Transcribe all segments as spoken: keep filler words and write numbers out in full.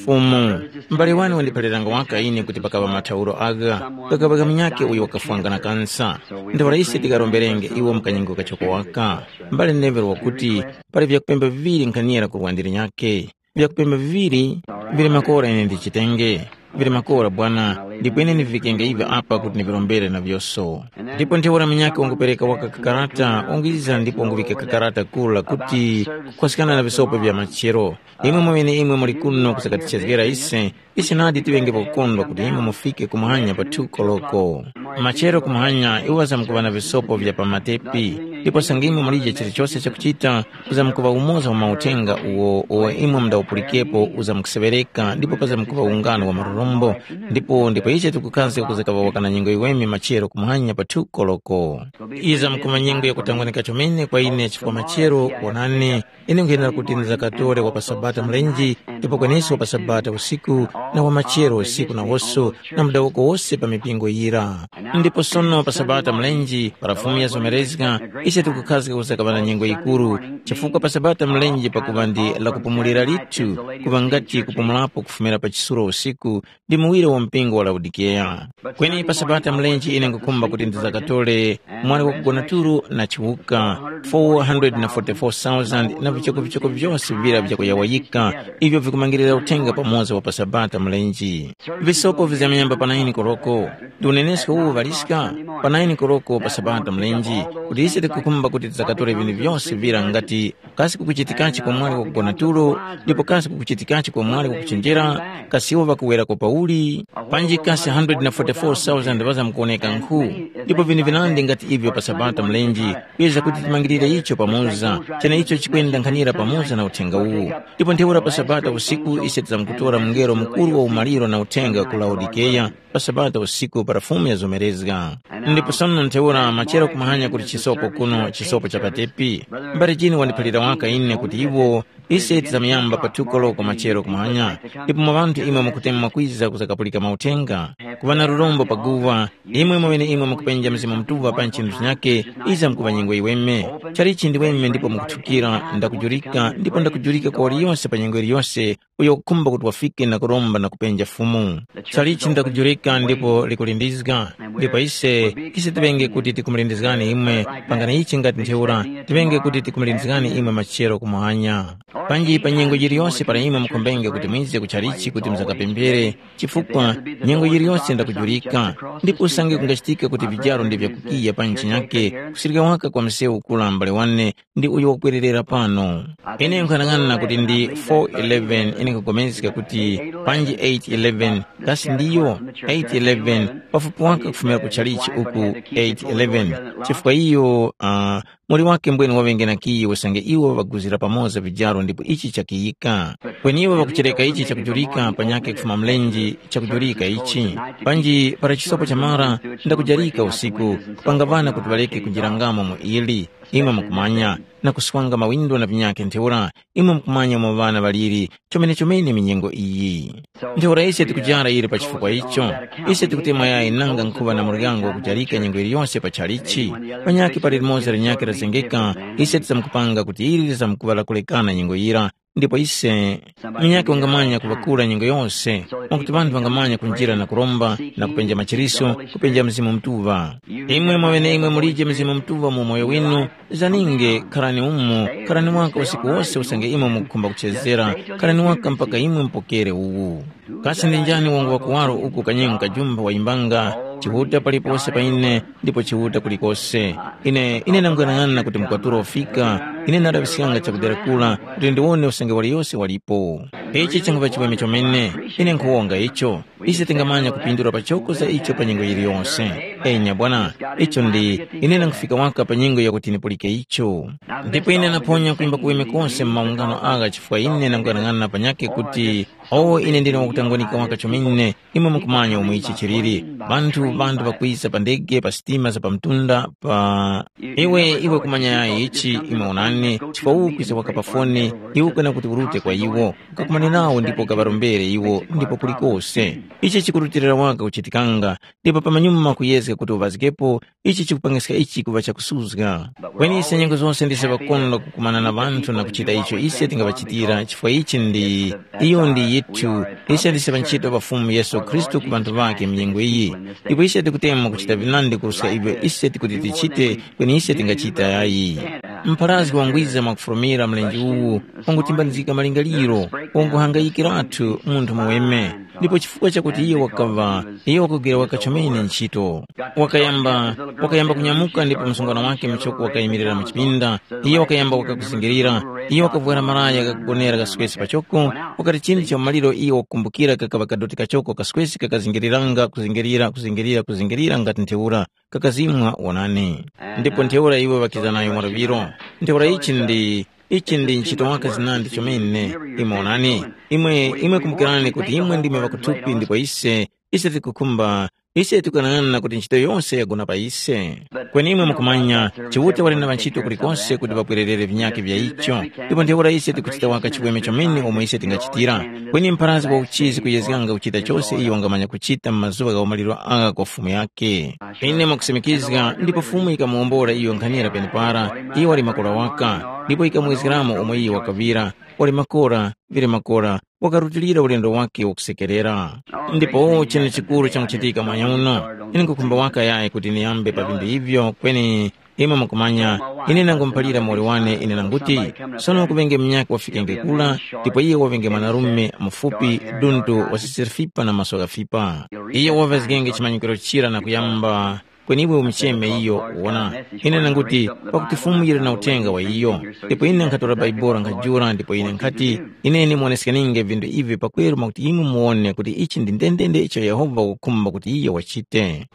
Fumu, m'bale wane wandiphaliranga waka ine kuti pakaŵa mathauro agha, kakabaka munyakhe uyo wakafwanga na kansa. Ntheura ise tikaromberenge iwo mu kanyengo kachoko waka. M'bale Neville wakuti, pali vyakupemba viŵiri nkhanira ku lwandi linyakhe. Vyakupemba viŵiri vili makora ine ndichitenge. Vili makora bwana, ndipo ine ndivikenge ivi apa kuti ndivirombere na vyoso. Ndipo ntheura munyakhe wangupereka waka kakarata, wanguyiza ndipo wanguŵika kakarata kula kuti kukhwaskana na visopo vya machero. Imwe mweneimwe muli kuno kusakatichezgera ise, ise nadi tiŵenge pakukondwa kuti imwe mufike kumuhanya pa thuko loko. Machero kumuhanya iwo ŵazamkuŵa na visopo vya pa matepi, ndipo sangimwe mulije chilichose chakuchita, uzamkuŵa umoza wa mauthenga uwo uwo imwe mundawupulikepo uzamkuseŵereka ndipo pazamkuŵa ungano wa marurombo, ndipo ndipo iche tikukhazga kuzakaŵa waka na nyengo yiweme machero kumuhanya pa thuko loko. Iza mkuma nyengo yakutangwanika chomene kwa ine chifukwa machero wonani, ine nkuyenda kuti ndizakatore wa pa Sabata mlenji, ndipo kweneso wa pa Sabata usiku, na wa machero usiku nawoso, na mudawoko wose pa mipingo yira. Ndipo sono pa Sabata mlenji, para Fumu yazomerezga, ise tikukhazga kusakaŵana nyengo yikuru, chifukwa pa Sabata mlenji pakuŵa ndi lakupumulira lithu, kuŵa ngati kupumulapo kufumira pa chisulo usiku, ndi muwire wa mpingo wa Laodikeya. Kweni pa Sabata mlenji ine nkukhumba kuti ndizakatole mwali wakugona tulo na chiwuka, four hundred forty-four thousand na vichoko vichoko vyose vira vyakuyawayika, ivyo vikumangirira uthenga pamoza wa pa Sabata mlenji. Visopo vizamyamba pa naini koloko. Ndi unenesko uwu ŵaliska pa naini koloko pa Sabata mlenji, kuti ise tikukhumba kuti tizakatole vinthu vyose vira ngati kasi kukuchitikachi kwa mwali wakugona tulo, ndipo kasi kukuchitikachi kwa mwali wakuchenjera, kasi iwo ŵakuwerako pauli? Panji kasi hundred na forty-four thousand ŵazamkuwoneka nkhu? Ndipo vinthu vinandi ngati ivyo pa Sabata mlenji, kuyeza kuti timangirire icho pamoza, cheneicho chikwenda nkhanira pamoza na uthenga uwu. Ndipo ntheura pa Sabata usiku ise tizamkutora mungelo mukuru wa umaliro na uthenga ku Laodikeya, pa Sabata usiku para Fumu yazomerezga. Ndipo sono ntheura machero kumahanya kuti chisopo kuno, chisopo cha patepi. Mbali chini wandiphalira waka ine kuti iwo, ise tizamuyamba pa thuko loko machero kumahanya, ndipo mwa ŵanthu imwe mukutemwa kwiza kuzakapulika mauthenga, kuŵa na lurombo pa guwa, imwe mweneimwe mukupenja Mzimu Mutuŵa pa nchinthu chinyakhe, iza mukuŵa nyengo yiweme. Chalichi ndi weme ndipo mukuthukira, ndakujurika, ndipo ndakujurika kwa waliyose pa nyengo yiliyose, uyo wakukhumba kuti wafike na kuromba na kupenja Fumu. Chalichi ndakujurika ndipo likulindizga, ndipo ise, ise tiŵenge kuti tikumulindizgani imwe, pangani ichi ngati ntheura, tiŵenge kuti tikumulindizgani imwe machero kumuhanya. Panji pa nyengo yiliyose para imwe mukhombenge kuti mwize ku chalichi kuti muzakapemphere, chifukwa nyengo yiliyose ndakujurika, ndipo usange kungachitika kuti vijaro ndi vyakukiya pa nchinyake, kusirika waka kwa msewu kula mbale wane, ndi uyo wakwererera pano. Ine nkhanang'ana kuti ndi four eleven, ine nkapulikana kuti panji eight eleven, kasi ndiyo eight eleven, pafupi waka kufumira ku chalichi uku eight eleven, chifukwa iyo uh, muli wake mbwene waŵenge na kiyi usange iwo ŵaguzira pamoza vijaro ndipo ichi chakiyika. Kweni iwo ŵakuchereka ichi chakujulika panyakhe kufuma mlenji chakujulika ichi. Panji para chisopo chamara, ndakujarika usiku, kupanga ŵana kuti ŵaleke kunjirangamo mu ili. Imwe mukumanya, na kuswanga mawindo na vinyakhe ntheura, imwe mukumanya umo ŵana ŵaliri, chomene-chomene minyengo iyi. Ntheura ise tikujara ili pa chifukwa icho. Ise tikutemwa yayi nanga nkhuŵa na muryango wakujarika nyengo yiliyose pa chalichi. Panyakhe pali limoza linyakhe lazengeka, ise tizamkupanga kuti ili lizamkuŵa lakulekana nyengo yira, ndipo ise, munyakhe wangamanya kuŵakula nyengo yose, mwakuti ŵanthu ŵangamanya kunjira na kuromba, na kupenja machiriso, kupenja Mzimu Mutuŵa. Imwe mwaŵeneimwe mulije Mzimu Mutuŵa mu umoyo winu, zaninge, kharani umo, kharani waka usiku wose usange imwe mukukhumba kuchezera, kharani waka mpaka imwe mupokere uwu. Kasi ndi njani wangu wakuwaro uku kanyengo kajumba wayimbanga, Chiuta palipose pa ine, ndipo Chiuta kulikose. Ine, ine nanguyang'ana kuti mkwatulo wafika, ine ndalaŵiskanga chakudera kula kuti ndiwone usange waliyose walipo. Ichi changuŵa chiweme chomene, ine nkhuwonga icho. Ise tingamanya kupindula pachoko za icho pa nyengo yiliyonse. Enya bwana, icho ndi, ine nangufika waka pa nyengo yakuti nipulike icho. Ndipo ine naphonya kuimba kuweme konse mu maungano agha chifukwa ine nanguyang'ana panyakhe kuti, o ine ndine wakutangwanika waka chomene, imwe mukumanya umo ichi chiliri. Ŵanthu, ŵanthu ŵakwiza pa ndege, pa sitima za pamtunda, pa iwe, iwe kumanya yayi ichi, imwe onani, chifukwa uwu kwiza waka pa foni, iwe kwena kuti urute kwa iwo, ukakumane nawo ndipo ukaŵarombere iwo, ndipo kulikose. Ichi chikurutilira waka kuchitikanga, ndipo pamanyuma kuyezga kuti uŵazgepo, ichi chikupangiska ichi kuŵa chakusuzga. Kweni ise nyengo zose ndise ŵakondwa kukumana na ŵanthu na kuchita icho ise tingaŵachitira, chifukwa ichi ndi iyo ndi yithu, ise ndise ŵanchito ŵa Fumu Yesu Khristu ku ŵanthu ŵakhe m'nyengo iyi. Ndipo ise tikutemwa kuchita vinandi kuruska ivyo ise tikuti tichite, kweni ise tingachita yayi. Mpharazgi wangwiza mwakufurumira mlenje uwu, wangutimbanizgika malingaliro, wanguhangayikiratu munthu muweme. Ndipo chifukwa chakuti iye wakaŵa, iye wakugwira waka chomene ntchito. Wakayamba, wakayamba kunyamuka ndipo msungwana wake muchoko wakayimirira mu chipinda, iye wakayamba wakakuzingirira, iye wakavwara malaya ghakugonera gaswesi pachoko, wakati chindi cha maliro iye wakukumbukira kakaŵa kadoti kachoko kaswesi kakazingiriranga kuzingirira, kuzingirira, kuzingirira ngati ntheura, kakazimwa wonani. Ndipo ntheura iwo ŵakiza nayo mwaluŵiro. Ntheura ichi ndi, ichi ndi ntchito waka zinandi chomene. Imwe wonani, imwe, imwe kumbukirani kuti imwe ndimwe ŵakuthupi ndipo ise, ise tikukhumba, ise tikanang'ana kuti ntchito yose yagona pa ise. Kweni imwe mukumanya, Chiuta wali na ŵantchito kulikose kuti ŵapwererere vinyakhe vya icho, ndipo ntheura ise tikuchita waka chiweme chomene omwe ise tingachitira. Kweni mpharazgi wa uchizi kuyezganga kuchita chose iyo wangamanya kuchita mu mazuŵa gha umaliro agha kwa Fumu yake. Ine mwakusimikizga ndipo Fumu yikamuwombora iyo nkhanira penepara, iyo wali makora waka, ndipo yikamuwezgeramo omwe iyo wakaŵira, wali makora, vile makora, wakarutilira ulendo wake wakusekerera. Ndipo chinu chikuru changuchitika mwanya uno, ine nkukhumba waka yayi kuti niyambe pa vinthu ivyo, kweni imwe mukumanya, ine nangumuphalira muwoli wane ine nanguti, sono kuŵenge munyakhe wafikenge kula, ndipo iye waŵenge mwanarume mufupi, duntu wasisira fipa na maso ghafipa. Iye waŵazgenge chimanyikiro chira na kuyamba kweni iwe umucheme iyo, wona, ine nanguti, pakuti Fumu yili na uthenga wa iyo. Ndipo ine nkhatora Baibuli nkhajula ndipo ine nkhati, ine ndimuwoneskeninge vinthu ivi pakweru mwakuti imwe muwone kuti ichi ndi ndendende icho Yehova wakukhumba kuti iyo wachite.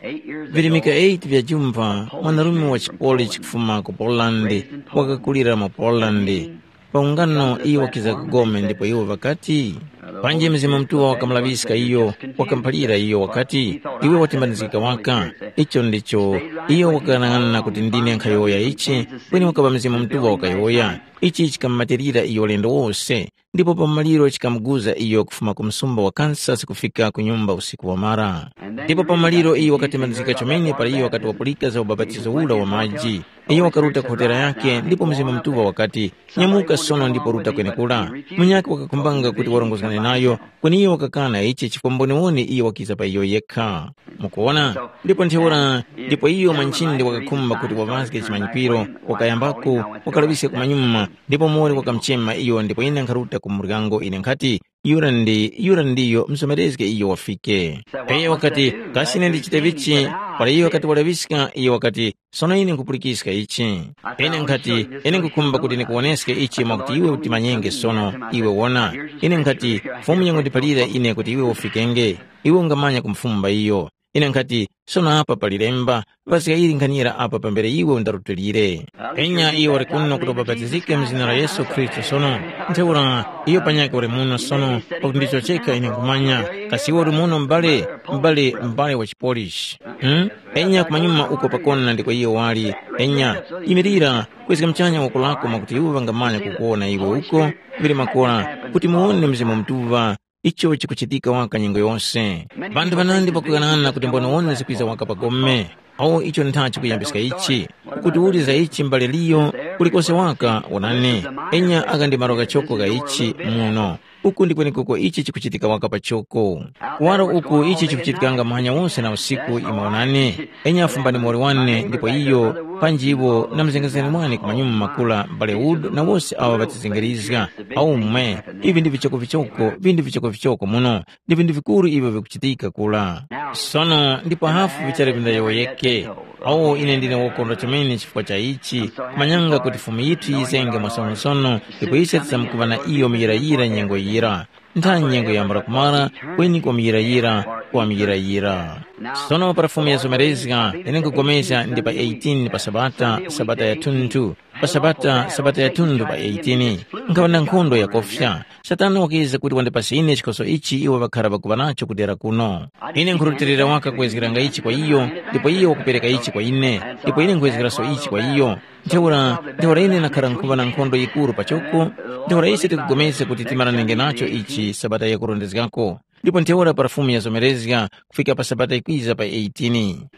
Virimika eight vya jumva, mwanarume wa chipoli chikufuma ku Poland, wakakulira mu Poland. Pa ungano iyo wakiza ku gome ndipo iwo ŵakati, panji Mzimu Mutuŵa wakamulaŵiska iyo, wakamuphalira iyo wakati, iwe watimbanizgika waka. Icho ndicho iyo wakaghanag'ana kuti ndine nkhayowoya ichi, kweni wakaŵa Mzimu Mutuŵa wakayowoya. Ichi chikamumatirira iyo ulendo wose, ndipo pa maliro chikamuguza iyo kufuma ku msumba wa Kansas kufika ku nyumba usiku wamara. Ndipo pa maliro iyo wakatimbanizgika chomene para iyo wakati wapulika za ubapatizo ura wa maji. Iyo wakaruta ku hotera yake ndipo Mzimu Mutuŵa wakati, nyamuka sono ndipo ruta kwenekura. Munyakhe wakakhumbanga kuti warongozgane nayo, kweni iyo wakakana ichi chifukwa mboniwoni iyo wakiza pa iyo yekha. Mukuwona? Ndipo ntheura, ndipo iyo mwanchindi wakakhumba kuti waŵazge chimanyikwiro, wakayambako, wakalaŵiska kumanyuma, ndipo muwoli wakamuchema iyo ndipo ine nkharuta ku muryango ine nkhati, yura ndi, yura ndiyo msomerezge iyo wafike. Iyo wakati, kasi ine ndichite vichi? Para iyo wakati walaŵiska, iyo wakati, sono ine nkhupulikiska ichi. Ine nkhati, ine nkhukhumba kuti ndikuwoneske ichi mwakuti iwe utimanyenge sono, iwe wona. Ine nkhati, Fumu yangondiphalira ine kuti iwe ufikenge, iwe ungamanya kumufumba iyo. Ine nkhati, sono apa pali lemba, paska ili nkhanira apa pambere iwe undarutulire. Enya iyo wali kuno kuti ubapatizike mu zina la Yesu Khristu sono. Ntheura, iyo panyakhe wali muno sono, pakuti ndicho chekha ine nkhumanya. Kasi iwe uli muno m'bale, m'bale, m'bale wa chipolishi? Hmm? Enya kumanyuma uko pakona ndiko iyo wali. Enya, yimirira, kwezga mchanya woko lako mwakuti iwo ŵangamanya kukuwona iwe uko, vili makora, kuti muwone Mzimu Mutuŵa, icho chikuchitika waka nyengo yose. Vanthu vanandi vakuyang'ana kuti mboniwoni zikwiza waka pa gome. Awo icho ntha chikuyambiska ichi, ukuti uli za ichi mbale liyo, kulikose waka, wonani, enya aka ndi malo ghachoko gha ichi muno. Uku ndi kwenekuko ichi chikuchitika waka pachoko. Kuwaro uku ichi chikuchitikanga muhanya wose na usiku imwe wonani, enya afumbani muwoli wane ndipo iyo, panji iwo na mzengezgani mwane kumanyuma makula mbale Wood na wose awo ŵatizengerizga. Aumwe, ivi ndi vichokovichoko, vinthu vichokovichoko muno, ndi vinthu vikuru ivyo vikuchitika kula. Sono ndipo hafu vichali vindayowoyeke. Awo ine ndine wokondwa chomene chifukwa cha ichi, kumanyanga kuti Fumu yithu yizenge mwasonosono, ndipo ise tisamkuva na iyo muyirayira nyengo yira. Ntha nyengo yambula kumara, kweni kwa muyirayira, kwa muyirayira. Sono para Fumu yazomerezga, ine nkugomezga ndi pa eighteen pa Sabata, Sabata ya thunthu, pa Sabata, Sabata ya thunthu pa eighteen, nkhaŵa na nkhondo yakofya. Satana wakiza kuti wandipase ine chikhoso ichi iwo ŵakhara ŵakuŵa nacho kudera kuno. Ine nkhurutilira waka kuwezgeranga ichi kwa iyo, ndipo iyo wakupereka ichi kwa ine, ndipo ine nkhwezgeraso ichi kwa iyo. Ntheura, ntheura ine nakhara nkhuŵa na nkhondo yikuru pachoko, ntheura ise tikugomezga kuti timaranenge nacho ichi Sabata yakurondezgako. ndipo ntheura para Fumu yazomerezga kufika pa Sabata yikwiza pa eighteen.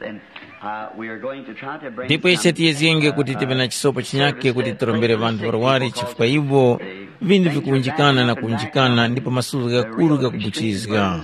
And, uh, we are going to try to bring Ndipo ise some, tiyezgenge kuti tive na chisopo chinyakhe kuti tirombere vanthu ŵarwari chifukwa iwo vinthu vikuwunjikana na kuwunjikana ndipo masuzo ghakuru ghakubuchizga.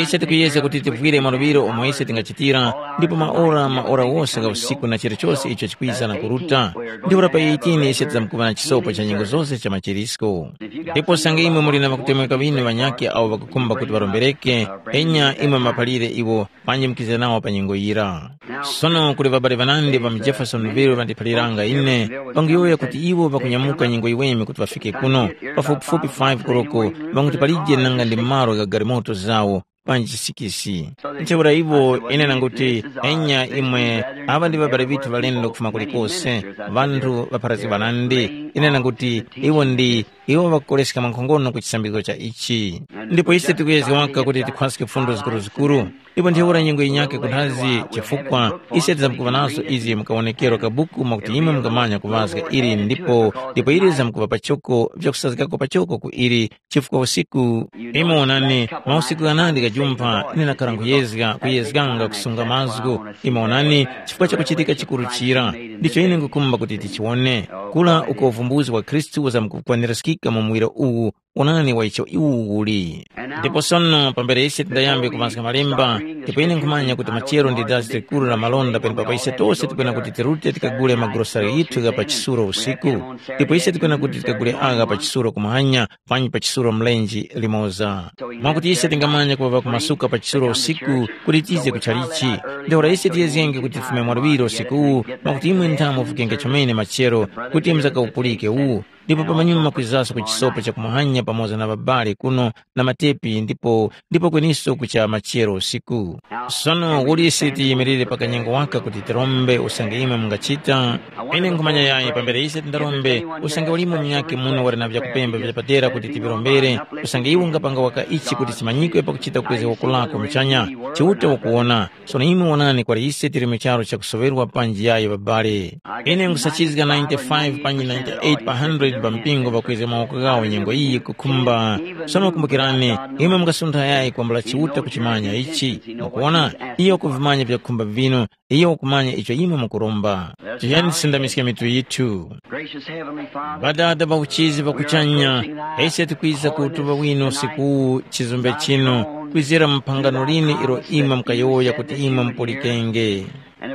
Ise tikuyezga kuti tivwire maluŵiro omwe ise tingachitira ndipo maora maora wose gha usiku na chilichose icho chikwiza na kuruta. Ndipo pa eighteen ise tizamkuŵa na chisopo cha nyengo zose cha machirisko. Ndipo sange imwe muli na ŵakutemweka ŵinu ŵanyakhe awo ŵakukhumba kuti ŵarombereke, enya imwe maphalire iwo panji mukize nawo pa nyengo yira. Sono kuli ŵabale ŵanandi ŵa mu Jeffersonville ŵandiphaliranga ine, ŵanguyowoya kuti iwo ŵakunyamuka nyengo yiweme kuti ŵafike kuno, pafupifupi five koloko, ŵanguti palije nanga ndi malo gha galimoto zawo, panji sikisi. Ntheura iwo ine nanguti, enya imwe, aŵa ndi ŵabale ŵithu ŵalendo kufuma kulikose, ŵanthu ŵapharazgi ŵanandi, ine nanguti, iwo ndi, iwo ŵakukoleska mwankhongono ku chisambizgo cha ichi. Ndipo ise tikuyezga waka kuti tikhwaske fundo zikuruzikuru, ndipo ntheura nyengo yinyakhe kunthazi chifukwa ise tizamkuŵa nazo izi mukawonekero ka buku mwakuti imwe mungamanya kuŵazga ili ndipo ndipo ili zamkuŵa pachoko vyakusazgako pachoko ku ili chifukwa usiku imwe wonani mausiku ghanandi ghajumpha ine nakhala nkhuyezga kuyezganga kusunga mazgu imwe wonani chifukwa chakuchitika chikuru chira ndicho ine ngukumba kuti tichiwone kula uko uvumbuzi wa Khristu uzamkukwanirizgika mu muwiro uwu Onani wa icho iwu uli. Ndipo sono pambere ise tindayambe kuŵazga malemba, ndipo ine nkhumanya kuti machero ndi dazi likuru la malonda penepapo ise tose tikwena kuti tirute tikagule magurosari yithu gha pa chisulo usiku. Ndipo ise tikwena kuti tikagule agha pa chisulo kumuhanya panji pa chisulo mlenje limoza. Mwakuti ise tingamanya kuŵa ŵakumasuka pa chisulo usiku kuti tize ku chalichi. Ntheura ise tiyezgenge kuti tifume mwaluŵiro usikuwu mwakuti imwe nthamu mufikenge chomene machero kuti muzakawupulike uwu. Ndipo pamanyuma kwizaso ku chisopo cha kumuhanya pamoza na ŵabale kuno na matepi ndipo ndipo kweniso kucha machero usiku. Sono uli ise tiyimirire pa kanyengo waka kuti tirombe usange imwe mungachita? Ine nkhumanya yayi pambere ise tindarombe usange ulimo munyakhe muno wali na vyakupemba vyapadera kuti tivirombere usange iwe ungapanga waka ichi kuti chimanyikwe pakuchita kukwezga woko lako muchanya. Chiuta wakuwona. Sono imwe wonani kwali ise tili mu charu chakusoŵerwa panji yayi ŵabale. Ine nkhusachizga ninety-five panji ninety-eight pa hundred pa mpingo ŵakwezga mawoko ghawo nyengo iyi kukhumba. Sono kumbukirani, imwe mungasuntha yayi kwambula Chiuta kuchimanya ichi. Mukuwona, iyo wakuvimanya vyakukhumba vinu, iyo wakumanya icho imwe mukuromba. Tiyeni tisindamiske mitu yithu. Gracious Heavenly Father, Ŵadada ŵa uchizi ŵakuchanya, ise tikwiza kutuŵa wino usiku uwu chizumbe chinu, kwizira mu phangano linu ilo imwe mukayowoya kuti imwe mupulikenge.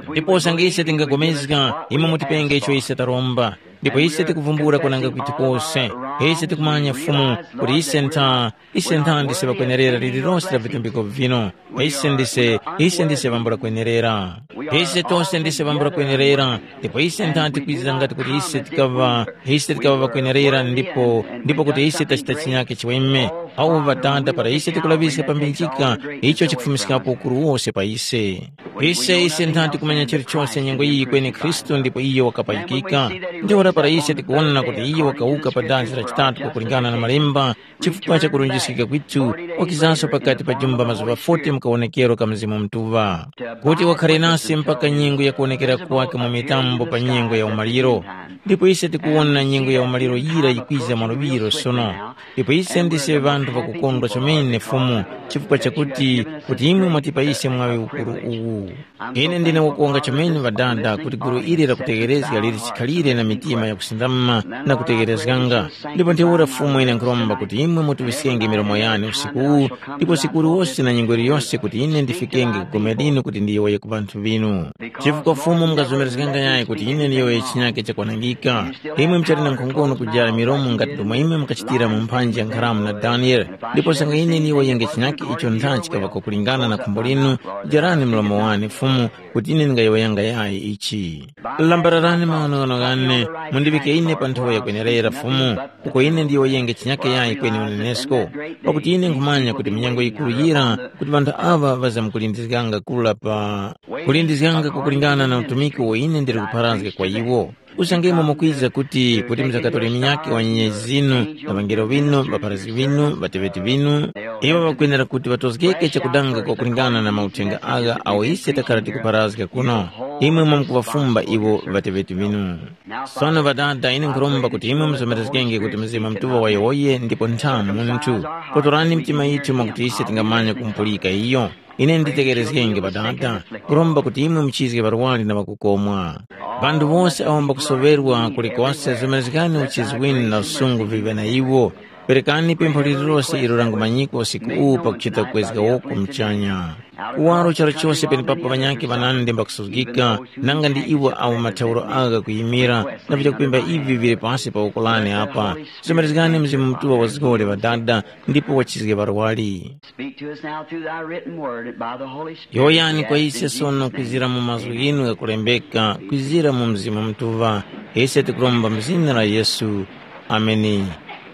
Ndipo usange ise tingapulikana, imwe mutipenge icho ise taromba. Ndipo ise tikuvumbula kwananga kwithu kose. Ise tikumanya Fumu kuti ise ntha, ise ntha ndise ŵakwenerera lililose la vitumbiko vino. Ise ndise, ise ndise ŵambula kwenerera. Ise tose ndise ŵambula kwenerera, ndipo ise ntha tikwiza ngati kuti ise tikaŵa, ise tikaŵa ŵakwenerera ndipo, ndipo kuti ise tachita chinyake chiweme. Awo ŵatanda para ise tikulaŵiska pambinjika, icho chikufumiskapo ukuru wose pa ise. Ise, ise ntha tikumanya chilichose nyengo iyi kweni Khristu ndipo iyo wakapayikika. Ntheura para ise tikuwona kuti iyo wakawuka pa danzi la chitatu kwakulingana na malemba, chifukwa cha kulunjiskika kwithu, wakizanso pakati pa jumba mazuŵa forty mu kawonekero ka Mzimu Mutuŵa, kuti wakhare nase mpaka nyengo ya kuwonekera kwake mu mitambo pa nyengo ya umaliro. Ndipo ise tikuwona nyengo ya umaliro yira yikwiza mwaluŵiro sono. Ndipo ise ndise ŵanthu ŵakukondwa chomene Fumu, chifukwa chakuti kuti imwe mwatipa ise mwaŵi ukuru uwu. Ine ndine wakuwonga chomene ŵadada kuti gulu ili lakutegherezga lili chikhalire na mitima yakusindama na kutegherezganga. Ndipo ntheura Fumu ine nkhuromba kuti imwe mutuŵiskenge milomo yane usiku uwu, ndipo usiku uliwose na nyengo iliyose kuti ine ndifikenge ku gome linu kuti ndiyowoye ku ŵanthu ŵinu. Chifukwa Fumu mungazomerezganga yayi kuti ine ndiyowoye chinyake chakwanangika. Imwe muchali na nkhongono kujara milomo ngati ndomwe imwe mukachitira mu mphanji ya nkharamu na Daniele. Ndipo sanga ine ndiyowoyenge chinyake icho ntha chikaŵa kwakulingana na khumbo linu, jarani mlomo wane Fumu, kuti ine ndingayowoyanga yayi ichi. Lambararani maghanoghano ghane, mundiŵike ine pa nthowa yakwenerera Fumu, uko ine ndiyowoyenge chinyake yayi kweni unenesko. Pakuti ine nkhumanya kuti minyengo yikuru yira kuti ŵanthu aŵa ŵazamkulindizganga kula pa kulindizganga kwakulingana na utumiki uwo ine ndili kupharazga kwa iwo. Usange imwe mukwiza kuti kuti muzakatole minyake wa nyenye zinu na ŵangelo ŵinu, ŵapharazgi ŵinu, ŵateŵeti ŵinu, iwo ŵakwenera kuti ŵatozgeke chakudanga kwakulingana na mauthenga agha awo ise takhara tikupharazga kuno. imwe mwamkuvafumba iwo ŵateŵeti ŵinu. Sono Ŵadada, ine nkhuromba kuti imwe muzomerezgenge kuti Mzimu Mutuŵa wayowoye ndipo nthamu munthu. Kotorani mitima yithu mwakuti ise tingamanya kumupulika iyo. Ine nditekerezgenge Ŵadada, kuromba kuti imwe muchizge ŵarwari na ŵakukomwa. Ŵanthu wose awo mbakusoŵerwa kulikose zomerezgani uchizi winu na usungu viŵe na iwo. Perekani pempho lililose ilo langumanyikwa usiku uwu pakuchita kwezga woko muchanya. Kuwaro chara chose penepapo ŵanyakhe ŵanandi mbakusuzgika, nanga ndi iwo awo mathauro agha kuyimira, na vya kupemba ivi vili pasi pa woko lane apa. Somerezgani Mzimu Mutuŵa wazgore Ŵadada, ndipo wachizge ŵarwari. Speak to us now through thy written word and by the Holy Spirit. Yoyani kwa ise sono kwizira mu mazgu ghinu ghakulembeka, kwizira mu Mzimu Mutuŵa. Ise tikuromba mu zina la Yesu. Ameni.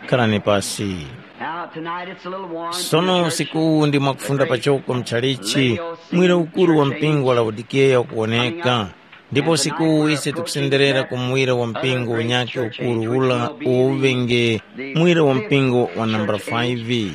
Kharani pasi. Now, tonight it's a little warm. Sono usiku uwu ndi mwakufunda pachoko mchalichi, mwira ukuru wa mpingo wa Laodikeya ukuwoneka. Ndipo usiku uwu ise tikusenderera ku mwira wa mpingo unyakhe ukuru ula uwo uŵenge mwira wa mpingo wa nambala five.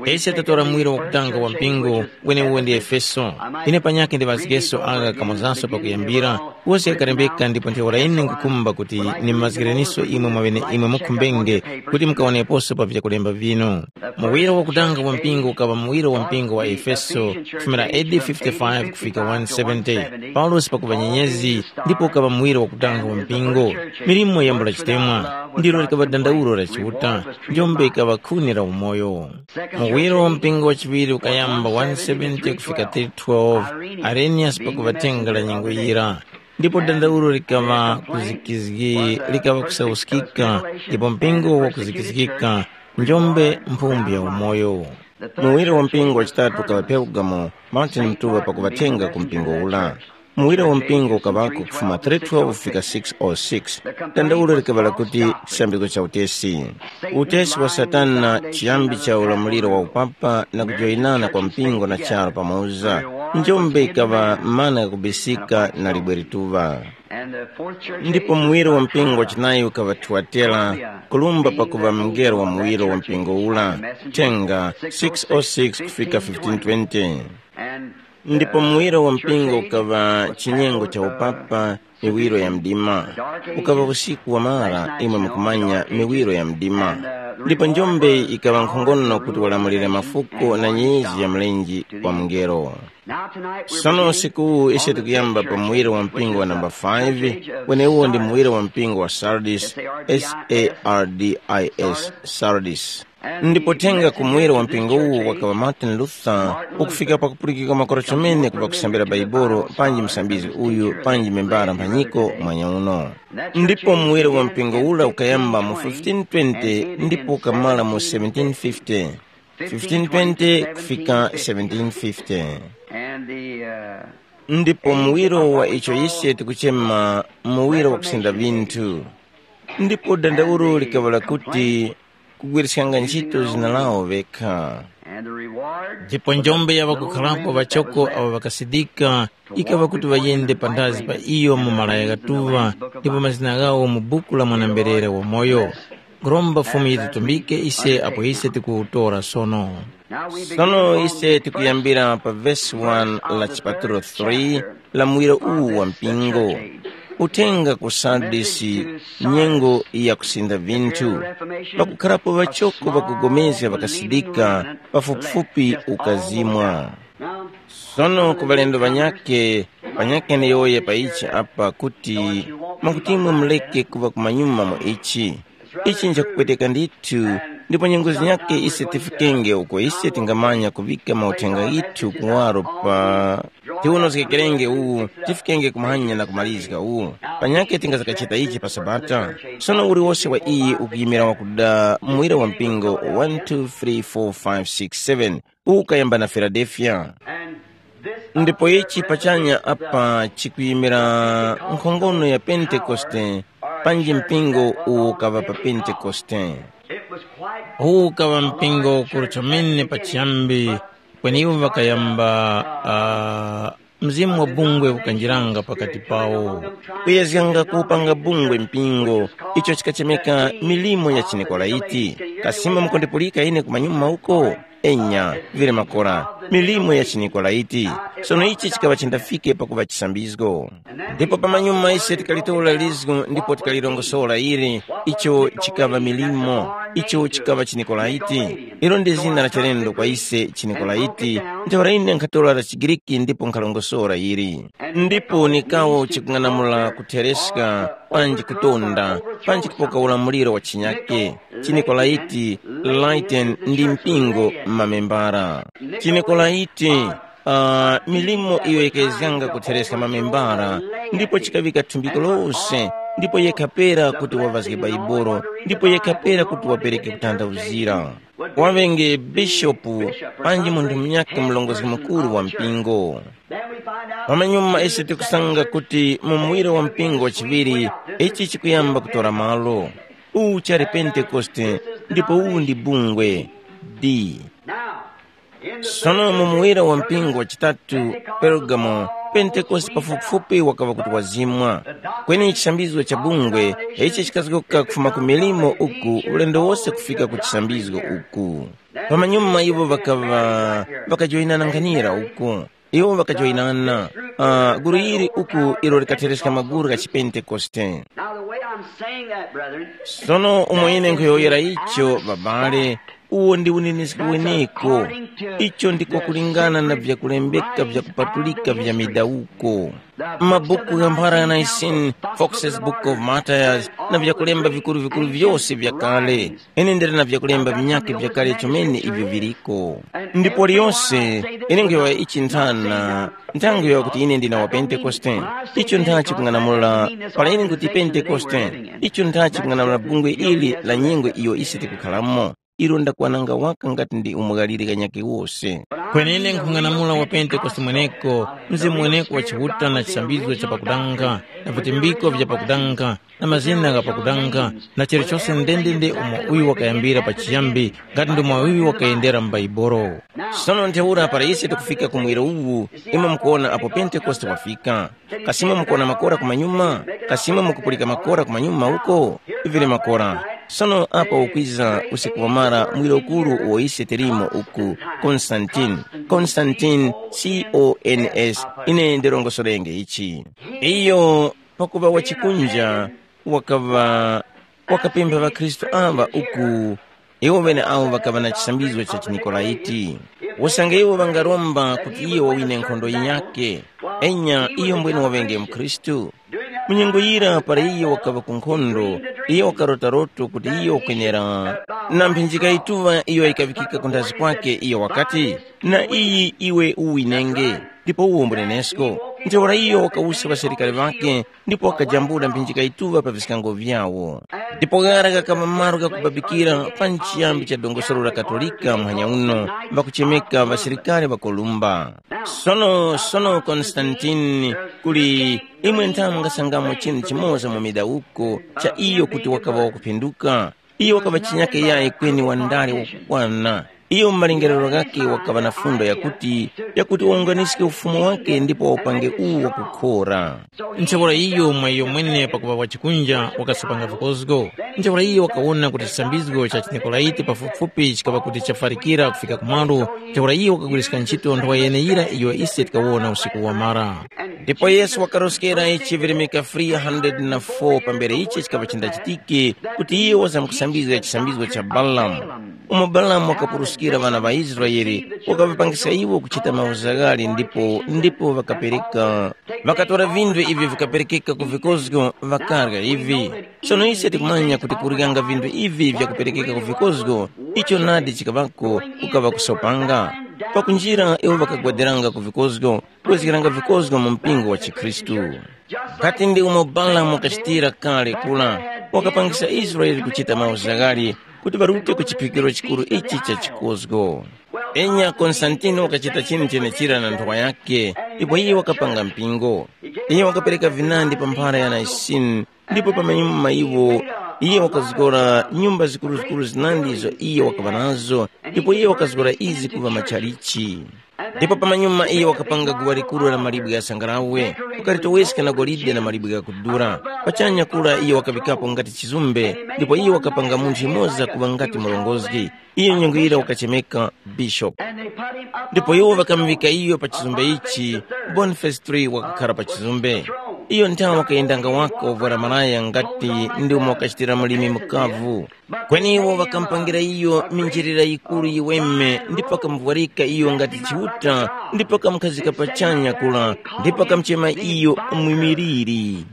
Ise tatora mwira wakutanga wa mpingo, weneuwo ndi Efeso. Ine panyakhe ndiŵazgeso agha kamozaso pakuyambira, wose ghakalembeka ndipo ntheura ine nkukhumba kuti nimazgireniso imwe mwaŵene imwe mukhumbenge kuti mukawoneposo pa vyakulemba vinu. Muwiro wakutanga wa mpingo ukaŵa muwiro wa mpingo wa Efeso, kufumira A D fifty-five kufika one seventy, Paulosi pakuŵa nyenyezi, ndipo ukaŵa muwiro wakutanga wa mpingo. Milimo yambula chitemwa, ndilo likaŵa dandaulo la Chiuta, njombe ikaŵa khuni la umoyo. Muwiro wa mpingo wachiŵiri ukayamba one seventy kufika three twelve, Arenius pakuŵa thenga la nyengo yira. Ndipo dandaulo likaŵa kuzikizgi, likaŵa kusauskika, ndipo mpingo wakuzikizgika, njombe mphumbu ya umoyo. Muwiri wa mpingo wachitatu ukaŵa Pergamo, Martin Mtuŵa pakuŵathenga ku mpingo ula. Muwiri wa mpingo ukaŵako kufuma three twelve kufika six oh six. Dandaulo likaŵa lakuti chisambiko cha utesi. Utesi wa Satana, chiyambi cha ulamuliro wa upapa na kujoyinana kwa mpingo na charu pamoza. Njombe ikaŵa mana ghakubisika na libwe lituŵa. Ndipo muwiri wa mpingo wachinayi ukaŵa Thuatera, kulumba pakuŵa mngelo wa muwiro wa mpingo ura, thenga six oh six kufika fifteen twenty. Ndipo muwiro wa mpingo ukaŵa chinyengo cha upapa, miwiro ya mdima. Ukaŵa usiku wa mara, imwe mukumanya miwiro ya mdima. Ndipo njombe ikaŵa nkhongono kuti walamulire mafuko na nyenyezi ya mlenje wa mngelo. Sono usiku uwu ise tikuyamba pa muwiro wa mpingo wa namba five, weneuwo ndi muwiro wa mpingo wa Sardis, S A R D I S, Sardis. Ndipo thenga ku muwiro wa mpingo uwu wakaŵa Martin Luther, ukufika pakupulikika makora chomene kuŵa kusambira Baibolo, panji musambizgi uyu, panji membara mphanyiko mwanya uno. Ndipo muwiro wa mpingo ura ukayamba mu fifteen twenty ndipo ukamala mu seventeen fifty. fifteen twenty kufika seventeen fifty. And the, uh, ndipo muwiro wa icho ise tikuchema muwiro wa kusenda vinthu. Ndipo dandaulo likaŵa lakuti kugwiriskanga ntchito zina lawo vekha. And the reward ndipo njombe ya ŵakukhalapo ŵachoko awo ŵakasidika ikaŵa kuti ŵayende pandazi pa iyo mu malaya ghatuŵa, ndipo mazina ghawo mu buku la mwanamberera wamoyo. Nkhuromba Fumu yititumbike ise apo ise tikuwutora sono. Sono ise tikuyambira pa vesi one la chipatulo three la muwiro uwu wa mpingo. Uthenga ku Sardisi, nyengo ya kusinda vinthu. Pakukharapo ŵachoko ŵakugomezga ŵakasidika, pafupifupi ukazimwa. Sono ku ŵalendo ŵanyakhe, panyakhe ndiyowoye pa ichi apa kuti mwakuti imwe muleke kuŵa kumanyuma mu ichi. Ichi nchakupweteka ndithu, ndipo nyengo zinyakhe ise tifikenge uko ise tingamanya kuŵika mauthenga ghithu kuwaro pa tiwonozgekerenge uwu, tifikenge kumanya na kumalizga uwu. Panyakhe tingazakachita ichi pa Sabata. Sono uliwose wa iyi ukuyimira wakuda muwira wa mpingo one two three four five six seven. Ukayamba na Filadelfiya. Ndipo ichi pachanya apa chikuyimira nkhongono ya Pentekoste, panji mpingo uwo ukaŵa pa Pentekoste. Uwu ukaŵa mpingo ukuru chomene pachiyambi, kweni iwo ŵakayamba, ah, mzimu wa bungwe ukanjiranga pakati pawo. Kuyezganga kupanga bungwe mpingo, icho chikachemeka milimo ya chiNikolaiti. Kasima mukundipulika ine kumanyuma uko? Enya, vili makora, milimo ya chiNikolaiti. Sono ichi chikaŵa chindafike pakuŵa chisambizgo. Ndipo pamanyuma ise tikalitora lizgu ndipo tikalirongosora ili, icho chikaŵa milimo, icho chikaŵa chiNikolaiti. Ilo ndi zina la chilendo kwa ise chiNikolaiti. Ntheura ine nkhatora la chiGriki ndipo nkhalongosora ili. Ndipo nikawo chikung'anamula kuthereska, panji kutonda, panji kupoka ulamuliro wa chinyake. Chinikolaiti, Laiten ndi mpingo m'mamembara. Chinikolaiti, uh, milimo iyo yikayezyanga kuthereska mamembara, ndipo chikaŵika thumbiko lose, ndipo yekha pera kuti wavazge Baibolo, ndipo yekha pera kuti wapereke kutanthauzira. Waŵenge bishopu, panji munthu munyakhe murongozgi mukuru wa mpingo. Pamanyuma ise tikusanga kuti mu muwiro wa mpingo wa chiŵiri, ichi chikuyamba kutora malo. Uwu chali Pentekoste, ndipo uwu ndi bungwe. D. Sono mu muwiro wa mpingo wa chitatu, Pergamo, Pentekoste pafupifupi wakaŵa kuti wazimwa. Kweni chisambizo cha bungwe, ichi chikazgoka kufuma ku milimo uku ulendo wose kufika ku chisambizgo uku. Pamanyuma iwo ŵakaŵa ŵakajoyinana nkhanira uku. Iwo ŵakajoyinana, uh, gulu ili uku ilo likathereska maguru gha chipentekoste. Now, the way I'm saying that, brethren, sono umo ine nkhuyowoyera icho, babale, uwo ndi uneniski weneko. Icho ndiko kulingana na vyakulembeka vyakupatulika vya midawuko. Mabuku gha mphara ya Nicene, Fox's Book of Martyrs, na vyakulemba vikuru-vikuru vyose vyakale. Ine ndili na vyakulemba vinyakhe vyakale chomene ivyo viliko. Ndipo liyose, ine nkhuyowoya ichi nthana, nthangu yowoya kuti ine ndine wa Pentekoste. Icho nthachi kung'anamula, para ine nkuti Pentekoste, icho nthachi kung'anamula bungwe ili la nyengo iyo ise tikukhalamo. Ilo ndakwananga waka ngati ndi umughalire kanyakhe wose. Kwenene nkhung'anamula wa Pentekoste mweneko, mzimu mweneko wa Chiuta na chisambizgo cha pakudanga, na vitimbiko vya pakudanga, na mazina gha pakudanga, na chilichose ndendende umo uyu wakayambira pachiyambi, ngati ndomo uyu wakayendera mu Baibolo. Sono ntheura para ise tikufika ku mwiro uwu, imwe mukuwona apo Pentekoste wafika. Kasi imwe mukuwona makora kumanyuma? Kasi imwe mukupulika makora kumanyuma uko? Ivire makora. Sono apa ukwiza usiku wamara mwiro ukuru uwo ise tilimo uku, Konstantine. Konstantine, C O N S, ine ndirongosorenge ichi. Iyo pakuŵa wachikunja, wakaŵa wakapempha ŵakhristu aŵa uku, iwo ŵeneawo ŵakaŵa na chisambizgo cha chiNikolaiti. Usange iwo ŵangaromba kuti iye wawine nkhondo yinyakhe, enya iyo mbwene waŵenge mukhristu. Mu nyengo yira para iye wakaŵa ku nkhondo, iye wakarota loto kuti iye wakwenera na mphinjika yituŵa iyo yikaŵikika ku nthazi kwake, iyo wakati, na iyi iwe uwinenge, ndipo uwombolenesko. Ntheura iyo wakawuska ŵasilikari ŵakhe ndipo wakajambula mphinjika yituŵa pa viskango vyawo. Ndipo ghara ghakaŵa malo ghakubabikira pa nchiyambi cha dongosolo la Katolika muhanya uno, ŵakuchemeka ŵasilikari ŵa Kolumba. Sono, sono Konstantini, kuli imwe nthamu mungasangamo chinthu chimoza mu midawuko cha iyo kuti wakaŵa wakuphinduka. Iyo wakaŵa chinyake yayi kweni wandale wakukwana. Iyo mu malingaliro ghakhe wakaŵa na fundo yakuti, yakuti wawunganiske ufumu wake ndipo waupange uwu wakukhora. Ntheura iyo mwa iyo mwene pakuŵa wachikunja wakasopanga vikozgo. Ntheura iyo wakawona kuti chisambizgo cha chiNikolaiti pafupifupi chikaŵa kuti chafarikira kufika kumalo. Ntheura iyo wakagwiriska ntchito nthowa yeneyira iyo ise tikawona usiku wamara. Ndipo Yesu wakaroskera ichi virimika three hundred na four pambere ichi chikaŵa chindachitike, kuti iye wazamkusambizga chisambizgo cha Balamu. Umo Balamu wakapuruskira ŵana ŵa Israele, wakaŵapangisa iwo kuchita mauzaghali ndipo ndipo ŵakapereka, ŵakatora vinthu ivyo vikaperekeka ku vikozgo, ŵakarya ivi. Sono ise tikumanya kuti kuryanga vinthu ivi vyakuperekeka ku vikozgo, icho nadi chikaŵako, kukaŵa kusopanga. Pakunjira iwo ŵakagwadiranga ku vikozgo, kwezgeranga vikozgo mu mpingo wa chikhristu. Ngati ndi umo Balamu wakachitira kale kula, wakapangisa Israele kuchita mauzaghali kuti ŵarute ku chiphikiro chikuru ichi cha chikozgo. Enya Konstantini wakachita chinthu chenechira na nthowa yakhe, ndipo iye wakapanga mpingo. Iye wakapereka vinandi pa mphara ya Naisini, ndipo pamanyuma iwo Iye wakazgora nyumba zikuruzikuru zinandi izo iye wakaŵa nazo, ndipo iye wakazgora izi kuŵa matchalichi. Ndipo pamanyuma iye wakapanga guwa likuru la malibwe gha sangalawe, ukalitoweska na golide na malibwe ghakudura. Pachanya kura iye wakaŵikapo ngati chizumbe, ndipo iye wakapanga munthu yumoza kuŵa ngati murongozgi. Iyo nyengo yira wakachemeka Bishop. Ndipo iwo ŵakamuŵika iyo pa chizumbe ichi, Boniface three wakakhara pa chizumbe. Iyo nthawe wakayendanga waka wovwara malaya ngati ndi umo wakachitira mlimi mukavu. Kweni iwo ŵakamupangira iyo minjilira yikuru yiweme ndipo ŵakamuvwarika iyo ngati Chiuta, ndipo ŵakamukhazika pachanya kula, ndipo ŵakamuchema iyo mwimiliri.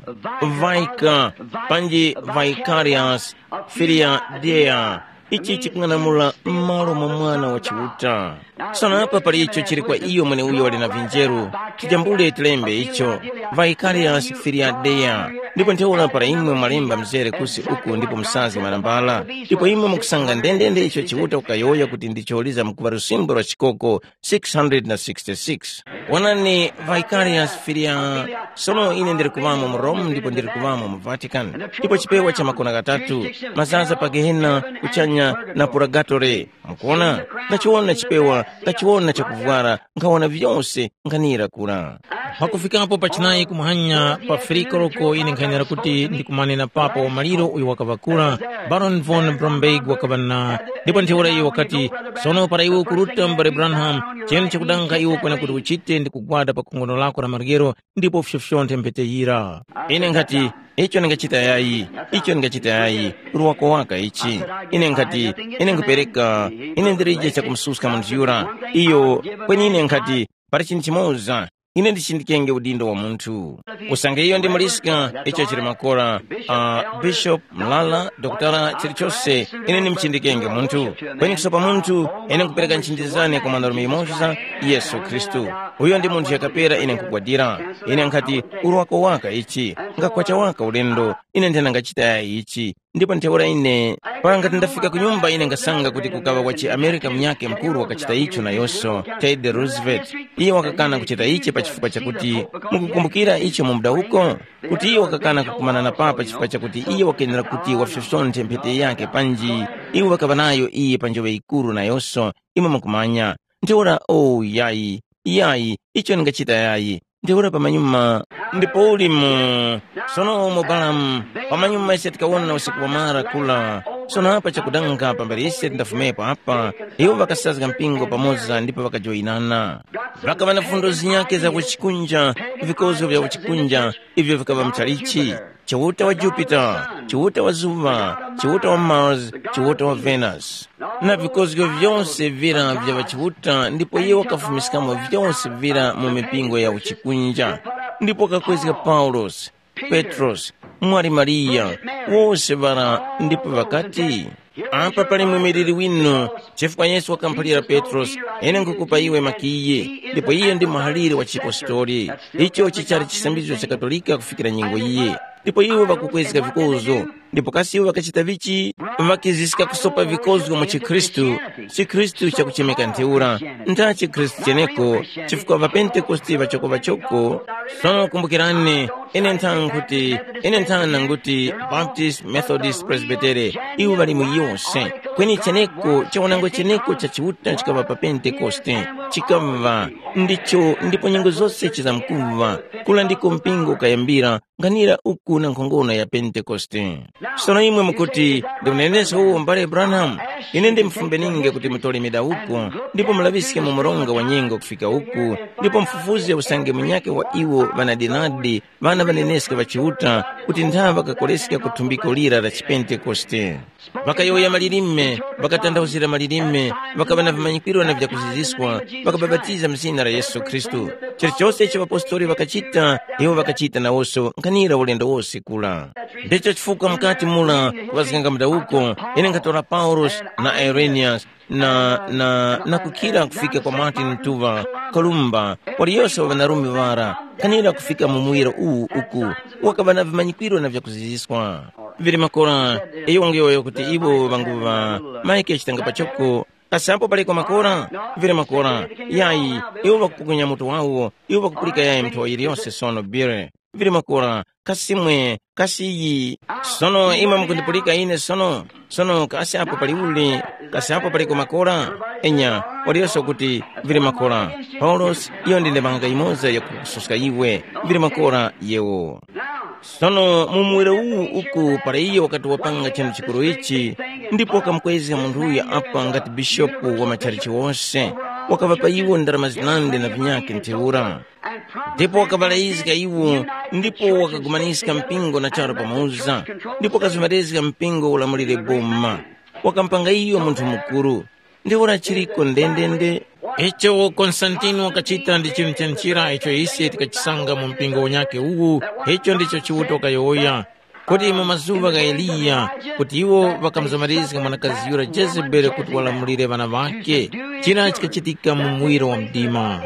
Vaika, panji Vicarius, Filia Dea. Ichi chikung'anamula m'malo mwa Mwana wa Chiuta. Sono apa pali icho chili kwa iyo mweneuyo wali na vinjeru, tijambule tilembe icho, Vicarius Filia Dea. Ndipo ntheura para imwe mwalemba mzere kusi uku ndipo musange manambala, ndipo imwe mukusanga ndendende icho Chiuta kukayowoya kuti ndicho liza mukuva lusimbo lwa chikoko six hundred na sixty-six. Wonani, Vicarius Filia, sono ine ndiri kuŵamo mu Rome ndipo ndiri kuŵamo mu Vatican, ndipo chipewa cha makona ghatatu, mazaza pa Gehena, kuchanya na Purgatori. Mukuona? Ngachiwona chipewa, ngachiwona chakuvwara, nkhawona vyose, nkhanira kura. Pakufikapo pa chinayi kumuhanya pa firiko loko ine nkhanira kuti ndikumane na papa wa maliro uyo wakaŵa kura, Baron von Bromberg wakaŵa na. Ndipo ntheura iyo wakati, sono para iwe ukuruta mbale Branham, cheni chakudanga iwe kwena kuti uchite ndi kugwada pa khongono lako la maryero, ndipo ufyofyonthe mphete yira. Ine nkhati, icho ndingachita yayi, icho ndingachita yayi, uli wako waka ichi. Ine nkhati, ine nkhupereka, ine ndilije chakumususka munthu yura. Iyo, kweni ine nkhati, pali chinthu chimoza, ine ndichindikenge udindo wa munthu. Usange iyo ndi muliska, icho chili makora, uh, bishop, mlala, dokotala, chilichose, ine ndimuchindikenge munthu. Kweni kusopa munthu, ine nkupereka nchinjizane kwa mwanarume yumoza, Yesu Khristu. Uyo ndi munthu yakapera ine nkugwadira. Ine nkhati, urwako waka ichi, ngakwacha waka ulendo, ine nthena ngachita yayi ichi. Ndipo ntheura ine, para ngati ndafika ku nyumba ine ngasanga kuti kukaŵa kwa chiamerika munyakhe mukuru wakachita icho nayonso, Teddy Roosevelt. Iye wakakana kuchita ichi pa chifukwa chakuti, mukukumbukira icho mu mudawuko? Kuti iye wakakana kukumana na papa chifukwa chakuti iye wakenera kuti wafyosonthe mphete yake panji, iwo ŵakaŵa nayo iye pa njoŵe yikuru nayonso, imwe mukumanya. Ntheura, oh, yayi, yayi, icho ndingachita yayi. Ntheura pamanyuma, ndipo uli mu, sono umo Balamu, pamanyuma ise tikawona usiku wamara kula, sono apa chakudanga pambere ise tindafumepo apa, iwo ŵakasazga mpingo pamoza ndipo ŵakajoyinana. Ŵakaŵa na fundo zinyakhe za kuchikunja, vikozgo vya kuchikunja, ivyo vikaŵa mchalichi, Chiuta wa Jupita, Chiuta wa zuŵa, Chiuta wa Mars, Chiuta wa Venus, na vikozgo vyose vira vya ŵachiuta, ndipo iye wakafumiskamo vyose vira mu mipingo ya uchikunja, ndipo wakakwezga Paulosi, Petrosi, mwali Mariya, wose ŵara, ndipo ŵakati, apa pali mwimiliri winu, chifukwa Yesu wakamuphalira Petrosi, ine nkukupa iwe makiyi, ndipo iyo ndi muhaliri wa chipostori. Icho chichali chisambizgo cha Katolika kufikira nyengo iyi. Ndipo iwo ŵakukwezga vikozo, ndipo kasi iwo ŵakachita vichi? Ŵakiziska kusopa vikozgo mu chikhristu, chikhristu chakuchemeka ntheura, ntha chikhristu cheneko, chifukwa ŵapentekoste ŵachokoŵachoko. Sono kumbukirani, ine nthana nkuti, ine nthana nkuti Baptist, Methodist, Presbytere, iwo ŵali mu yose. Kweni cheneko chawanango cheneko cha Chiuta chikaŵa pa Pentekoste, chikaŵa ndicho ndipo nyengo zose chizamkuŵa, kula ndiko mpingo ukayambira, nkhanira uku na nkhongono ya Pentekoste. Sono imwe mukuti, ndimuneneske uwo mbale Branham? Ine ndimufumbeninge kuti mutole midawuko, ndipo mulaŵiske mu mronga wa nyengo kufika uku, ndipo mufufuze usange munyakhe wa iwo ŵanadenadi ŵana ŵaneneske ŵa Chiuta, kuti nthaŵa ŵakakoleska ku thumbiko lira la chiPentekoste. Ŵakayowoya malilime, ŵakatanthauzira malilime, ŵakaŵa na vimanyikwiro na vyakuziziskwa, ŵakabapatiza mu zina la Yesu Khristu. Chilichose icho ŵapostoli ŵakachita, iwo ŵakachita nawonso nkhanira ulendo wose kula. Ndicho chifukwa mukati mura kuŵazganga mudawuko, ine nkhatora Paulosi na Ireniyasi na, na, na kukhira kufika kwa Martin Luther, Kolumba, waliyose wa ŵanarume ŵara, nkhanira kufika mu muwiro uwu uku, wakaŵa na vimanyikwiro na vyakuziziskwa. Vili makora, iyo wangeyowoya kuti iwo ŵanguŵa, Mike chitanga pachoko, kasi apo paleko makora? Vili makora, yayi, iwo ŵakupukunya mutu wawo, iwo ŵakupulika yayi nthowa yiliyose sono bire. vili makora, kasi mwe, kasi iyi. Sono imwe mukundipulika ine sono? Sono kasi apo pali uli? Kasi apo paliko makora? Enya, waliyose kuti, vili makora. Paulosi, iyo ndi ndemanga yimoza yakukususka iwe, vili makora yewo. Sono mu muwiro uwu uku para iyo wakati wapanga chinthu chikuru ichi, ndipo wakamukwezga munthu uyo apa ngati bishopu wa matchalichi wose, wakaŵapa iwo ndarama zinandi na vinyakhe ntheura. Ndipo wakaŵalayizga iwo, ndipo wakagumaniska mpingo na charu pamoza, ndipo wakazumerezga mpingo ulamulire boma. Wakamupanga iyo munthu mukuru. Ntheura chiriko ndendende. Icho Konstantini wakachita ndi chinthu cha nchira icho ise tikachisanga mu mpingo unyakhe uwu. Icho ndicho Chiuta wakayowoya, kuti mu mazuŵa gha Eliya, kuti iwo ŵakamuzomerezga mwanakazi yura Jezebeli kuti walamulire ŵana ŵakhe. Chira chikachitika mu muwiro wa mdima.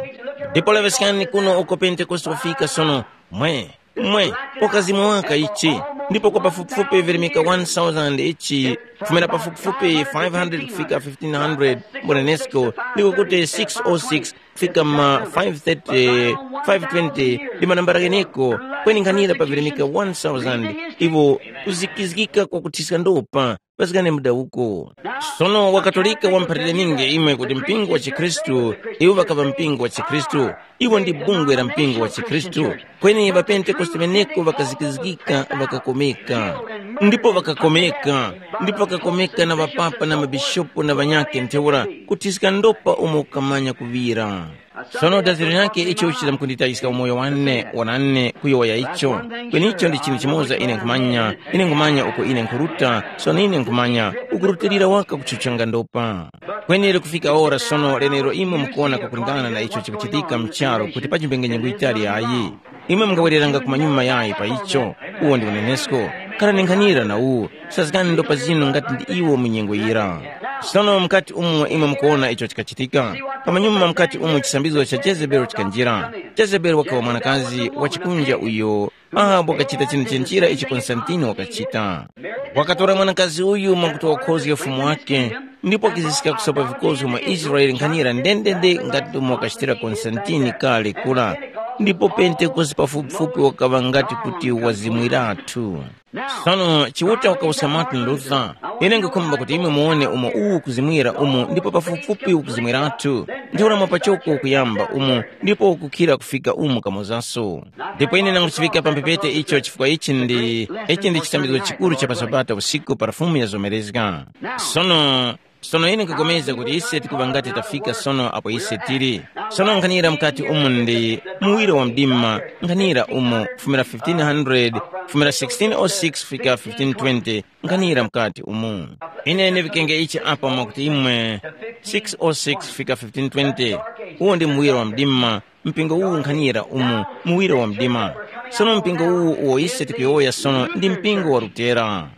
Ndipo laŵeskani kuno uko Pentekoste wafika sono. Mwe, mwe, ukazimwa waka ichi, ndipo kwa pafupifupi virimika one thousand ichi, kufumira pafupifupi five hundred kufika fifteen hundred mbunenesko, ndiko kuti six oh six kufika ma five thirty, five twenty ndi manambala gheneko, kweni nkhanira pavirimika one thousand iwo kuzikizgika kwa kuthiska ndopa. Pasikane mudawuko. Sono wakatolika wamuphalire ninge imwe kuti mpingo wa chikhristu, iwo ŵakaŵa mpingo wa chikhristu, iwo ndi bungwe la mpingo wa chikhristu. Kweni ŵapentekoste ŵeneko ŵakazikizgika, ŵakakomeka, ndipo ŵakakomeka, ndipo ŵakakomeka na ŵapapa na mabishopu na ŵanyakhe ntheura, kuthiska ndopa umo kukamanya kuŵira. Sono daziro lyakhe icho chizamkunditayiska umoyo wane wanane kuyowoya icho. Kweni icho ndi chinthu chimoza ine nkhumanya, ine nkhumanya uko ine nkhuruta. Sono ine nkhumanya ukurutilira waka kutchuchanga ndopa. Kweni likufika ora sono lenero imwe mukuwona kakulingana na icho chikuchitika mcharo kuti pachimbengenyengo itali ayi. Imwe mungawereranga kumanyuma yayi pa icho. Uwo ndi unenesko. Kharani nkhanira na uwu. Sazgani ndopa zinu ngati ndi iwo mu nyengo yira. Sono mukati umo imwe mukuwona icho chikachitika. Pamanyuma mukati umo chisambizo cha Jezebeli chikanjira. Jezebeli wakaŵa mwanakazi wa chikunja uyo Ahabu wakachita chinthu chenchira ichi Konstantini wakachita. Wakatora mwanakazi uyu mwakuti wakhozge ufumu wake, ndipo wakiziska kusopa vikozgo mwa Israele nkhanira ndendende ngati umo wakachitira Konstantini kale kura. Ndipo Pentekoste pafupifupi wakaŵa ngati kuti wazimwiratu. Sono Chiuta wakawuska Martin Luther, ine nkukhumba kuti imwe muwone umo uwu ukuzimwira umu ndipo pafupifupi ukuzimwiratu, ndi ulamwa pachoko ukuyamba umu ndipo ukukhira kufika umu kamozaso. Ndipo ine nanguchiŵika pa mphepete icho chifukwa ichi ndi, ichi ndi chisambizgo chikuru cha pa Sabata usiku para Fumu yazomerezga. Sono, sono ine nkupulikana kuti ise tikuŵa ngati tafika sono apo ise tili. Sono nkhanira mukati umu ndi muwiro wa mdima, nkhanira umu kufumira fifteen hundred, kufumira sixteen oh six fika fifteen twenty, nkhanira mukati umu. Ine ndivikenge ichi apa mwakuti imwe six oh six fika fifteen twenty, uwo ndi muwiro wa mdima, mpingo uwu nkhanira umu, muwiro wa mdima. Sono mpingo uwu uwo ise tikuyowoya sono ndi mpingo wa Lutera.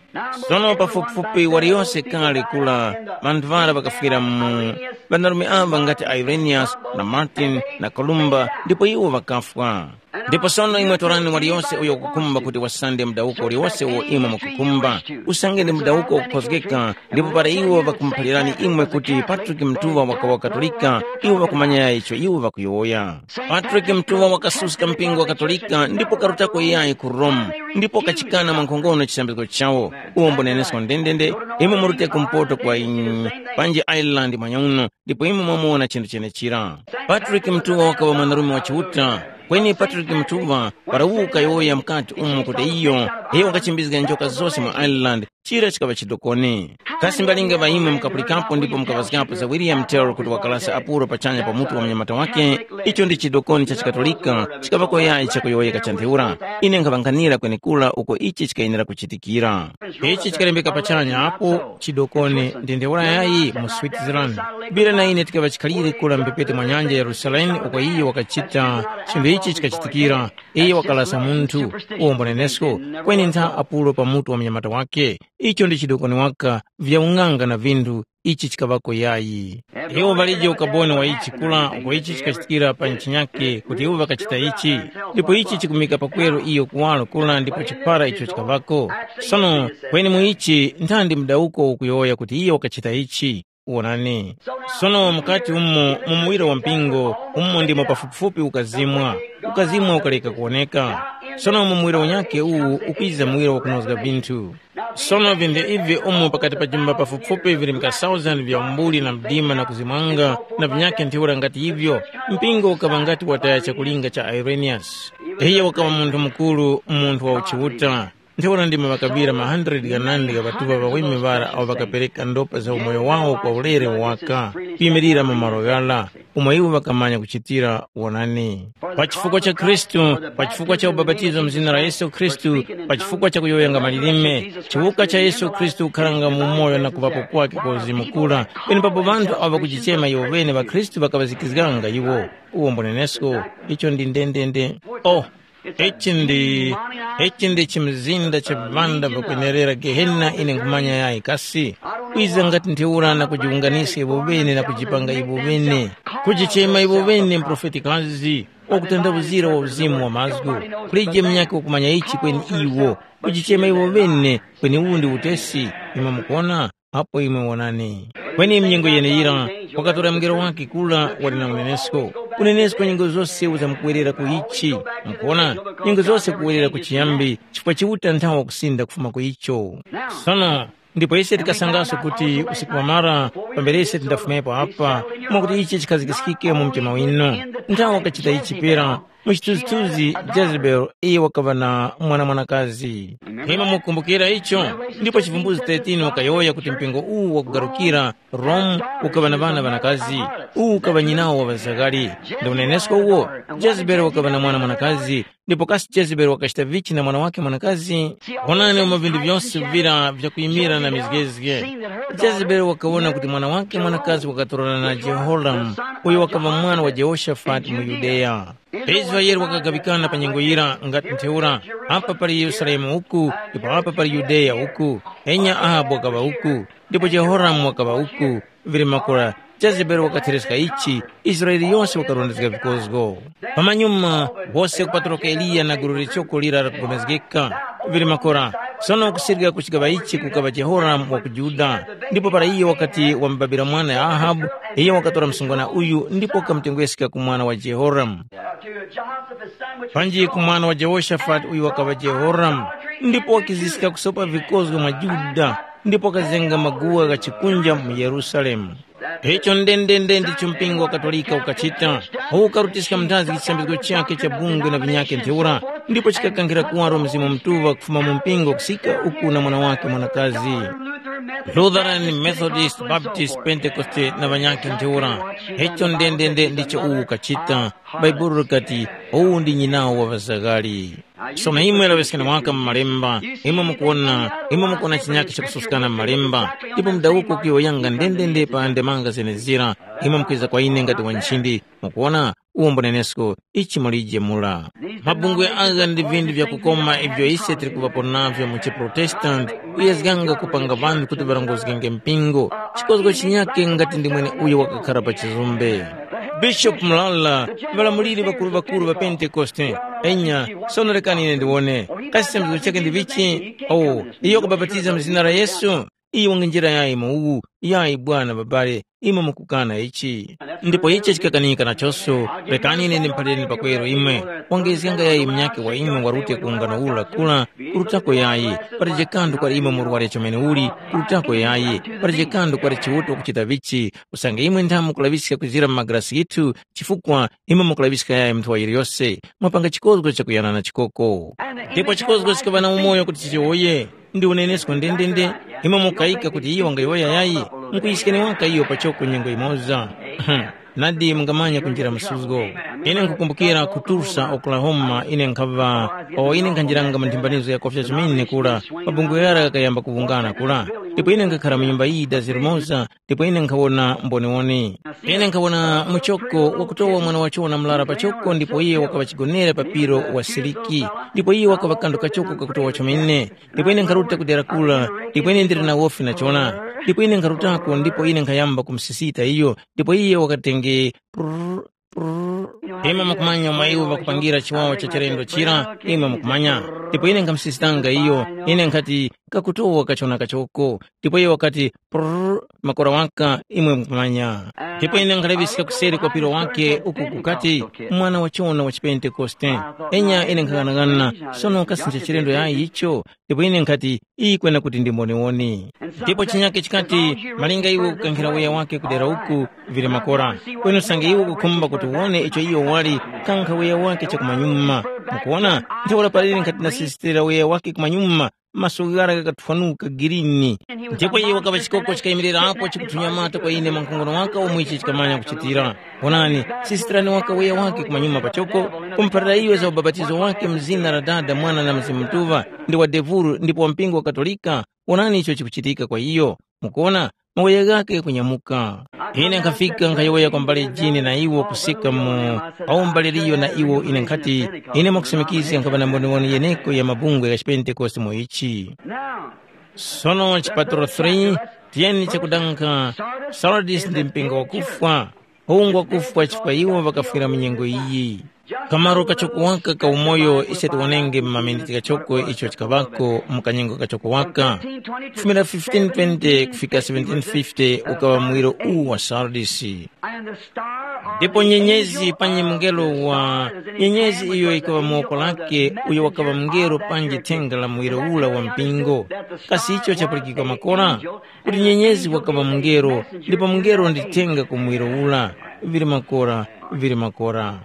Sono pafupifupi waliyose kale kula, ŵanthu ŵara ŵakafwira mu, ŵanarume ava ngati Irenaeus na Martin na Columba, ndipo iwo ŵakafwa. Ndipo sono imwe torani waliyose uyo wakukhumba kuti wasande mudawuko uliwose uwo imwe mukukhumba, usange ndi mudawuko wakukhozgeka, ndipo para iwo ŵakumuphalirani imwe kuti Patrick Mtuŵa wakawa Katolika, iwo ŵakumanya yayi icho iwo ŵakuyowoya. Patrick Mtuŵa wakasuska mpingo wa Katolika ndipo karutako yayi ku Rome, ndipo kachikana mwankhongono chisambizgo chawo. Uwo mbunenesko ndendende, imwe murute kumpoto kwa, panji Ireland mwanyauno, ndipo imwe mwamuwona chinthu chenechira. Patrick Mtuŵa wakaŵa mwanarume wa Chiuta, kweni Patrick Mtuŵa para ukayowoya mukati umo kuti iyo, iyo wakachimbizga njoka zose mu Ireland, chira chikaŵa chidokoni. Kasi mbalinga ŵa imwe mukapulikapo ndipo mukaŵazgapo za William Tell kuti wakalasa apulo pachanya pa mutu wa munyamata wake? Icho ndi chidokoni cha chikatolika, chikaŵako yayi chakuyowoyeka cha ntheura. Ine nkhaŵankhanira kwenekura uko ichi chikayenera kuchitikira. Ichi chikalembeka pachanya apo chidokoni ndi ntheura yayi mu Switzerland. Bira na ine tikaŵa chikhalire kula mbepete mwa nyanja ya Yerusalemu uko iye wakachita chinthu ichi chikachitikira. Iye wakalasa munthu, uwo mbunenesko, kweni ntha apulo pa mutu wa munyamata wake. Icho ndi chidokoni waka vya ung'anga na vinthu, ichi chikaŵako yayi. Iwo ŵalije ukaboni wa ichi kula uko ichi chikachitikira pa ntchinyake kuti iwo ŵakachita ichi, ndipo ichi chikumika pakweru iyo kuwaro kula ndipo chipara icho chikaŵako. Sono kweni mu ichi nthandi mudawuko ukuyowoya kuti iye wakachita ichi? Wonani. Sono mukati umo mu muwiro wa mpingo, umo ndimo pafupifupi ukazimwa. Ukazimwa ukaleka kuwoneka. Sono mu muwiro unyakhe uwu ukwiza muwiro wakunozga vinthu. Sono vinthu ivi umo pakati pa jumba pafupifupi vili mka thousand vya umbuli na mdima na kuzimwanga na vinyakhe ntheura ngati ivyo, mpingo ukaŵa ngati wataya chakulinga cha Irenaeus. Iyo wakaŵa munthu mukuru, munthu wa uchiuta. Ntheura ndimo ŵakaŵira ma hundred ghanandi gha ŵatuŵa ŵaweme ŵara awo ŵakapereka ndopa za umoyo wawo kwa ulere waka, kuyimirira mu malo ghara, umo iwo ŵakamanya kuchitira wonani. Pa chifukwa cha Khristu, pa chifukwa cha ubapatizo mu zina la Yesu Khristu, pa chifukwa cha kuyowoyanga malilime, chiwuka cha Yesu Khristu kukharanga mu umoyo na kuŵapo kwake kwa uzimu kura, penepapo ŵanthu awo ŵakujichema iwo ŵene ŵakhristu ŵakaŵazikizganga iwo. Uwo mbunenesko, icho ndi ndendende. Oh, ichi ndi ichi ndi chimzinda cha viŵanda vyakwenerera Gehena ine nkhumanya yayi kasi? Kwiza ngati ntheura na kujiwunganiska iwo ŵene na kujipanga iwo ŵene, kujichema iwo ŵene mprofetikazi, wakutandawuzira wa uzimu wa mazgu, kulije munyakhe wakumanya ichi kweni iwo, kujichema iwo ŵene kweni uwu ndi utesi, imwe mukuwona? Apo imwe wonani. Kweni mnyengo yeneyira, wakatora mungelo wake kura wali na unenesko. Unenesko nyengo zose uzamukuwerera ku ichi. Mukuona? Nyengo zose kuwerera ku chiyambi, chifukwa Chiuta nthawa kusinda kufuma ku icho. Sono, ndipo ise tikasangaso kuti usiku wamara, pambere ise tindafumepo apa, mwakuti ichi chikhazikiskike mu mtima winu. Nthawa wakachita ichi pera, mu chithunzithunzi Jezebeli iyo wakaŵa na mwana mwanakazi. Imwe mukumbukira icho? Ndipo chivumbuzi thirteen wakayowoya kuti mpingo uwu wakugarukira Rome ukaŵa na ŵana ŵanakazi, uwu ukaŵa nyinawo wa ŵazaghali. Ndi unenesko uwo, Jezebeli wakaŵa na mwana mwanakazi, ndipo kasi Jezebeli wakachita vichi na mwana wake mwanakazi? Wonani umo vinthu vyose vira vyakuyimira na mizgezge. Jezebeli wakawona kuti mwana wake mwanakazi wakatorana na Jehoramu, uyo wakaŵa mwana wa Jehoshafati mu Yudeya. Israele wakagaŵikana pa nyengo yira ngati ntheura, apa pali Yerusalemu uku, ndipo apa pali Yudeya uku, enya Ahabu wakaŵa uku, ndipo Jehoramu wakaŵa uku, vili makora Jezebeli wakathereska ichi, Israele yose wakarondezga vikozgo. Pamanyuma, wose kupaturuka Eliya na gulu lichoko lira lakugomezgeka, vili makora, sono kusirika kuchigaŵa ichi kukaŵa Jehoramu wa ku Yuda, ndipo para iyo wakati wamubabira mwana ya Ahabu, iyo wakatora msungwana uyu ndipo wakamutengweska ku mwana wa Jehoramu. Panji ku mwana wa Jehoshafati uyu wakaŵa Jehoramu, ndipo wakiziska kusopa vikozgo mwa Yuda, ndipo wakazenga maguwa gha chikunja mu Yerusalemu. Icho ndendende ndicho mpingo wa Katolika ukachita, ukarutiska muthazi chisambizgo chakhe cha bungwe na vinyakhe ntheura, ndipo chikakankhira kuwaro Mzimu Mutuŵa kufuma mu mpingo kusika uku na mwana wakhe mwanakazi. Lutheran, Methodist, Baptist, Pentekoste na ŵanyakhe ntheura. Icho ndendende ndicho uwu ukachita. Bhaibuli likati, uwu ndi nyinawo wa ŵazaghali. Sono imwe laŵeskani waka mu malemba, imwe mukuwona, imwe mukuwona chinyakhe chakususkana mu malemba, ndipo mudawuko kuyowoyanga ndendende pa ndemanga zenezira, imwe mukwiza kwa ine ngati wa nchindi, mukuwona, uwo mbunenesko, ichi mulije mura. Mabungwe agha ndi vinthu vyakukoma ivyo ise tili kuŵapo navyo mu chiprotestanti, kuyezganga kupanga ŵanthu kuti ŵarongozgenge mpingo, chikozgo chinyakhe ngati ndi mweneuyo wakakhara pa chizumbe. Bishopu Mulala, ŵalamuliri ŵakuru-ŵakuru ŵa Pentekoste, enya, sono rekani ine ndiwone, kasi chizembezo chakhe ndi vichi? Oh, iyo wakabapatiza mu zina la Yesu? Iyo wangenjera yayi mu uwu, yayi bwana babale, imwe mukukana ichi. Ndipo ichi chikakanika nachonso, rekani ine ndimphalireni pakweru imwe, wangezganga yayi munyakhe wa imwe warute ku ungano ula kula, kurutako yayi, pataje kanthu kwali imwe murware chomene uli, kurutako yayi, pataje kanthu kwali Chiuta wakuchita vichi, usange imwe nthamu mukulaŵiska kuzira mu magalasi ghithu, chifukwa imwe mukulaŵiska yayi munthu wa yiliyose, mwapanga chikozgo chakuyana na chikoko. Ndipo chikozgo chikaŵa na umoyo kuti chiyowoye, ndi unenesko ndendende, imwe mukayika kuti iyo wangayowoya yayi, mukuyiskeni waka iyo pachoko nyengo imoza. Nadi mungamanya kunjira msuzgo. Ine nkukumbukira ku Tulsa, Oklahoma, ine nkhaŵa, o ine nkhanjiranga mu nthimbanizgo ya kofya chimene kura, mabungwe ghara ghakayamba kuwungana kura. Ndipo ine nkhakhara mu nyumba iyi dazi limoza, ndipo ine nkhawona mboniwoni. Ine nkhawona muchoko wakutowa mwana wachona murara pachoko ndipo iye wakaŵa chigonere pa piro wa siliki, ndipo iye wakaŵa kandu kachoko kakutowa chomene. Ndipo ine nkharuta ku dera kura, ndipo ine ndili na wofi nachona. Ndipo ine nkharutako ndipo ine nkhayamba kumusisita iyo, ndipo iye wakatenge prrr, prrr. Imwe mukumanya omwe iwo ŵakupangira chiwawa cha chilendo chira, imwe mukumanya. Ndipo ine nkhamusisitanga iyo, ine nkhati, kakutowa kachona kachoko, ndipo iyo wakati, "Prrr, makora waka, imwe mukumanya." Ndipo ine nkhalaŵiska kuseri kwa piro wake uku kukati, "Mwana wa chona wa chipentekoste." Enya ine nkhang'anang'ana, sono kasi ncha chilendo yayi icho? Ndipo ine nkhati, "Iyi kwena kuti ndi mboniwoni." Ndipo chinyake chikati, "Malinga iwe ukukankhira wiya wake kudera uku, vili makora. Kweni usange iwe ukukhumba kuti uwone icho iyo wali, kankha wiya wake chakumanyuma." Mukuwona? Ntheura palili nkhati ndasisitira wiya wake kumanyuma, maso ghara ghakathwanuka girini. Ndipo iye wakaŵa chikoko chikayimirirapo chikuthunyamata kwa ine mwa nkhongono waka umo ichi chikamanya kuchitira. Onani, sisitirani waka wiya wake kumanyuma pachoko, kumuphalira iyo za ubapatizo wake mu zina la Dada, Mwana na Mzimu Mutuŵa, ndi wa devulu ndipo wa mpingo wa Katolika. Onani icho chikuchitika kwa iyo. Mukuona, maweya ghake kunyamuka. Ine nkhafika nkhayowoya kwa mbale Jini na iwo kusika mu paumbale liyo na iwo ine nkhati, ine mwakusimikizga nkhaŵa na mboniwoni yeneko ya mabungwe gha chipentekoste mu ichi. Sono chipaturo three, tiyeni chakudanga, Sardis ndi mpingo wakufwa, uwu ngwakufwa chifukwa iwo ŵakafwira mu nyengo iyi. Kamaro kachoko waka ka umoyo ise tiwonenge mu maminiti ghachoko icho chikaŵako mu kanyengo kachoko waka. Kufumira fifteen twenty kufika seventeen fifty ukaŵa muwiro uwu wa Sardisi. Ndipo nyenyezi panyi mungelo wa nyenyezi iyo ikaŵa mu woko lake, uyo wakaŵa mungelo panji thenga la muwiro ula wa mpingo. Kasi icho chapulikika makora? Kuti nyenyezi wakaŵa mungelo, ndipo mungelo ndi thenga ku muwiro ula. Vili makora, vili makora.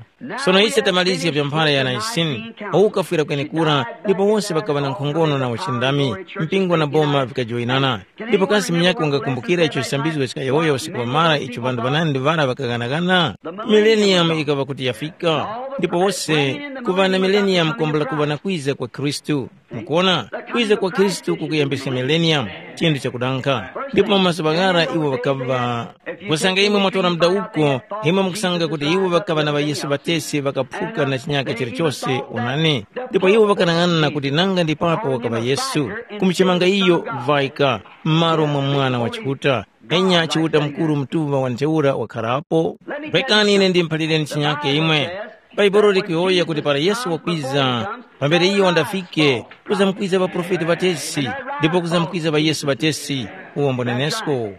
Sono ise tamalizga vya mphara ya Naisini, uwu ukafwira kwenekura, ndipo wose ŵakaŵa na nkhongono na uchindami, mpingo na boma vikajoyinana. Ndipo kasi munyakhe ungakumbukira icho chisambizgo chikayowoya usiku wamara icho ŵanthu ŵanandi ŵara ŵakaghanaghana? Mileniyamu ikaŵa kuti yafika, ndipo wose kuŵa na mileniyamu kwambula kuŵa na kwiza kwa Khristu. Mukuona, kwiza kwa Khristu kukuyambisa mileniyamu, chinthu chakudankha. Ndipo mu mazuŵa ghara iwo ŵakaŵa, kusanga imwe mwatora mdawuko, imwe mukusanga kuti iwo ŵakaŵa na ŵaYesu ŵatesi ŵakaphuka na chinyaka chilichose, onani. Ndipo iwo ŵakanang'ana kuti nanga ndi papo wakaŵa Yesu, kumuchemanga iyo Vaika, m'malo mwa Mwana wa Chiuta, enya Chiuta Mukuru Mutuŵa wa ntheura wakharapo. Rekani ine ndimuphalireni chinyake imwe. Bhaibuli likuyowoya kuti para Yesu wakwiza, pambere iyo wandafike, kuzamkwiza ŵaprofeti ŵatesi, ndipo kuzamkwiza ŵaYesu ŵatesi, uwo mbonenesko.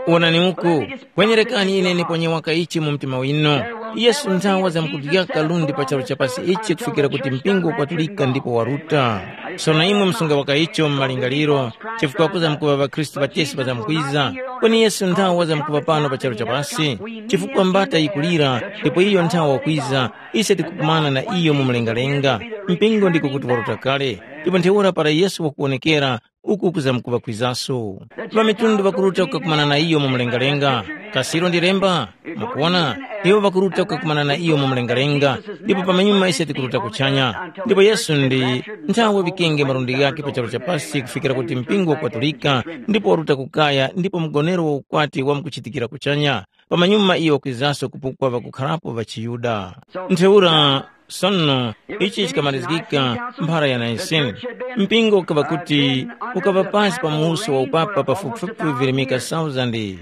Wonani uku, kwenerekani ine niponye waka ichi mu mtima winu. Yesu nthawa zamkudyaka lundi pa charu cha pasi ichi kufikira kuti mpingo ukwatulika ndipo waruta. Sono imwe musunga waka icho mu malingaliro, chifukwa kuzamkuŵa ŵakhristu ŵatesi ŵazamkwiza. Kweni Yesu nthawa zamkuŵa pano pa charu cha pasi, chifukwa mbata yikulira, ndipo iyo nthawa wakwiza, ise tikukumana na iyo mu mlengalenga. Mpingo ndiko kuti waruta kale, ndipo ntheura para Yesu wakuwonekera, uku kuzamkuŵa kwizaso. Ŵamitundu ŵakuruta kukakumana na iyo mu mlengalenga. Kasiro ndi lemba? Mukuwona, iwo ŵakuruta kukakumana na iyo mu mlengalenga, ndipo pamanyuma ise tikuruta kuchanya. Ndipo Yesu ndi nthawe ŵikenge malundi ghakhe pa charu cha pasi kufikira kuti mpingo wakwatulika, ndipo waruta kukaya, ndipo mgonero wa ukwati wamkuchitikira kuchanya. Pamanyuma iyo wakwizaso kupukwa ŵakukharapo ŵa chiYuda. Ntheura, sono, ichi chikamalizgika mphara ya Naisini. Mpingo ukaŵa kuti ukaŵa pasi pa muwuso wa upapa pafupifupi virimika thousand.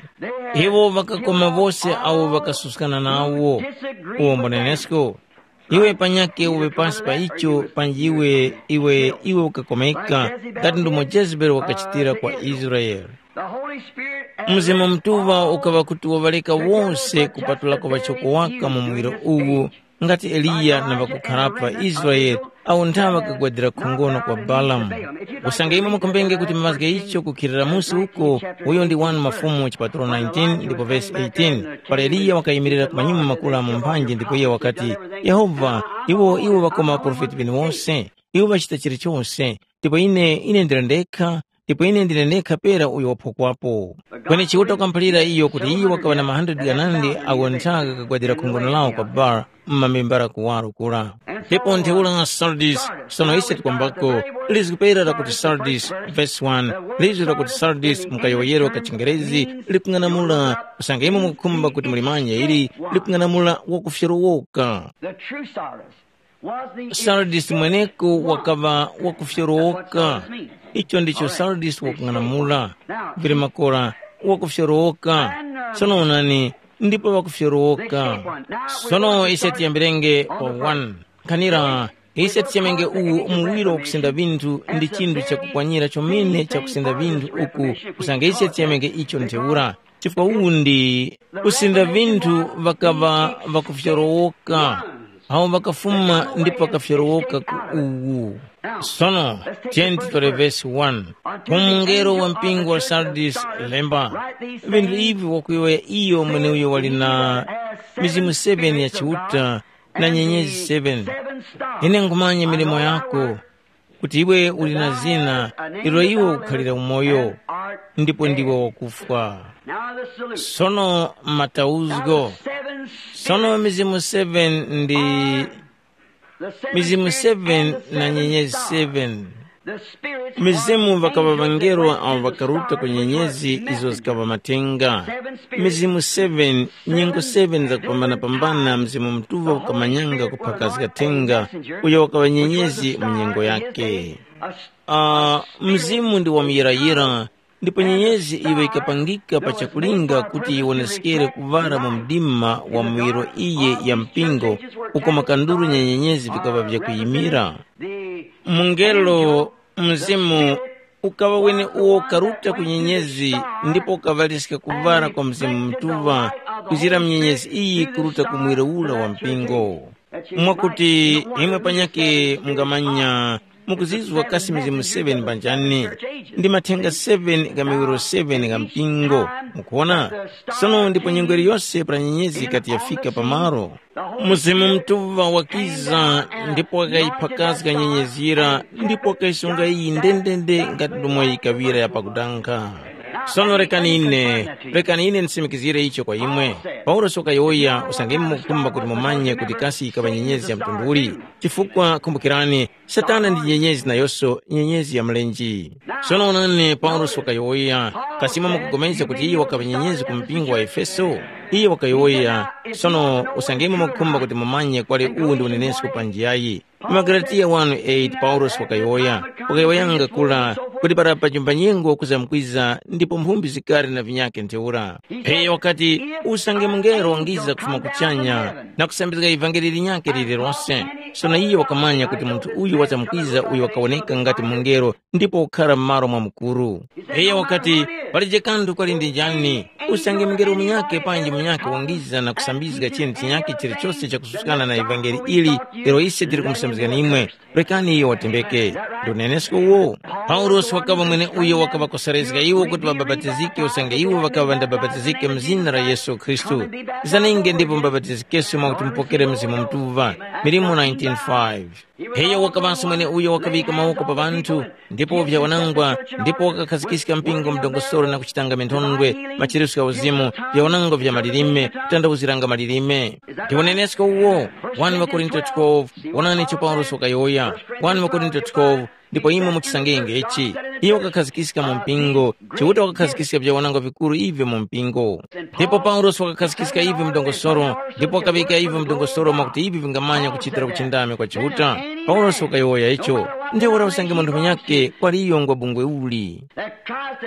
Iwo ŵakakoma wose awo ŵakasuskana nawo. Uwo mbonenesko. Iwe panyakhe uwe pasi pa icho panji iwe iwe iwe ukakomeka, ngati ndomo Jezebeli wakachitira kwa Israeli. Mzimu Mutuŵa ukaŵa kuti waŵaleka wose kupatulako ŵachoko waka mu muwiro uwu, ngati Eliya na ŵakukharapo ŵa Israele awo nthawe ŵakagwadira khongono kwa Balamu. Usange imwe mukumbenge kuti mazge icho kukhilira musi uko, uyo ndi wani Mafumu chipatulo nineteen ndipo vesi eighteen, para Eliya wakayimirira ku manyuma makula mu mphanji ndipo iye wakati, Yehova, iwo iwo ŵakoma ŵaprofeti ŵene wose, iwo ŵachita chilichose, ndipo ine ine ndili ndekha, ndipo ine ndine ndekha pera uyo waphokwapo. Kweni Chiuta wakamuphalira iyo kuti iyo wakaŵa na ma hundred ghanandi awo nthaka kakagwadira khongono lawo kwa Baal, mmamembara kuwaro kura. Ndipo ntheura Sardis, sono ise tikwambako, lizgu pera lakuti Sardis, verse one, lizgu lakuti Sardis mu kayowoyero ka chiNgerezi likung'anamula, usange imwe mukukhumba kuti mulimanye ili, likung'anamula wakufyorowoka. The true Sardis was the Sardis mweneko wakaŵa wakufyorowoka. Icho ndicho Sardis wakung'anamula. Vili makora wakufyorowoka. Sono onani, ndipo wakufyorowoka. Sono ise tiyambirenge pa one. Nkhanira Ise tichemenge uwu muwiro wakusinda vinthu ndi chinthu chakupwanyira chomene chakusinda vinthu uku, usange ise tichemenge icho ntheura. Chifukwa uwu ndi kusinda vinthu ŵakaŵa ŵakufyorowoka, awo ŵakafuma ndipo ŵakafyorowoka ku uwu. Sono, tiyeni titore vesi wani. Ku mungelo wa mpingo wa Sardis lemba, vinthu ivi wakuyowoya iyo mweneuyo wali na mizimu seven ya Chiuta na nyenyezi seven. Ine nkhumanya milimo yako, kuti iwe uli na zina ilo iwe ukukhalira umoyo, ndipo ndiwe wakufwa. Sono matauzgo. Sono mizimu seven ndi mizimu seven na nyenyezi seven. Mizimu ŵakaŵa ŵangelo awo ŵakaruta ku nyenyezi izo zikaŵa matenga. Mizimu seven, nyengo seven zakupambana-pambana, Mzimu Mutuŵa ukamanyanga kuphakazga thenga uyo wakaŵa nyenyezi mu nyengo yake. Ah, Mzimu ndi wamuyirayira, ndipo nyenyezi iyo yikapangika pa chakulinga kuti yiwoneskere kuŵala mu mdima wa muwiro iye ya mpingo, uko makanduru nya nyenyezi vikaŵa vyakuyimira. Mungelo, Mzimu, ukaŵa weneuwo karuta ku nyenyezi ndipo ukaŵaliska kuŵala kwa Mzimu Mutuŵa kuzira mu nyenyezi iyi kuruta ku muwiro ura wa mpingo. Mwakuti imwe panyakhe mungamanya mukuzizwa kasi mizimu seven mbanjani, ndi mathenga seven gha miwiro seven gha mpingo. Mukuona? Sono ndipo nyengo iliyose para nyenyezi ikati yafika pamalo, Mzimu Mutuŵa wakiza ndipo wakayiphakazga nyenyezi yira ndipo wakayisunga iyi ndendende ngati ndomwe yikaŵira ya pakudanga. Sono rekani ine, rekani ine ndisimikizire icho kwa imwe. Paulosi wakayowoya usange imwe mukukhumba kuti mumanye kuti kasi yikaŵa nyenyezi ya mtundu uli, chifukwa kumbukirani, Satana ndi nyenyezi nayonso nyenyezi ya mlenje. Sono onani, Paulosi wakayowoya, kasi imwe mukupulikana kuti iyo wakaŵa nyenyezi ku mpingo wa Efeso? Iyo wakayowoya, sono usange imwe mukukhumba kuti mumanye kwali uwu ndi unenesko panji yayi. Mu Magalatiya one eight Paulosi wakayowoya, wakayowoyanga kula kuti para pa chumbanyengo kuzamkwiza ndipo mphumbi zikari na vinyakhe ntheura. Iyo wakati, usange mungelo wangiza kufuma kuchanya na kusambizga ivangeli linyakhe lililose. Sono iyo wakamanya kuti munthu uyu wazamkwiza uyo wakawoneka ngati mungelo ndipo ukhara m'malo mwa mukuru. Iyo wakati, palije kanthu kali ndi njani, usange mungelo munyakhe panji munyakhe wangiza na kusambizga chinthu chinyakhe chilichose chakususkana na ivangeli ili, lero ise tili kumusambizgani imwe. Rekani iyo watembeke. Ndi unenesko uwo. Paulosi wakaŵa mwene uyo wakaŵakoserezga iwo kuti ŵabapatizike usange iwo ŵakaŵa ŵandabapatizike mu zina la Yesu Khristu. Zaninge ndipo mubapatizikenso mwakuti mupokere Mzimu Mutuŵa. Milimo nineteen five. Iyo wakaŵanso mwene uyo wakaŵika mawoko pa ŵanthu, ndipo vyawanangwa, ndipo wakakhazikiska mpingo mdongosolo na kuchitanga minthondwe, machiritso gha uzimu, vyawanangwa vya malilime, kutandawuziranga malilime. Ndi unenesko uwo, one Korinto twelve, wonani icho Paulosi wakayowoya, one Korinto twelve, ndipo imwe muchisangenge ichi. Iye wakakhazikika mu mpingo, Chiuta wakakhazikika vyawanangwa vikuru ivyo mu mpingo. Ndipo Paulosi wakakhazikika ivyo mdongosolo, ndipo wakaŵika ivyo mdongosolo mwakuti ivi vingamanya kuchitira kuchindami kwa Chiuta. Paulosi wakayowoya icho, ntheura usange munthu munyakhe kwali iyo ngwa bungwe uli.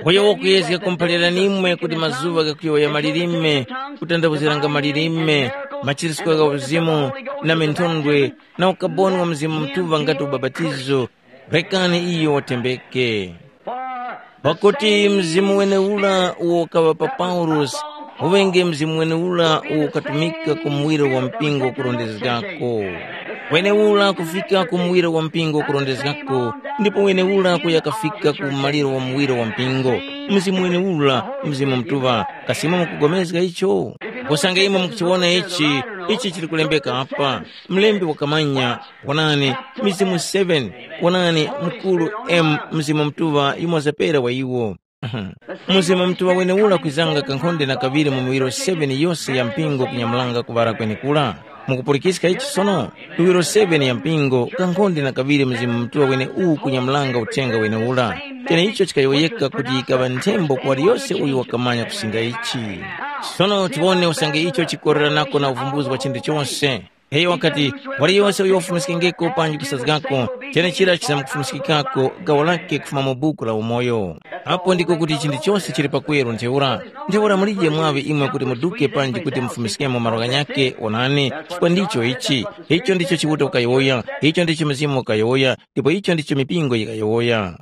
Uyo wakuyezga kumuphalirani imwe kuti mazuŵa ghakuyowoya malilime, kutandawuziranga malilime, machiritso gha uzimu, na minthondwe, na ukaboni wa Mzimu Mutuŵa ngati ubapatizo, rekani iyo watembeke. Pakuti mzimu wenewura uwo ukaŵa pa Paulosi, uŵenge mzimu wenewura uwo ukatumika ku muwiro wa mpingo kurondezgako. Wenewura kufika ku muwiro wa mpingo kurondezgako, ndipo wenewura kuya kafika ku maliro wa muwiro wa mpingo. Mzimu wenewura, Mzimu Mutuŵa, kasi imwe mukupulikana icho? Usange imwe mukuchiwona ichi, ichi chili kulembeka apa. Mlembi wakamanya, wonani, mizimu seven, wonani, mukuru M Mzimu Mutuŵa yumoza pera wa iwo. Mzimu Mutuŵa wenewura kwizanga kankhonde na kaŵiri mu miwiro seven yose ya mpingo kunyamulanga kuŵala kwenekura. Mukupulikiska ichi sono? Miwiro seven ya mpingo, kankhonde na kaŵiri Mzimu Mutuŵa wene uwu kunyamulanga uthenga wenewura. Cheneicho chikayowoyeka kuti yikaŵa nthembo ku waliyose uyo wakamanya kusinda ichi. Sono tiwone usange icho chikoreranako na uvumbuzi wa chinthu chose. Iyo wakati, waliyose uyo wafumiskengeko panji kusazgako, chenechira chizamkufumiskikako gawo lake kufuma mu buku la umoyo. Apo ndiko kuti chinthu chose chili pakweru ntheura. Ntheura mulije mwaŵe imwe kuti muduke panji kuti mufumiskemo malo ghanyakhe, onani, chifukwa ndicho ichi. Icho ndicho Chiuta ukayowoya, icho ndicho Mzimu ukayowoya, ndipo icho ndicho mipingo yikayowoya.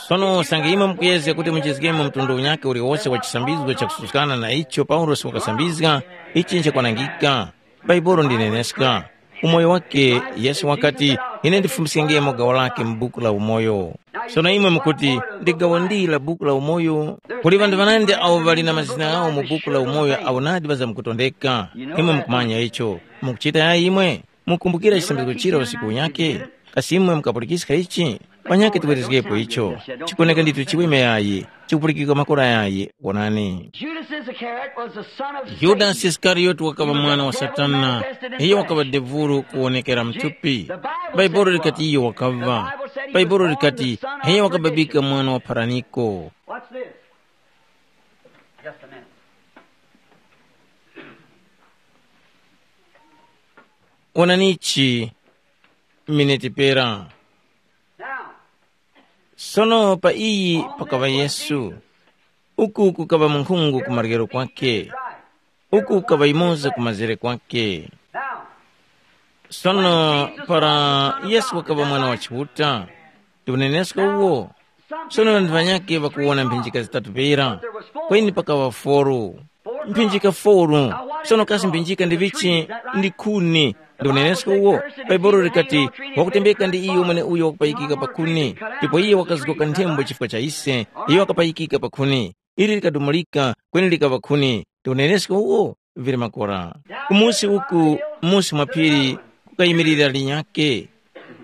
Sono usange imwe mukuyezga kuti muchizgemo mtundu unyakhe uliwose wa chisambizgo chakususkana na icho Paulosi wakasambizga, ichi nchakwanangika. Bhaibuli ndineneska. Umoyo wake Yesu wakati, ine ndifumiskengemo gawo lake mu buku la umoyo. Sono imwe mukuti, ndi gawo ndi la buku la umoyo? Kuli ŵanthu ŵanandi awo ŵali na mazina ghawo mu buku la umoyo awo nadi ŵazamkutondeka. Imwe mukumanya icho. Mukuchita yayi imwe? Mukumbukira chisambizgo chira usiku unyakhe? Kasi imwe mukapulikiska ichi? Panyakhe tiwerezgepo icho. Chikoneka ndithu chiweme yayi, chikupulikika makora yayi. Wonani. Judas Iscariot was the son of Satan. Yudasi Isikariyoti wakaŵa mwana wa Satana. Iyo wakaŵa devulu kuwonekera mthupi. Bhaibuli likati iyo wakaŵa. Bhaibuli likati, iyo wakababika mwana wa pharaniko. Watch this. Just a minute. Wonanichi, miniti pera. Now, sono pa iyi pakaŵa Yesu. Uku kukaŵa munkhungu ku maryero kwake. Uku kukaŵa yumoza ku mazere kwake. Now, sono para Yesu wakaŵa mwana wa Chiuta, ndi unenesko uwo. Sono ŵanthu ŵanyakhe ŵakuwona mphinjika zitatu pera, kweni pakaŵa foru. Mphinjika foru. Sono kasi mphinjika ndi vichi? Ndi khuni. Ndi unenesko uwo. Bhaibuli likati, wakutembeka ndi iyo mweneuyo wakupayikika pa khuni, ndipo iye wakazgoka nthembo chifukwa cha ise, iyo wakapayikika pa khuni. Ili likadumulika, kweni likaŵa khuni. Ndi unenesko uwo? Vili makora. Kumusi uku, musi mwa phiri, kukayimilira linyakhe.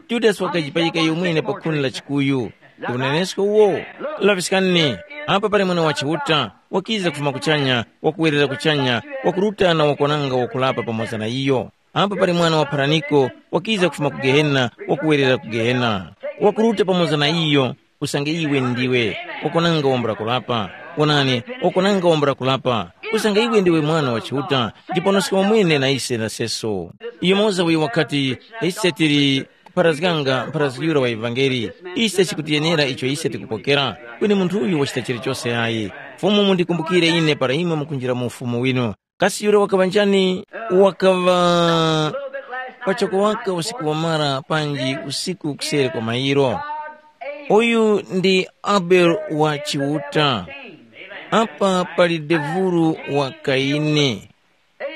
Yudasi wakajipayika iyo mwene pa khuni la chikuyu. Ndi unenesko uwo? Laŵiskani, apa pali Mwana wa Chiuta, wakiza kufuma kuchanya, wakuwerera kuchanya, wakuruta na wakwananga wakulapa pamoza na iyo. Apa pali Mwana wa Pharaniko, wakiza kufuma ku Gehena, wakuwerera ku Gehena. Wakuruta pamoza na iyo, usange iwe ndiwe, wakonanga wambula kulapa. Wonani, wakonanga wambula kulapa, usange iwe ndiwe Mwana wa Chiuta, ndipo ndoska wamwene na ise na seso. Yumoza uyo wakati, ise tili kupharazganga mpharazgi yura wa ivangeli, ise chikutiyenera icho ise tikupokera, kweni munthu uyu wachita chilichose ayi. Fumu mundikumbukire ine para imwe mukunjira mu ufumu winu. Kasi yura wakaŵa njani? Wakaŵa pachoko waka usiku wamara panji usiku kuseri kwa mayiro. Uyu ndi Abele wa Chiuta. Apa pali devuru wa Kaini.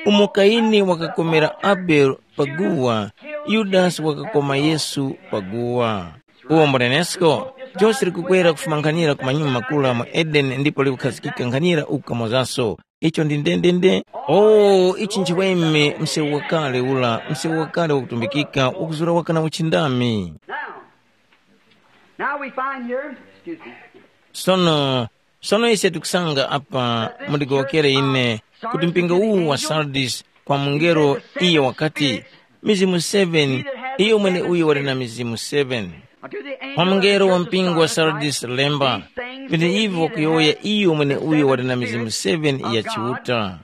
Umo Kaini wakakomera Abele pa guwa, Yudasi wakakoma Yesu pa guwa. Uwo mbunenesko, jose likukwera kufuma nkhanira ku manyuma makula mu Edeni ndipo likukhazikika nkhanira uku kamozaso. Icho ndi ndendende. Oh, ichi nchiweme msewu wakale ula, msewu wakale wakutumbikika, wakuzura waka na uchindami. Now, now we find here, excuse me. Sono, sono ise tikusanga apa, mundigowokere ine, kuti mpingo uwu wa Sardis, kwa mungelo, iye wakati, mizimu seven, iyo mwene uyo wali na mizimu seven. Kwa mungelo wa mpingo wa Sardis lemba, vinthu ivi wakuyowoya iyo mwene uyo wali na mizimu seven ya Chiuta.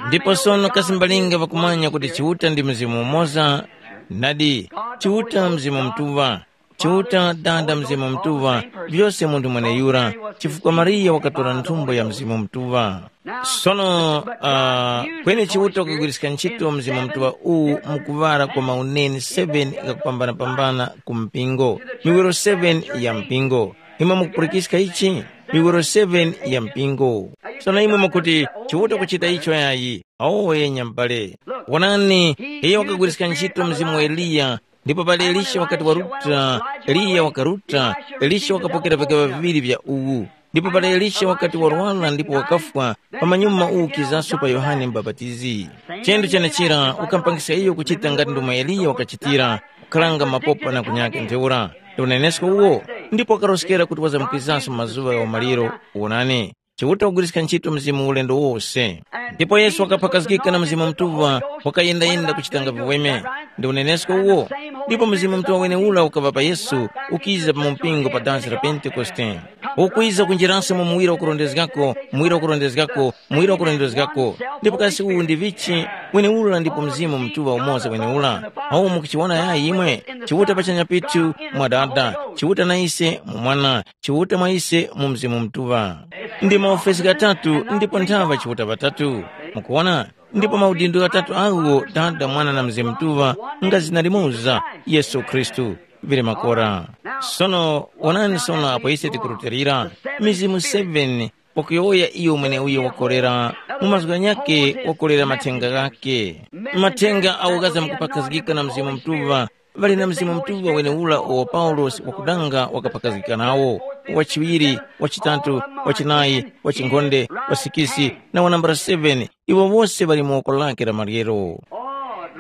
Ndipo sono kasi mbalinga ŵakumanya kuti Chiuta ndi Mzimu umoza? Nadi, Chiuta Mzimu Mutuŵa. Chiuta Dada Mzimu Mutuŵa, vyose munthu mweneyura, chifukwa Mariya wakatora nthumbo ya Mzimu Mutuŵa. Sono, uh, kweni Chiuta wakugwiriska ntchito Mzimu Mutuŵa uwu mukuŵala kwa mauneni seven ghakupambana-pambana ku mpingo, miwiro seven ya mpingo. Imwe mukupulikiska ichi? Miwiro seven ya mpingo. Sono imwe mukuti, Chiuta kuchita icho yayi. Awo enya m'bale. Wonani, iyo wakagwiriska ntchito mzimu wa Eliya, ndipo pali Elisha wakati waruta, Eliya wakaruta, Elisha wakapokera vikaŵa viŵiri vya uwu. Ndipo pali Elisha wakati warwara ndipo wakafwa, pamanyuma uwu kizaso pa Yohane Mubapatizi. Chinthu chenechira ukampangisa iyo kuchita ngati ndomwe Eliya wakachitira, kukharanga mapopa na kunyaka ntheura. Ndi unenesko uwo, ndipo wakaroskera kuti wazamkizanso mazuŵa gha umaliro. Wonani, Chiuta wagwiriska ntchito mzimu ulendo wose. Ndipo Yesu wakaphakazgika na Mzimu Mutuŵa, wakayendayenda kuchitanga viweme. Ndi unenesko uwo. Ndipo Mzimu Mutuŵa weneura ukaŵa pa Yesu, ukiza pa mumpingo pa dansi la Pentekoste. Ukwiza kunjiraso mu muwiro wakurondezgako, muwiro wakurondezgako, muwiro wakurondezgako. Ndipo kasi uwu ndi vichi? Mweneura ndipo Mzimu Mutuŵa umoza mweneura. Awo mukuchiwona yayi imwe? Chiuta pachanya pithu mwa Dada, Chiuta na ise mu Mwana, Chiuta mwa ise mu Mzimu Mutuŵa. Ndi maofesi ghatatu ndipo nthaŵa Chiuta ŵatatu. Mukuwona? Ndipo maudindo ghatatu agho Dada, Mwana na Mzimu Mutuŵa nga zina limoza, Yesu Khristu. Vili makora. Sono wonani sono apo ise tikurutilira, mizimu seven wakuyowoya iyo mweneuyo wakorera, mu mazgu ghanyakhe wakorera mathenga ghakhe. Mathenga awo ghaza mukupakhazgika na Mzimu Mutuŵa, ŵali na Mzimu Mutuŵa weneura uwo Paulosi wakudanga wakapakhazgika nawo, wachiŵiri, wachitatu, wachinayi, wachinkhonde, wasikisi, na wanambala seven, iwo wose ŵali mu woko lake la maryero.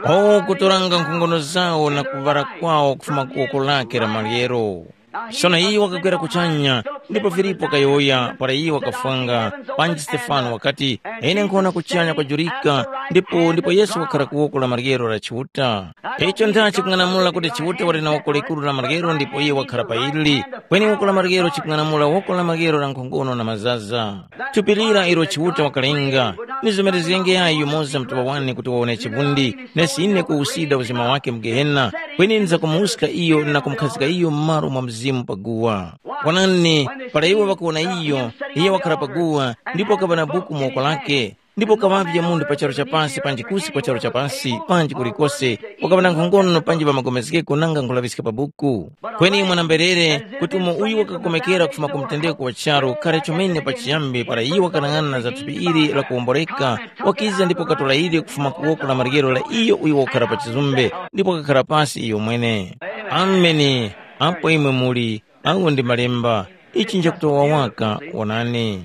O kutoranga nkhongono zawo na kuŵala kwawo kufuma ku woko lake la maryero. Sono iyo wakagwera kuchanya, ndipo Filipo wakayowoya para iyo wakafwanga, panji Stefano wakati, ine nkhona kuchanya kwajurika, ndipo ndipo Yesu wakhala ku woko la maryero la Chiuta. Icho ntha chikung'anamula kuti Chiuta wali na woko likuru la maryero ndipo iye wakhala pa ili, kweni woko la maryero chikung'anamula woko la maryero la nkhongono na mazaza. Thupi lira ilo Chiuta wakalenga, ni zomerezgenge yayi yumoza mtuŵa wane kuti wawone chivundi, nesi ine kuwusida uzima wake mu Gehena, kweni ndizakumuska iyo na kumukhazika iyo m'malo mwa mzimu pa guwa. Wonani, para iwo ŵakuwona iyo, iye wakhala pa guwa, ndipo wakaŵa na buku mu woko lake, ndipo kaŵavye munthu pa charu cha pasi panji kusi kwa charu cha pasi, panji kulikose, wakaŵa na nkhongono panji ŵamagomezgeko nanga nkhulaŵiska pa buku. Kweni mwana-mberere, kuti umo uyu wakakomekera kufuma ku mtendeko wa charu kale chomene pachiyambi para iye wakanang'ana na za thupi ili la kuwomboreka, wakiza ndipo wakatora ili kufuma ku woko la maryero la iyo uyo wakukhara pa chizumbe, ndipo wakakhara pasi iyo mwene. Ameni. Apo imwe muli, agho ndi malemba, ichi nchakutowa waka, wonani.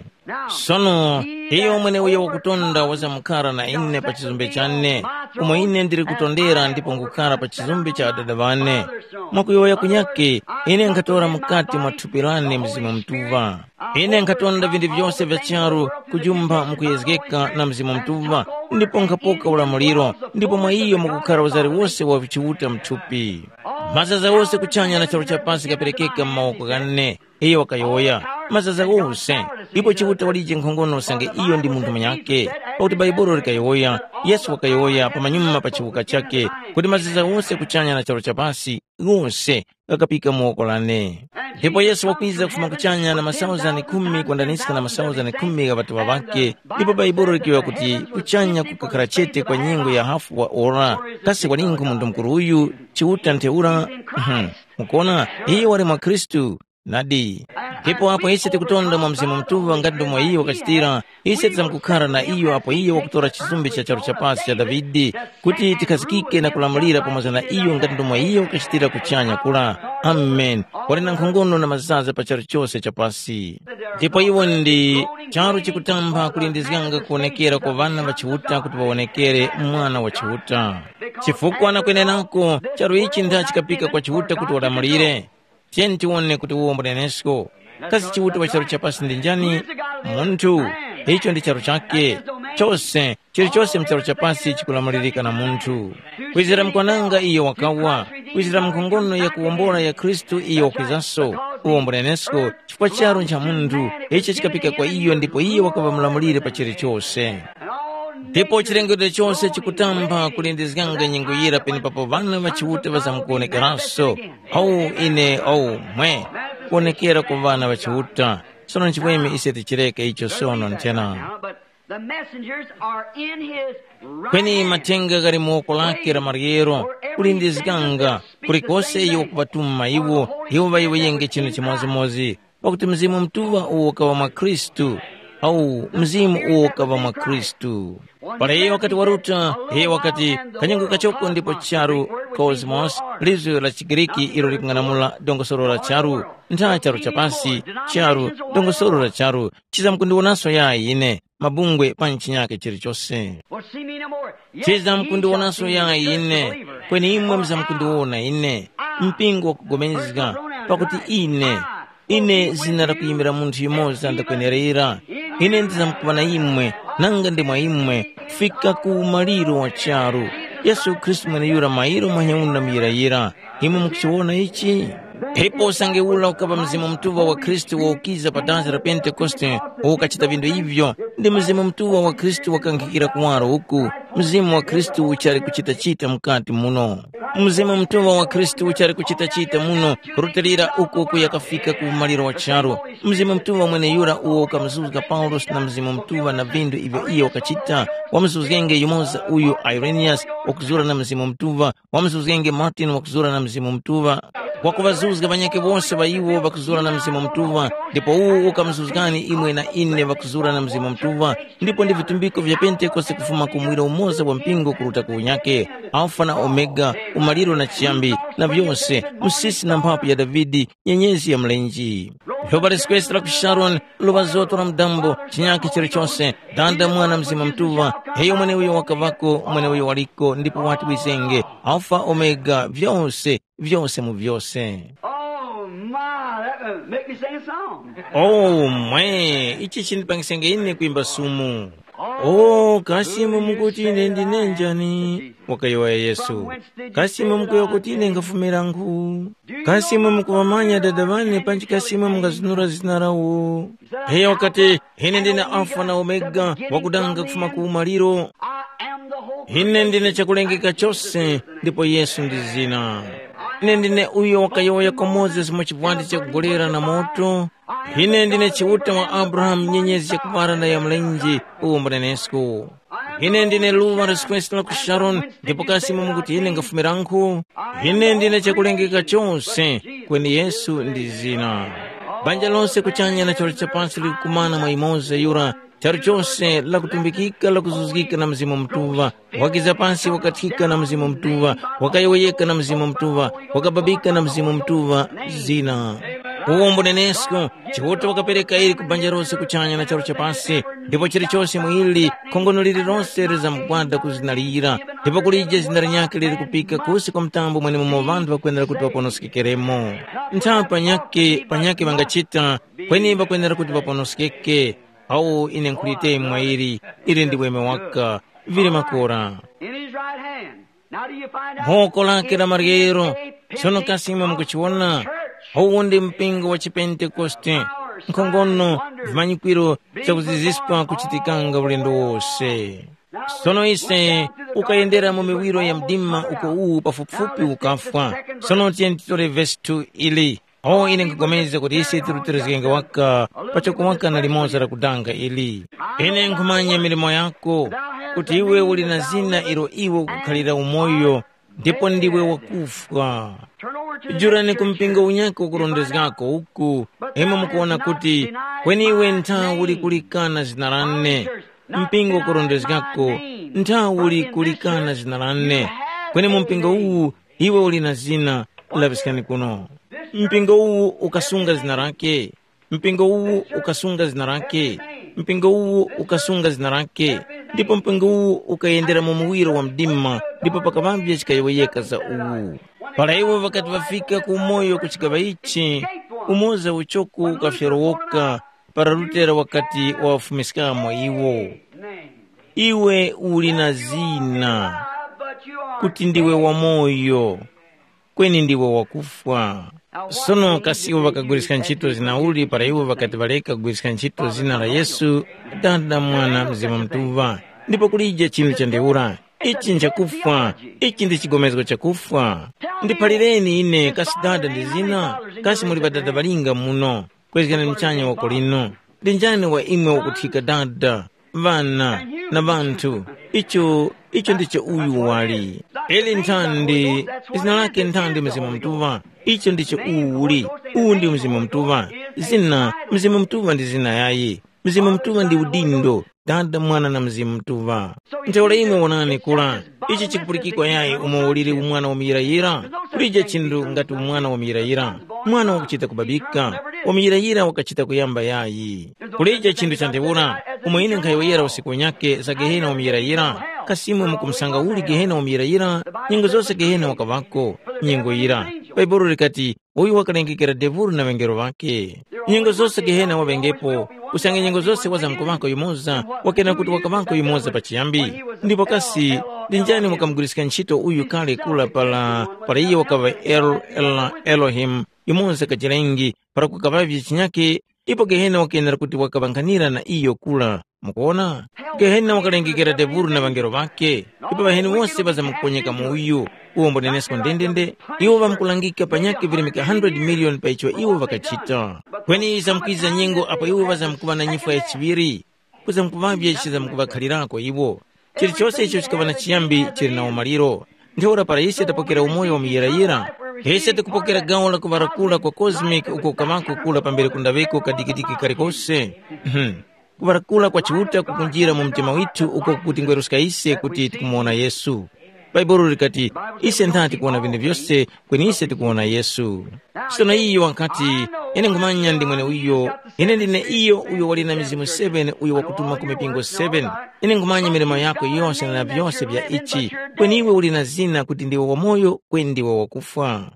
Sono, iyo mweneuyo wakutonda wazamkara na ine pa chizumbe chane, umo ine ndili kutondera ndipo nkhukara pa chizumbe cha Adada ŵane. Mwakuyowoya kunyakhe, ine nkhatora mukati mwa thupi lane Mzimu Mutuŵa. Ine nkhatonda vinthu vyose vya charu kujumpha mukuyezgeka na Mzimu Mutuŵa, ndipo nkhapoka ulamuliro, ndipo mwa iyo mukukhara uzari wose wa Chiuta mthupi. Mazaza wose kuchanya na charu cha pasi ghaperekeka mu mawoko ghane. Iyo wakayowoya, mazaza ghose, ipo Chiuta walije nkhongono usange iyo ndi munthu munyakhe, pakuti Bhaibuli likayowoya, Yesu wakayowoya pamanyuma pa chiwuka chakhe, kuti mazaza ghose kuchanya na charu cha pasi, ghose ghakapika mu woko lane. Ndipo Yesu wakwiza kufuma kuchanya na masauzani khumi kwendaniska na masauzani khumi gha ŵatuŵa ŵakhe, ndipo Bhaibuli likiyowoya kuti kuchanya kukakhala chete kwa nyengo ya hafu wa ora. Kasi walinkhu munthu mukuru uyu, Chiuta ntheura? Mhm. Mukuona, iye wali mwa Khristu. Nadi. Ndipo apo ise tikutonda mwa Mzimu Mutuŵa ngati ndomwe iyo wakachitira, ise tizamkukhara na iyo apo iyo wakutora chizumbe cha charu cha pasi cha Davide, kuti tikhazikike na kulamulira pamoza na iyo ngati ndomwe iyo wakachitira kuchanya kula. Amen. Wali na nkhongono na mazaza pa charu chose cha pasi. Ndipo iwo ndi charu chikutamba kulindizganga kuwonekera kwa ŵana ŵa Chiuta kuti ŵawonekere Mwana wa Chiuta. Chifukwa na kwenenako, charu ichi ndha chikapika kwa Chiuta kuti walamulire. Tiyeni tiwone kuti uwo mbunenesko. Kasi Chiuta wa charu chapasi ndi njani? Munthu. Icho ndi charu chakhe. Chose, chilichose mu charu chapasi chikulamulirika na munthu. Kwizira mkwananga iyo wakawa, kwizira nkhongono ya kuwombola ya Khristu iyo wakwizanso. Uwo mbunenesko, chifukwa charu ncha munthu, ichi chikapika kwa iyo ndipo iye wakaŵa mulamulire pa chilichose. Ndipo chilengedwe chose chikutamba kulindizganga nyengo yira penepapo ŵana ŵa Chiuta ŵazamkuwonekeranso. Awu ine, awu mwe, kuwonekera ku ŵana ŵa Chiuta. Sono nchimweme ise tichireke icho sono nthena. Now, but the messengers are in his Kweni right hand. Mathenga ghali mu woko lake la maryero, kulindizganga, kulikose iyo kuŵatuma iwo, iwo ŵayiweyenge chinthu chimodzimodzi, pakuti Mzimu Mutuŵa uwo ukaŵa mwa Khristu. Awu, Mzimu uwo ukaŵa mwa Khristu. Para iyo wakati waruta, iyo wakati, kanyengo kachoko ndipo charu, cosmos, lizgu la chiGriki ilo likung'anamula dongosolo la charu, ntha charu chapasi, charu, dongosolo la charu, chizamkundiwonaso yayi ine, mabungwe pa chinyakhe chilichose. Well, see me no more. Yes, ye shall see me, the church believer. Kweni imwe muzamkundiwona ine, mpingo wakupulikana, pakuti ine, ine zina lakuyimira munthu yumoza ndakwenerera. Ine ndizamkuŵa na imwe, nanga ndi mwa imwe, kufika ku umaliro wa charu. Yesu Khristu mweneyura mairo mweneuno muyirayira. Imwe mukuchiwona ichi? Ndipo usange ura ukaŵa Mzimu Mutuŵa wa Khristu woukiza pa dansi la Pentekoste, ukachita vindu ivyo, ndi Mzimu Mutuŵa wa Khristu wakankhikira kuwaro uku, Mzimu wa Khristu uchali kuchita-chita mukati muno. Mzimu Mutuŵa wa Khristu uchali kuchita-chita muno, kurutilira uku kuyakafika ku umaliro wa charu. Mzimu Mutuŵa mweneyura uwo ukamuzuzga Paulosi na Mzimu Mutuŵa na vindu ivyo iyo wakachita, wamuzuzgenge yumoza uyu Ireniyasi wakuzura na Mzimu Mutuŵa, wamuzuzgenge Martini wakuzura na Mzimu Mutuŵa, wakuŵazuzga ŵanyakhe wose ŵa iwo ŵakuzura na Mzimu Mutuŵa, ndipo uwu ukamuzuzgani imwe na ine ŵakuzura na Mzimu Mutuŵa, ndipo ndi vitumbiko vya Pentekoste kufuma ku muwiro umoza wa mpingo kuruta ku unyakhe, Alfa na Omega, umaliro na chiyambi, na vyose, msisi na mphapu ya Davide, nyenyezi ya mlenje. Lova liskwesi la ku Sharoni, lova zoto la mudambo, chinyakhe chilichose, Dada, Mwana, Mzimu Mutuŵa, iyo mweneuyo wakaŵako, mweneuyo waliko, ndipo wati wizenge, Alfa, Omega, vyose, vyose mu vyose. Oh my, that would make me sing a song. Oh mwe, ichi chindipangisenge ine kwimba sumu. Oh, kasi imwe mukuti ine ndine njani? Wakayowoya Yesu. Kasi imwe mukuyowoya kuti ine ngafumira nkhu? Kasi imwe mukuŵamanya Dada ŵane panji kasi imwe mungazunura zina lawo? Iyo wakati, ine ndine Alfa na Omega, wakudanga kufuma ku umaliro. Ine ndine chakulengeka chose, ndipo Yesu ndi zina. Ine ndine uyo wakayowoya kwa Mozesi mu chivwandi chakugolera na moto. Ine ndine Chiuta wa Abrahamu, nyenyezi yakupara na ya mlenje, uwo mbunenesko. Ine ndine luŵa la Yesu Khristu la ku Sharoni, ndipo kasi imwe mukuti ine ngafumirankhu? Ine ndine chakulengeka chose, kweni Yesu ndi zina. Banja lose kuchanya na charu cha pasi likukumana mwa imoza yura, charu chose lakutumbikika lakuzuzgika na Mzimu Mutuŵa, wakiza pasi wakathika na Mzimu Mutuŵa, wakayowoyeka na Mzimu Mutuŵa, wakababika na Mzimu Mutuŵa, zina. Uwo mbunenesko, Chiuta wakapereka ili ku banja lose kuchanya na charu cha pasi, ndipo chilichose mu ili, khongono lililose lizamgwada ku zina lira, ndipo kulije zina linyakhe lili kupika kusi kwa mtambo mwenemumo ŵanthu ŵakwenera kuti ŵaponoskekemo. Ntha panyakhe, panyakhe ŵangachita, kweni ŵakwenera kuti ŵaponoskeke, awu ine nkhuliteni mwa ili, ili ndi weme waka, vili makora. In his right hand. Now do you find out? Mphoko lake la maryero. Sono kasi imwe mukuchiwona? Uwu ndi mpingo wa chipentekoste. Nkhongono, vimanyikwiro vyakuziziska kuchitikanga ulendo wose. Sono ise ukayendera mu miwiro ya mdima uko uwu pafupifupi ukafwa. Sono tiyeni titore vesi two ili. O ine nkhupulikana kuti ise tirutilizgenge waka pa chakuwaka na limoza la kudanga ili. Ine nkhumanya milimo yako, kuti iwe uli na zina ilo iwe ukukhalira umoyo, ndipo ndiwe wakufwa. Jurani ku mpingo unyakhe ukurondezgako uku, imwe mukuwona kuti kweni iwe ntha uli kulikana zina lane. Mpingo ukurondezgako, ntha uli kulikana zina lane. Kweni mu mpingo uwu iwe uli na zina, laŵiskani kuno. Mpingo uwu ukasunga zina lake. Mpingo uwu ukasunga zina lake. Mpingo uwu ukasunga zina lake. Ndipo mpingo uwu ukayendera mu muwiro wa mdima, ndipo pakaŵavye chikayowoyeka za uwu. Para iwo ŵakati ŵafika ku umoyo ku chigaŵa ichi, umoza uchoko ukafyorowoka, para Lutera wakati wawafumiskamo iwo. Iwe uli na zina, kuti ndiwe wamoyo, kweni ndiwe wakufwa. Sono kasi iwo ŵakagwiriska ntchito zina uli para iwo ŵakati ŵareka kugwiriska ntchito zina la Yesu, Dada, Mwana, Mzimu Mutuŵa, ndipo kulije chinthu cha ntheura? Ichi nchakufwa, ichi ndi chigomezgo chakufwa. Ndiphalireni ine kasi Dada ndi zina, kasi muli ŵadada ŵalinga muno? Kwezgani muchanya woko lino. Ndi njani wa imwe wakuthika dada, ŵana, na ŵanthu? Icho, icho ndicho uyu wali. Eli nthandi, zina lake nthandi Mzimu Mutuŵa. Icho ndicho uwu uli. Uwu ndi Mzimu Mutuŵa. Zina, Mzimu Mutuŵa ndi zina yayi. Mzimu Mutuŵa ndi udindo. Dada, Mwana na Mzimu Mutuŵa. Ntheura imwe wonani kura, ichi chikupulikikwa yayi umo uliri umwana wa muyirayira? Kulije chinthu ngati umwana wa muyirayira. Mwana wakuchita kubabika, wa muyirayira wakachita kuyamba yayi. Kulije chinthu cha ntheura, umo ine nkhayowoyera usiku unyakhe za Gehena wa muyirayira. Kasi imwe mukumusanga uli Gehena wa muyirayira? Nyengo zose Gehena wakaŵako, nyengo yira. Bhaibuli likati, uyo wakalengekera Debuli na ŵangelo ŵakhe. Nyengo zose Gehena waŵengepo, usange nyengo zose wazamkuŵako yumoza, wakena kuti wakaŵako yumoza pachiyambi. Ndipo kasi, ndi njani wakamugwiriska ntchito uyu kale kura para, para iyo wakaŵa El, El, Elohimu, yumoza kajilengi para kukaŵavye chinyake, ipo Gehena wakenera kuti wakaŵankhanira na iyo kura. Mukuwona? Gehena wakalengekera Deburu na ŵangelo ŵakhe, ipo ŵaheni wose ŵazamkuponyeka mu uyu, uwo mbunenesko ndendende, iwo ŵamkulangika panyakhe virimika hundred miliyoni pa icho iwo ŵakachita. Kweni zamkwiza nyengo apo iwo ŵazamkuŵa na nyifwa ya chiŵiri, kuzamkuŵavye chizamkuŵakhalirako iwo. Chilichose icho chikaŵa na chiyambi chili na umaliro. Ntheura para ise tapokera umoyo wa muyirayira, ise tikupokera gawo la kuŵarakula kwa cosmic uko kamako kula pambere kundaŵeko kadikidiki kalikose. Mhm. Kuŵarakula kwa Chiuta kukunjira mu mtima withu uko kukutingweruska ise kuti tikumuwona Yesu. Bhaibuli likati, ise ntha tikuwona vinthu vyose, kweni ise tikuwona Yesu. Sono iyo wakati, ine nkhumanya ndi mweneuyo, ine ndine iyo uyo wali na mizimu seven uyo wakutuma ku mipingo seven. Ine nkhumanya milimo yako yose na vyose vya ichi, kweni iwe uli na zina kuti ndiwe wamoyo kweni ndiwe wakufwa.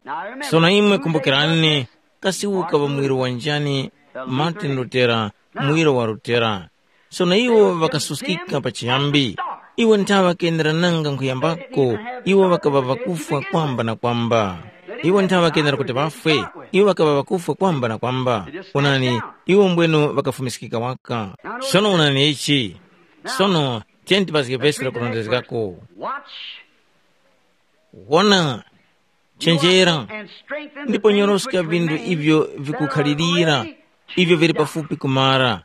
Sono imwe kumbukirani, kasi ukaŵa muwiro wa njani? Martin Lutera, muwiro wa Lutera. Sono iwo ŵakasuskika pachiyambi. Iwo nthawe ŵakenderananga nkhuyambako, iwo ŵakaŵa ŵakufwa kwamba na kwamba. Iwo nthawe ŵakendera kuti ŵafwe, iwo ŵakaŵa ŵakufwa kwamba na kwamba. Onani, iwo mbwenu ŵakafumiskika waka. Sono onani ichi. Sono tiyeni tipazge vesi lakurondezgako. Watch. Wona, chenjera, and strengthen the ndipo things nyoroska which vinthu remain ivyo that are vikukhalirira, already ivyo vili pafupi kumara.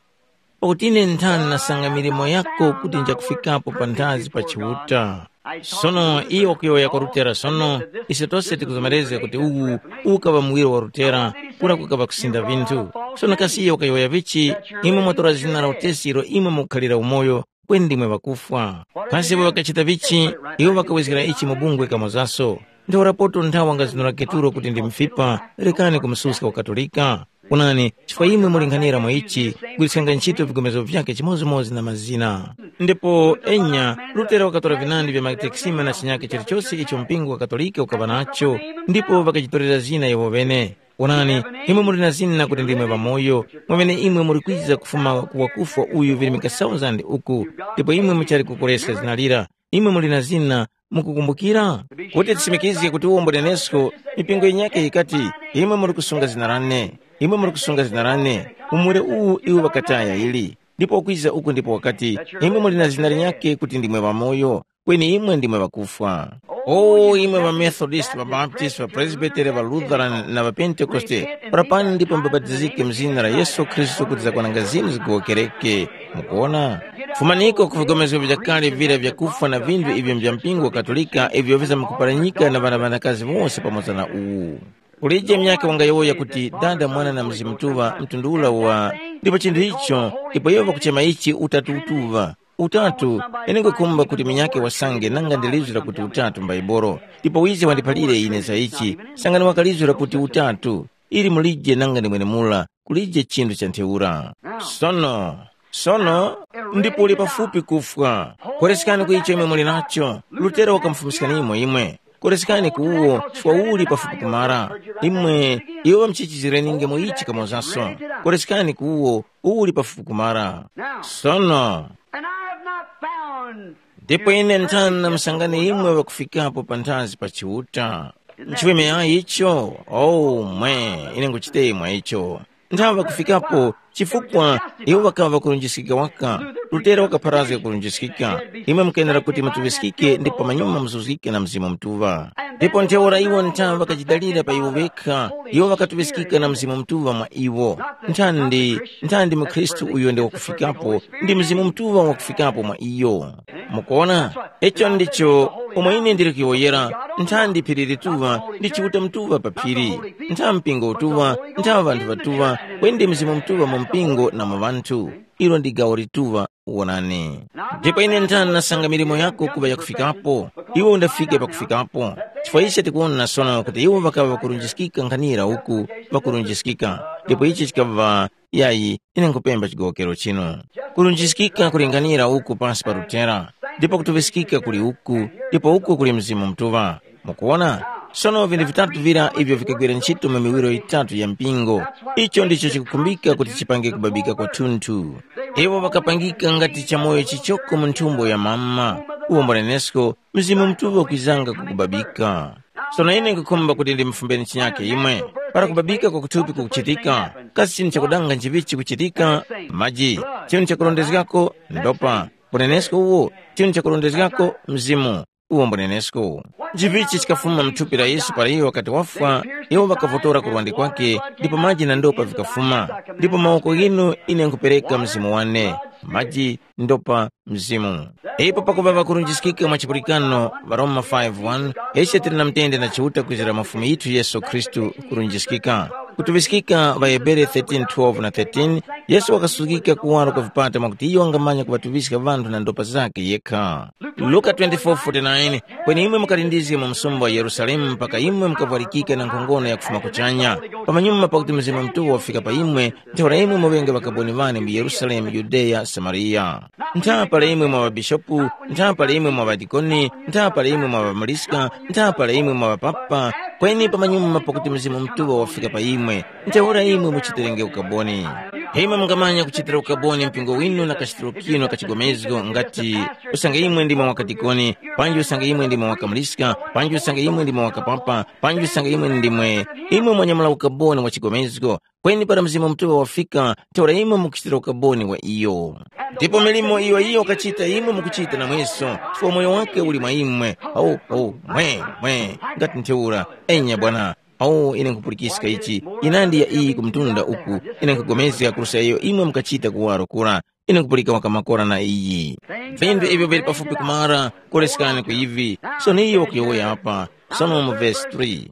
Pakuti ine nthani nasanga milimo yako kuti njakufikapo panthazi pa Chiuta. Sono iyo wakuyowoya kwa Lutera sono, ise tose tikuzomerezga kuti uwu ukaŵa muwiro wa Lutera, kura kukaŵa kusinda vinthu. Sono kasi iyo wakayowoya vichi, imwe mwatora zina la utesi ilo imwe mukukhalira umoyo, kweni ndimwe ŵakufwa. Kasi iwo ŵakachita vichi? Iwo ŵakawezgera ichi mu bungwe kamozaso. Ntheurapoto nthawi wangazinura Keturo kuti ndi mfipa, rekani kumususka uKatolika. Onani, chifukwa imwe mulinghanira mwa ichi, gwiriskanga ntchito vigomezgo vyake chimodzimodzi na mazina. Ndipo enya, Lutera wakatora vinandi vya Matekisima na chinyake chilichose icho mpingo wa Katolika ukaŵa nacho, ndipo ŵakachitorera zina iwo ŵene. Onani, imwe muli na zina kuti ndimwe ŵamoyo, mwamene imwe muli kwiza kufuma ku wakufwa uyu virimika thousand uku, ndipo imwe muchali kukoreska zina lira. Imwe muli na zina, mukukumbukira? Kuti tisimikizge kuti uwo mbunenesko, mipingo yinyakhe yikati, imwe muli kusunga zina lane, imwe muli kusunga zina lane, umure uwu iwo ŵakataya ili. Ndipo wakwiza uku ndipo wakati, imwe muli na zina linyakhe kuti ndimwe ŵamoyo, kweni imwe ndimwe ŵakufwa. O imwe ŵaMethodist, ŵaBaptist, ŵaPresbiteri, ŵaLutheran na ŵaPentekoste, para pano ndipo mubapatizike mu zina la Yesu Khristu kuti zakwananga zinu zigowokereke. Mukuona? Fumaniko ku vigomezgo vya kale vira vyakufwa na vinthu ivyo vya mpingo wa Katolika ivyo vizamkuparanyika na ŵana ŵanakazi wose pamoza na uwu. Kulije myaka wangayowoya kuti Dada, Mwana na Mzimu Mutuŵa mtundu ula wa, ndipo chinthu icho, ndipo iwo ŵakuchema ichi Utatu Utuŵa. Utatu, ine nkhukhumba kuti munyakhe wasange nanga ndi lizgu lakuti Utatu m'Baibolo, ndipo wize wandiphalire ine za ichi, sangani wakalizura kuti Utatu, ili mulije nanga ndi mwenemura, kulije chinthu cha ntheura. Sono, sono, ndipo uli pafupi kufwa. Koreskani ku icho imwe muli nacho, Lutero wakamufumiskani imwe imwe. Koreskani ku uwo, chifukwa uli pafupi kumara. Imwe, iwo ŵamchichizirenge mu ichi kamozaso. Koreskani ku uwo, uli pafupi kumara. Sono, And I have not found ndipo ine nthana musangane imwe ŵakufikapo panthazi pa Chiuta. Nchiweme yayi icho? Oh, mwe, ine nguchite mwa icho. Nthawe ŵakufikapo, chifukwa iwo ŵakaŵa ŵakulunjiskika waka. Lutera wakapharazga kulunjiskika. Imwe mukenera kuti mutuŵiskike ndipo pamanyuma muzuzgike na Mzimu Mutuŵa. Ndipo ntheura iwo nthawe ŵakachidalira pa iwo ŵekha, iwo ŵakatuŵiskika na Mzimu Mutuŵa mwa iwo. Nthandi, nthandi mukhristu uyo ndi wakufikapo, ndi Mzimu Mutuŵa wakufikapo mwa iyo. Mukuona? Icho ndicho umo ine ndili kuyowoyera, nthandi phiri lituŵa ndi Chiuta Mutuŵa pa phiri, ntha mpingo utuŵa, ntha ŵanthu ŵatuŵa, kweni ndi Mzimu Mutuŵa mu mpingo na mu ŵanthu. Ilo ndi gawo lituŵa, wonani. Ndipo ine nthani nasanga milimo yako kuŵa yakufikapo, iwe undafike pakufikapo. Chifukwa ise tikuwona sono kuti iwo ŵakaŵa ŵakurunjiskika nkhanira uku, ŵakurunjiskika, ndipo ichi chikaŵa yayi, ine nkhupemba chigowokero chinu. Kulunjiskika kulinganira uku pasi pa Lutera, ndipo kutuŵiskika kuli uku, ndipo uku kuli Mzimu Mutuŵa. Mukuwona? Sono vinthu vitatu vira ivyo vikagwira ntchito mu miwiro yitatu ya mpingo, icho ndicho chikukhumbika kuti chipange kubabika kwathunthu. Iwo ŵakapangika ngati chamoyo chichoko mu nthumbo ya mama, uwo mbunenesko Mzimu Mutuŵa kwizanga kukubabika. Sono ine nkhukhumba kuti ndimufumbeni chinyake imwe. Para kubabika kwa kuthupi kukuchitika, kasi chinthu chakudanga nchivichi chikuchitika? Maji. Chinthu chakurondezgako ndopa. Unenesko uwo, chinthu chakurondezgako mzimu. Uwo mbunenesko. Nchivichi chikafuma mthupi la Yesu para iyo wakati wafwa, iwo ŵakavotora kurwandi kwake, ndipo maji na ndopa vikafuma. Ndipo mawoko ghinu ine nkhupereka mzimu wane, maji, ndopa, mzimu. Ipo pakuŵa ŵakurunjiskika mwa chipulikano, Varoma five one, ise tili na mtende na Chiuta kwizira mwa Fumu yithu Yesu Khristu kurunjiskika. Kutuŵiskika ŵaHebere thirteen twelve na thirteen, Yesu wakasuzgika kuwaro kwa vipata mwakuti iyo wangamanya kuŵatuŵiska ŵanthu na ndopa zakhe yekha. Luka twenty-four forty-nine, kweni imwe mukalindizge mu msumba wa Yerusalemu mpaka imwe mukavwarikike na nkhongono yakufuma kuchanya. Pamanyuma pakuti Mzimu Mutuŵa wafika pa imwe, ntheura imwe muŵenge ŵakaboni ŵane mu Yerusalemu, Yudeya, Samariya. Ntha pala imwe mwa ŵabishopu, ntha pala imwe mwa ŵadikoni, ntha pala imwe mwa ŵamuliska, ntha pala imwe mwa ŵapapa, kweni pamanyuma pakuti Mzimu Mutuŵa wafika pa imwe, ntheura imwe muchitirenge ukaboni. Imwe mungamanya kuchitira ukaboni mpingo winu na kachitiro kinu ka chigomezgo ngati usange imwe ndimwe mwa kadikoni, panji usange imwe ndimwe mwa kamuliska, panji usange imwe ndimwe mwa kapapa, panji usange imwe ndimwe, imwe mwanyamula ukaboni wa chigomezgo, kweni para Mzimu Mutuŵa wafika, ntheura imwe mukuchitira ukaboni wa iyo. Ndipo milimo iyo iyo wakachita imwe mukuchita namweso, chifukwa moyo wake uli mwa imwe. Au, au, mwe, mwe, ngati ntheura, enya Bwana, au, ine nkhupulikiska ichi, inandi ya iyi kumtunda uku, ine nkhupulikana kuruska iyo imwe mukachita kuwaro kura, ine nkupulika wakamakora na iyi. Vinthu ivyo vili pafupi kumara, kolesekani ku ivi, sono iyo wakuyowoya apa, sono mu vesi three.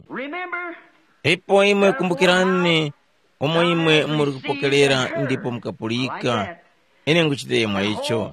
Ipo imwe kumbukirani, umo imwe muri kupokerera ndipo mukapulika, ine nguchite mwa icho.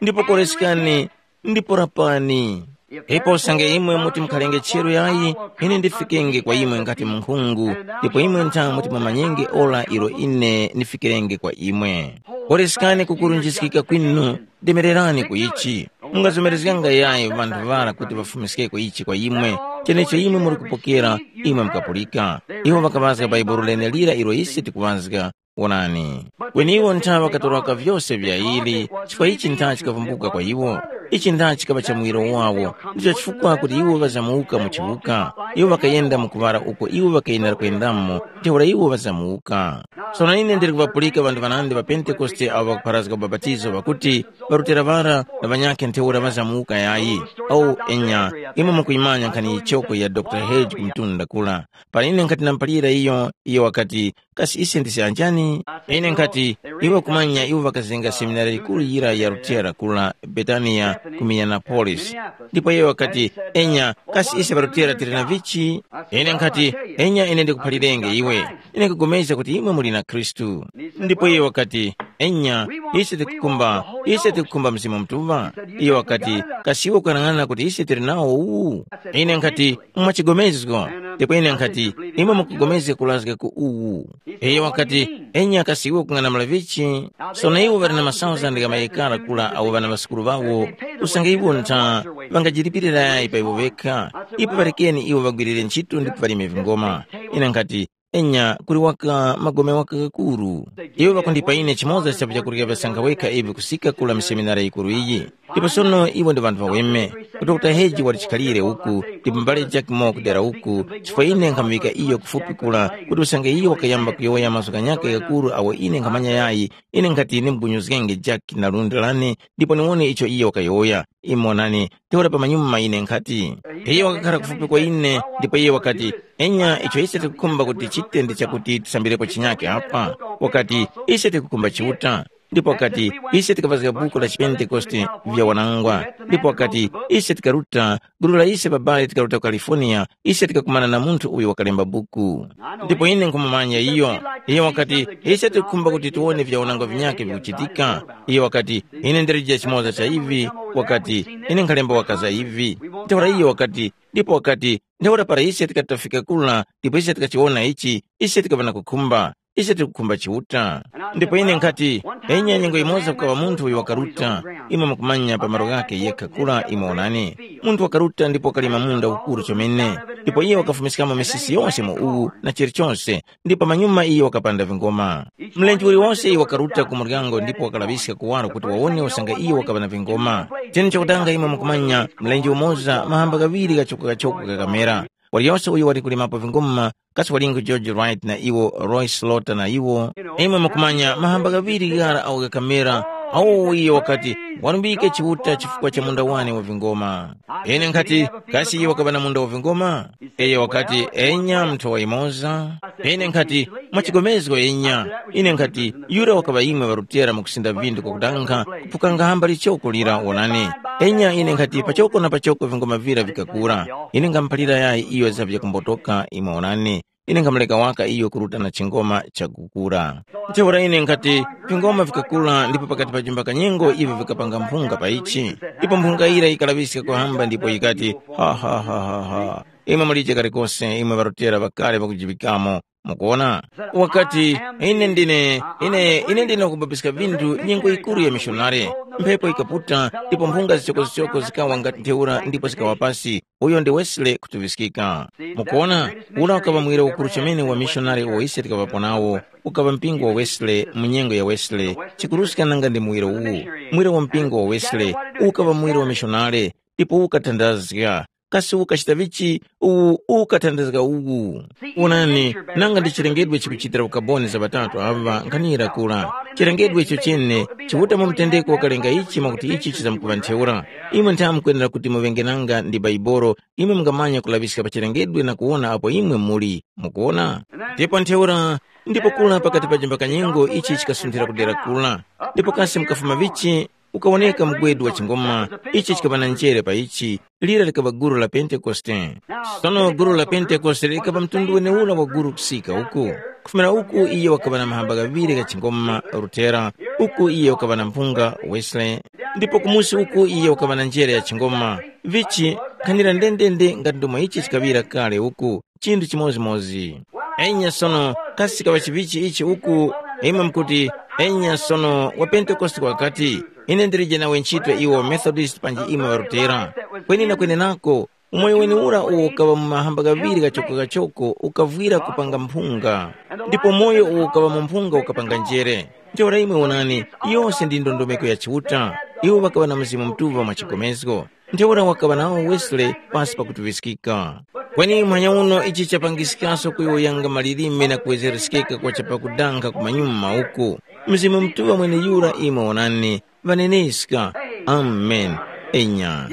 Ndipo kolesekani, ndipo rapani. Ipo usange imwe muti mukhalenge cheru yayi, ine ndifikenge kwa imwe ngati munkhungu, ndipo imwe ntha muti mumanyenge ora ilo ine ndifikirenge kwa imwe. Kolesekani kukurunjiskika kwinu, demererani ku ichi. Mungazomerezganga yayi vanthu ŵara kuti ŵafumiskeko ichi kwa imwe, chenecho imwe muri kupokera, imwe mukapulika. Iwo ŵakaŵazga Bhaibuli lenelira ilo ise tikuŵazga. Wonani, kweni iwo ntha ŵakatoroka vyose vya ili, chifukwa ichi ntha chikavumbuka kwa iwo. Ichi ntha chikaŵa cha muwiro wawo, ndicho chifukwa kuti iwo ŵazamuka mu chiwuka. Iwo ŵakayenda mu kuŵala uko iwo ŵakayenera kuyendamo, ntheura iwo ŵazamuka. Sono ine ndili kuŵapulika ŵanthu ŵanandi ŵa Pentekoste awo ŵakupharazga ubapatizo ŵakuti, ŵarutera ŵara na ŵanyakhe ntheura ŵazamuka yayi. Awu enya, imwe mukuyimanya nkhani yichoko ya Dr Hedge ku mtunda kula. Para ine nkhati namuphalira iyo, iyo wakati, kasi ise ndise anjani? Ine nkhati, iwe kumanya iwo ŵakazenga seminari yikuru yira ya Lutera kula Betaniya ku Minneapolis. Ndipo iye wakati, enya, kasi ise ŵaLutera tili na vichi? Ine nkhati, enya ine ndikuphalirenge iwe, ine nkupulikana kuti imwe muli na Khristu. Ndipo iye wakati, enya, ise tikukhumba, ise tikukhumba Mzimu Mutuŵa. Iye wakati, kasi iwe ukuyang'ana kuti ise tili nawo uwu? Ine nkhati, mwachigomezgo. Ndipo ine nkhati, imwe mukugomezga kulazga ku uwu. Iyo wakati, enya kasi iwe ukung'anamula vichi? Sono iwo ŵali na masauzandi gha mayekara kula awo ŵana ŵasukuru ŵawo, usange iwo ntha ŵangajilipirirayi pa iwo ŵekha, ipo ŵarekeni iwo ŵagwirire ntchito ndipo ŵalime vingoma. Ine nkhati, enya kuli waka magome waka ghakuru. Iwo ŵakundipa ine chimoza cha vyakurya vyasankha wekha ivi kusika kula mu seminari yikuru iyi. Ndipo sono iwo ndi ŵanthu ŵaweme. Dokta Heji wali chikhalire uku, ndipo mbale Jack Moore kudera uku, chifukwa ine nkhamuŵika iyo kufupi kula, kuti usange iyo wakayamba kuyowoya mazgu ghanyakhe ghakuru agho ine nkhamanya yayi, ine nkhati ndimupunyuzgenge Jack na lundi lane, ndipo niwone icho iyo wakayowoya. Imwe wonani, ntheura pamanyuma ine nkhati, iyo wakakhala kufupi kwa ine, ndipo iyo wakati, enya icho ise tikukhumba kuti tichite ndi chakuti tisambirepo chinyakhe apa. Wakati, ise tikukhumba Chiuta. Ndipo wakati, ise tikapazga buku la chipentekoste vya wanangwa. Ndipo wakati, ise tikaruta, gulu la ise babale tikaruta ku California, ise tikakumana na munthu uyo wakalemba buku. Ndipo ine nkhumumanya iyo. Iyo wakati, ise tikukhumba kuti tiwone vya wanangwa vinyakhe vikuchitika. Iyo wakati, ine ndilije chimoza cha ivi. Wakati, ine nkhalemba wakaza ivi. Ntheura iyo wakati, ndipo wakati, ntheura para ise tikati tafika kula, ndipo ise tikachiwona ichi, ise tikaŵa na kukhumba. Ise tikukhumba Chiuta. Ndipo ine nkhati, enya nyengo yimoza kukaŵa munthu uyo wakaruta, imwe mukumanya pa malo ghakhe yekha kula imwe wonani. Munthu wakaruta ndipo wakalima munda ukuru chomene, ndipo iye wakafumiskamo misisi yonse mu uwu na chilichonse, ndipo pamanyuma iye wakapanda vingoma. Mlenje uliwonse iye wakaruta ku muryango ndipo wakalaŵiska kuwaro kuti wawone usange iye wakaŵa na vingoma. Chene chakutanga imwe mukumanya, mlenje umoza mahamba ghaŵiri ghachoko-ghachoko ghakamera. Waliyose uyo wali kulimapo vinguma, kasi walingu George Wright na iwo, Roy Slaughter na iwo. Imwe mukumanya mahamba ghaŵiri ghara awo ghakamera, awo iyo wakati, walumbike Chiuta chifukwa cha munda wane wa vingoma. Ine nkhati, kasi iyo wakaŵa na munda wa vingoma? Iyo wakati, enya, mnthu wa imoza. Ine nkhati, mwachigomezgo enya. Ine nkhati, yura wakaŵa imwe ŵarutera mukusinda vindu kwakutankha, kuphukanga hamba lichoko lira wonani. Enya ine nkhati, pachoko na pachoko vingoma vira vikakura. Ine ngamuphalira yayi iyo za vyakumbotoka imwe wonani. Ine ngamuleka waka iyo kuruta na chingoma chakukura. Ntheura ine nkhati, vingoma vikakura ndipo pakati pa jumba kanyengo ivi vikapanga mphunga pa ichi. Ndipo mphunga ira yikalaŵiska kuhamba ndipo yikati, ha ha ha ha ha. Imwe mulije kalikose, imwe ŵarutera ŵakale ŵakujiŵikamo. Mukuona? Wakati, ine ndine, ine, ine ndine wakubabiska vinthu nyengo yikuru ya mishonari. Mphepo ikaputa, ndipo mphunga zichokozichoko zikawa ngati ntheura ndipo zikawa pasi. Uyo ndi Wesley kutuŵiskika. Mukuona, ula ukaŵa mwiro ukuru chomene wa mishonari uwo ise tikaŵapo nawo, ukaŵa mpingo wa Wesley mu nyengo ya Wesley, chikuruska nanga ndi muwiro uwu, mwiro wa mpingo wa Wesley, ukaŵa mwiro wa mishonari, ndipo ukathandazga. Kasi ukachita vichi uwu ukathandazga uwu? Wonani, nanga ndi chilengedwe chikuchitira ukaboni za ŵatatu aŵa nkhanira kura. Chilengedwe icho chene chiwuta mu mtendeko wakalenga ichi mwakuti ichi chizamkuŵa ntheura. Imwe nthawe mukwenera kuti muŵenge nanga ndi Baibolo, imwe mungamanya kulaŵiska pa chilengedwe na kuwona apo imwe muli. Mukuwona? Ndipo ntheura, ndipo kula pakati pa jimba kanyengo ichi chikasunthira kudera kula. Ndipo kasi mukafuma vichi, ukawoneka mgwedu wa chingoma, ichi chikaŵa na njere pa ichi, lira likaŵa guru la Pentekoste. Sono guru la Pentekoste likaŵa mtundu weneura wa guru kusika uku. Kufumira uku iyo wakaŵa na mahamba ghaŵiri gha chingoma, Lutera, uku iyo wakaŵa na mphunga, Wesley, ndipo kumusi uku iyo wakaŵa na njere ya chingoma, vichi, khanira ndendende ngati ndomwe ichi chikaŵira kale uku, chinthu chimodzimodzi. Enya sono, kasi kaŵa chivichi ichi uku, imwe mukuti, enya sono wa Pentekoste wakati, ine ndilije nawe ntchito iwo Methodist panji imwe ŵarutera. Kweni na kwenenako, umoyo weniura uwo ukaŵa mu mahamba ghaŵiri ghachoko-ghachoko ukavwira kupanga mphunga, ndipo moyo uwo ukaŵa mu mphunga ukapanga njere. Ntheura imwe wonani, yose ndi ndondomeko ya Chiuta. Iwo ŵakaŵa na Mzimu Mutuŵa mwa chigomezgo. Ntheura wakaŵa nawo Wesley pasi pakutuŵiskika. Kweni muhanya uno ichi chapangiskaso kuyowoyanga malilime na kuwezereskeka kwa chapakudanga kumanyuma uku. Mzimu Mutuŵa mweneyura imwe wonani, ŵaneneska. Amen. Enya.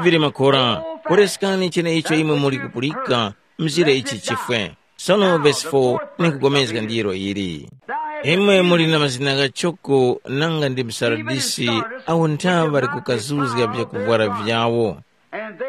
Vili makora, poreskani cheneicho imwe muli kupulika, mzire ichi chifwe. Sono vesi four nikugomezga ndiro ili. Imwe muli na mazina ghachoko nanga ndi msaradisi awo nthaŵa ŵali kukazuzga vyakuvwara vyawo.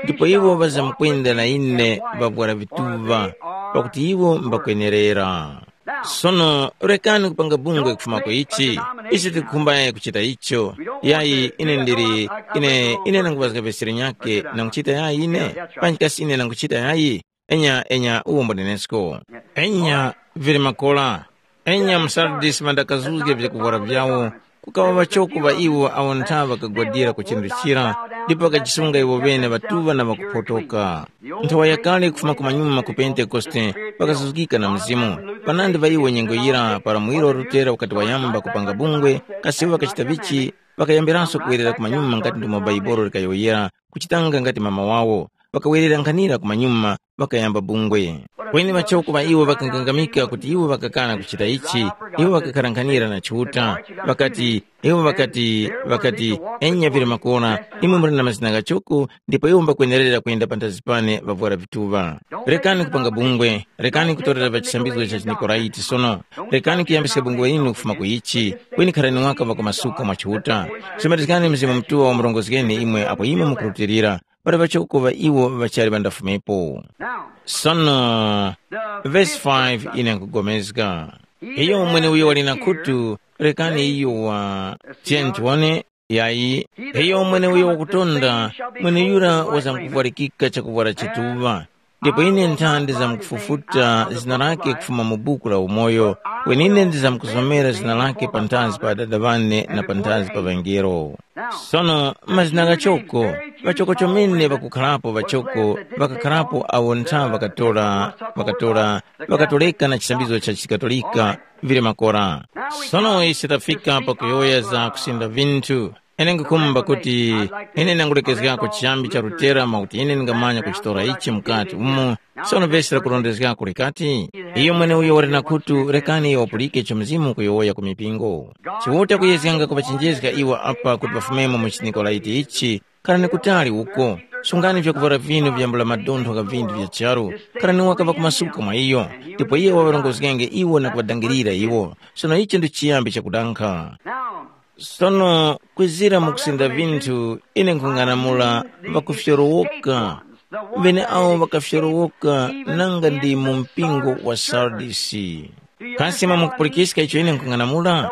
Ndipo iwo ŵazamkwenda na ine ŵavwara vituŵa, pakuti iwo mbakwenerera. Sono rekani kupanga bungwe kufumako ichi, ise tikukhumba yayi kuchita icho. Yayi ine ndili, ine, ine nanguŵazga vesere nyake nanguchita yayi ine, panji kasi ine nanguchita yayi? Enya, enya, uwo mbunenesko. Enya, vili makola. Enya, msardisi mandakazuzge vyakuvwara vyawo, kukaŵa ŵachoko ŵa iwo awo ntha ŵakagwadira ku chinthu chira, ndipo ŵakajisunga iwo ŵene ŵatuŵa na ŵakuphotoka. Nthowa yakale kufuma kumanyuma ku Pentekoste, ŵakazuzgika na Mzimu. Panandi ŵa iwo nyengo yira para muwiro wa Lutera ukati wayamba kupanga bungwe, kasi iwo ŵakachita vichi, ŵakayambiranso kuwerera kumanyuma ngati ndimo Baibolo likayowoyera, kuchitanga ngati mama wawo. Ŵakawerera nkhanira kumanyuma, ŵakayamba bungwe. Kweni ŵachoko ŵa iwo ŵakangangamika kuti iwo ŵakakana kuchita ichi. Iwo ŵakakhara nkhanira na Chiuta. Ŵakati, iwo ŵakati, ŵakati, enya vili makora, imwe muli na mazina ghachoko, ndipo iwo mbakwenerera kuyenda panthazi pane ŵavwara vituŵa. Rekani kupanga bungwe, rekani kutorera pa chisambizgo cha chiNikoraiti sono. Rekani kuyambiska bungwe linu kufuma ku ichi, kweni kharani waka ŵakumasuka mwa Chiuta. Sumarizgani Mzimu Mutuŵa wamurongozgeni imwe apo imwe mukurutilira, pali ŵachoko ŵa iwo ŵachali ŵandafumepo. Sono, vesi five ine nkugomezga. Iyo mweneuyo wali na khutu, rekani iyo wa, tiyeni tiwone, yayi, iyo mweneuyo wakutonda, mweneyura wazamkuvwarikika chakuvwara chituŵa. Ndipo ine ntha ndizamkufufuta zina lake kufuma mu buku la umoyo, kweni ine ndizamkusomera zina lake panthazi pa Adada ŵane na panthazi pa ŵangelo. Sono, mazina ghachoko, ŵachoko chomene ŵakukharapo ŵachoko, ŵakakharapo awo ntha ŵakatora, ŵakatora, ŵakatoreka na chisambizo cha chiKatolika, vili makora. Sono ise tafika pakuyowoya za kusinda vinthu. Ine nkukhumba kuti ine nangulekezgako chiyambi cha Lutera mwakuti ine ndingamanya kuchitora ichi mukati umo. Sono vesi lakurondezgako likati, iyo mweneuyo wali na khutu, rekani iyo wapulike icho Mzimu ukuyowoya ku mipingo. Chiuta kuyezganga kuŵachenjezga iwo apa kuti ŵafumemo mu chiNikolaiti ichi, kharani kutali uko. Sungani vyakuvwara vinu vyambula madontho gha vinthu vya charu, kharani waka ŵakumasuka mwa iyo, ndipo iye waŵarongozgenge iwo na kuŵadangirira iwo. Sono icho ndi chiyambi chakudankha. Sono kwizira mu kusinda vinthu, ine nkhung'anamula ŵakufyorowoka, ŵeneawo ŵakafyorowoka nanga ndi mu mpingo wa Sardisi. Kasi mwamukupulikiska icho ine nkhung'anamula?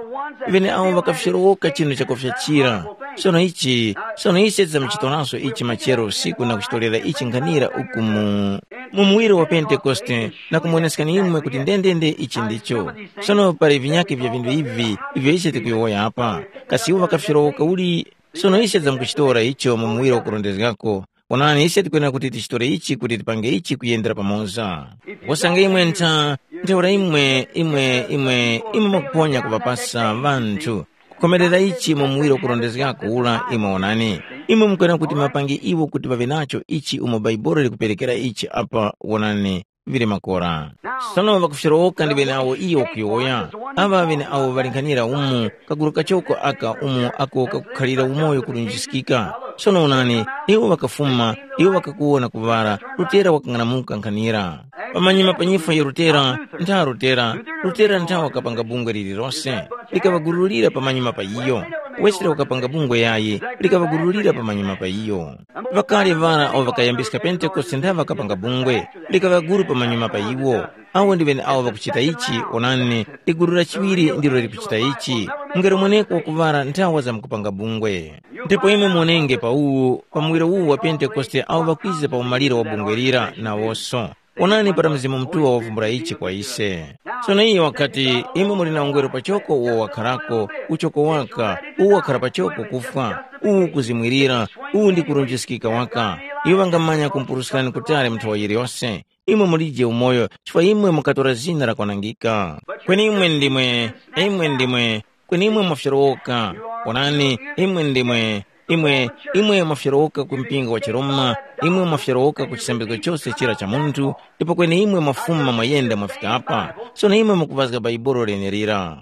Ŵeneawo ŵakafyorowoka chinu chakufyachira. Sono ichi, sono ise tidzamuchitoranso ichi machero usiku na kuchitorera ichi nkhanira uku mu, mu muwiro wa Pentekoste, na kumuwoneskani imwe kuti ndendende ichi ndicho. Sono pali vinyakhe vya vinthu ivi ivyo ise tikuyowoya apa. Kasi iwo ŵakafyorowoka uli? Sono ise tidzamukuchitora icho mu muwiro wakurondezgako. Onani, ise tikwenera kuti tichitore ichi kuti tipange ichi kuyendera pamoza. Wasanga imwe ntha, ntheura imwe, imwe, imwe, imwe mwakuponya kuŵapasa ŵanthu. Kukhomerera ichi mu muwiro wakurondezgako ula, imwe onani. Imwe mukwenera kuti mapange iwo kuti ŵaŵe nacho ichi umo Baibuli likuperekera ichi apa, wonani, vili makora. Sono ŵakufyorowoka ndi ŵeneawo iyo wakuyowoya. Aŵa ŵeneawo ŵali nkhanira umu, kagulu kachoko aka umo ako kakukhalira umoyo kurunjiskika. Sono onani, iwo ŵakafuma, iwo ŵakakuwona kuŵala, Lutera wakang'anamuka nkhanira. Pamanyuma pa nyifwa ya Lutera, ntha Lutera, Lutera ntha wakapanga bungwe lililose, likaŵagurulira pamanyuma pa iyo. Wesere wakapanga bungwe yayi, likaŵagurulira pamanyuma pa iyo. Ŵakale ŵara awo ŵakayambiska Pentekoste ntha ŵakapanga bungwe, likaŵa guru pamanyuma pa iwo. Awo ndi ŵeneawo ŵakuchita ichi, onani, liguru la chiŵiri ndilo likuchita ichi. Mungelo mweneko wakuŵala nthawa zamkupanga bungwe. Ndipo imwe muonenge pa uwu, pa muwiro uwu wa Pentekoste awo ŵakwiza pa umaliro wa bungwe lira nawonso. Onani para Mzimu Mutuŵa wavumbula ichi kwa ise. Sono iyo wakati, imwe muli na ungweru pachoko uwo wakharako, uchoko waka, uwo wakhara pachoko kufwa, uwu kuzimwirira, uwu ndi kurunjiskika waka. Iwo ŵangamanya kumpuruskani kutali mu nthowa yiliyose. Imwe mulije umoyo, chifukwa imwe mukatora zina lakwanangika. Kweni imwe ndimwe, imwe ndimwe, kweni imwe mwafyorowoka. Onani, imwe ndimwe, imwe, imwe mwafyorowoka ku mpingo wa chiRoma, imwe mwafyorowoka ku chisambizgo chose chira cha munthu, ndipo kweni imwe mwafuma mwayenda mwafika apa. Sono imwe mukuŵazga Bhaibuli lenelira.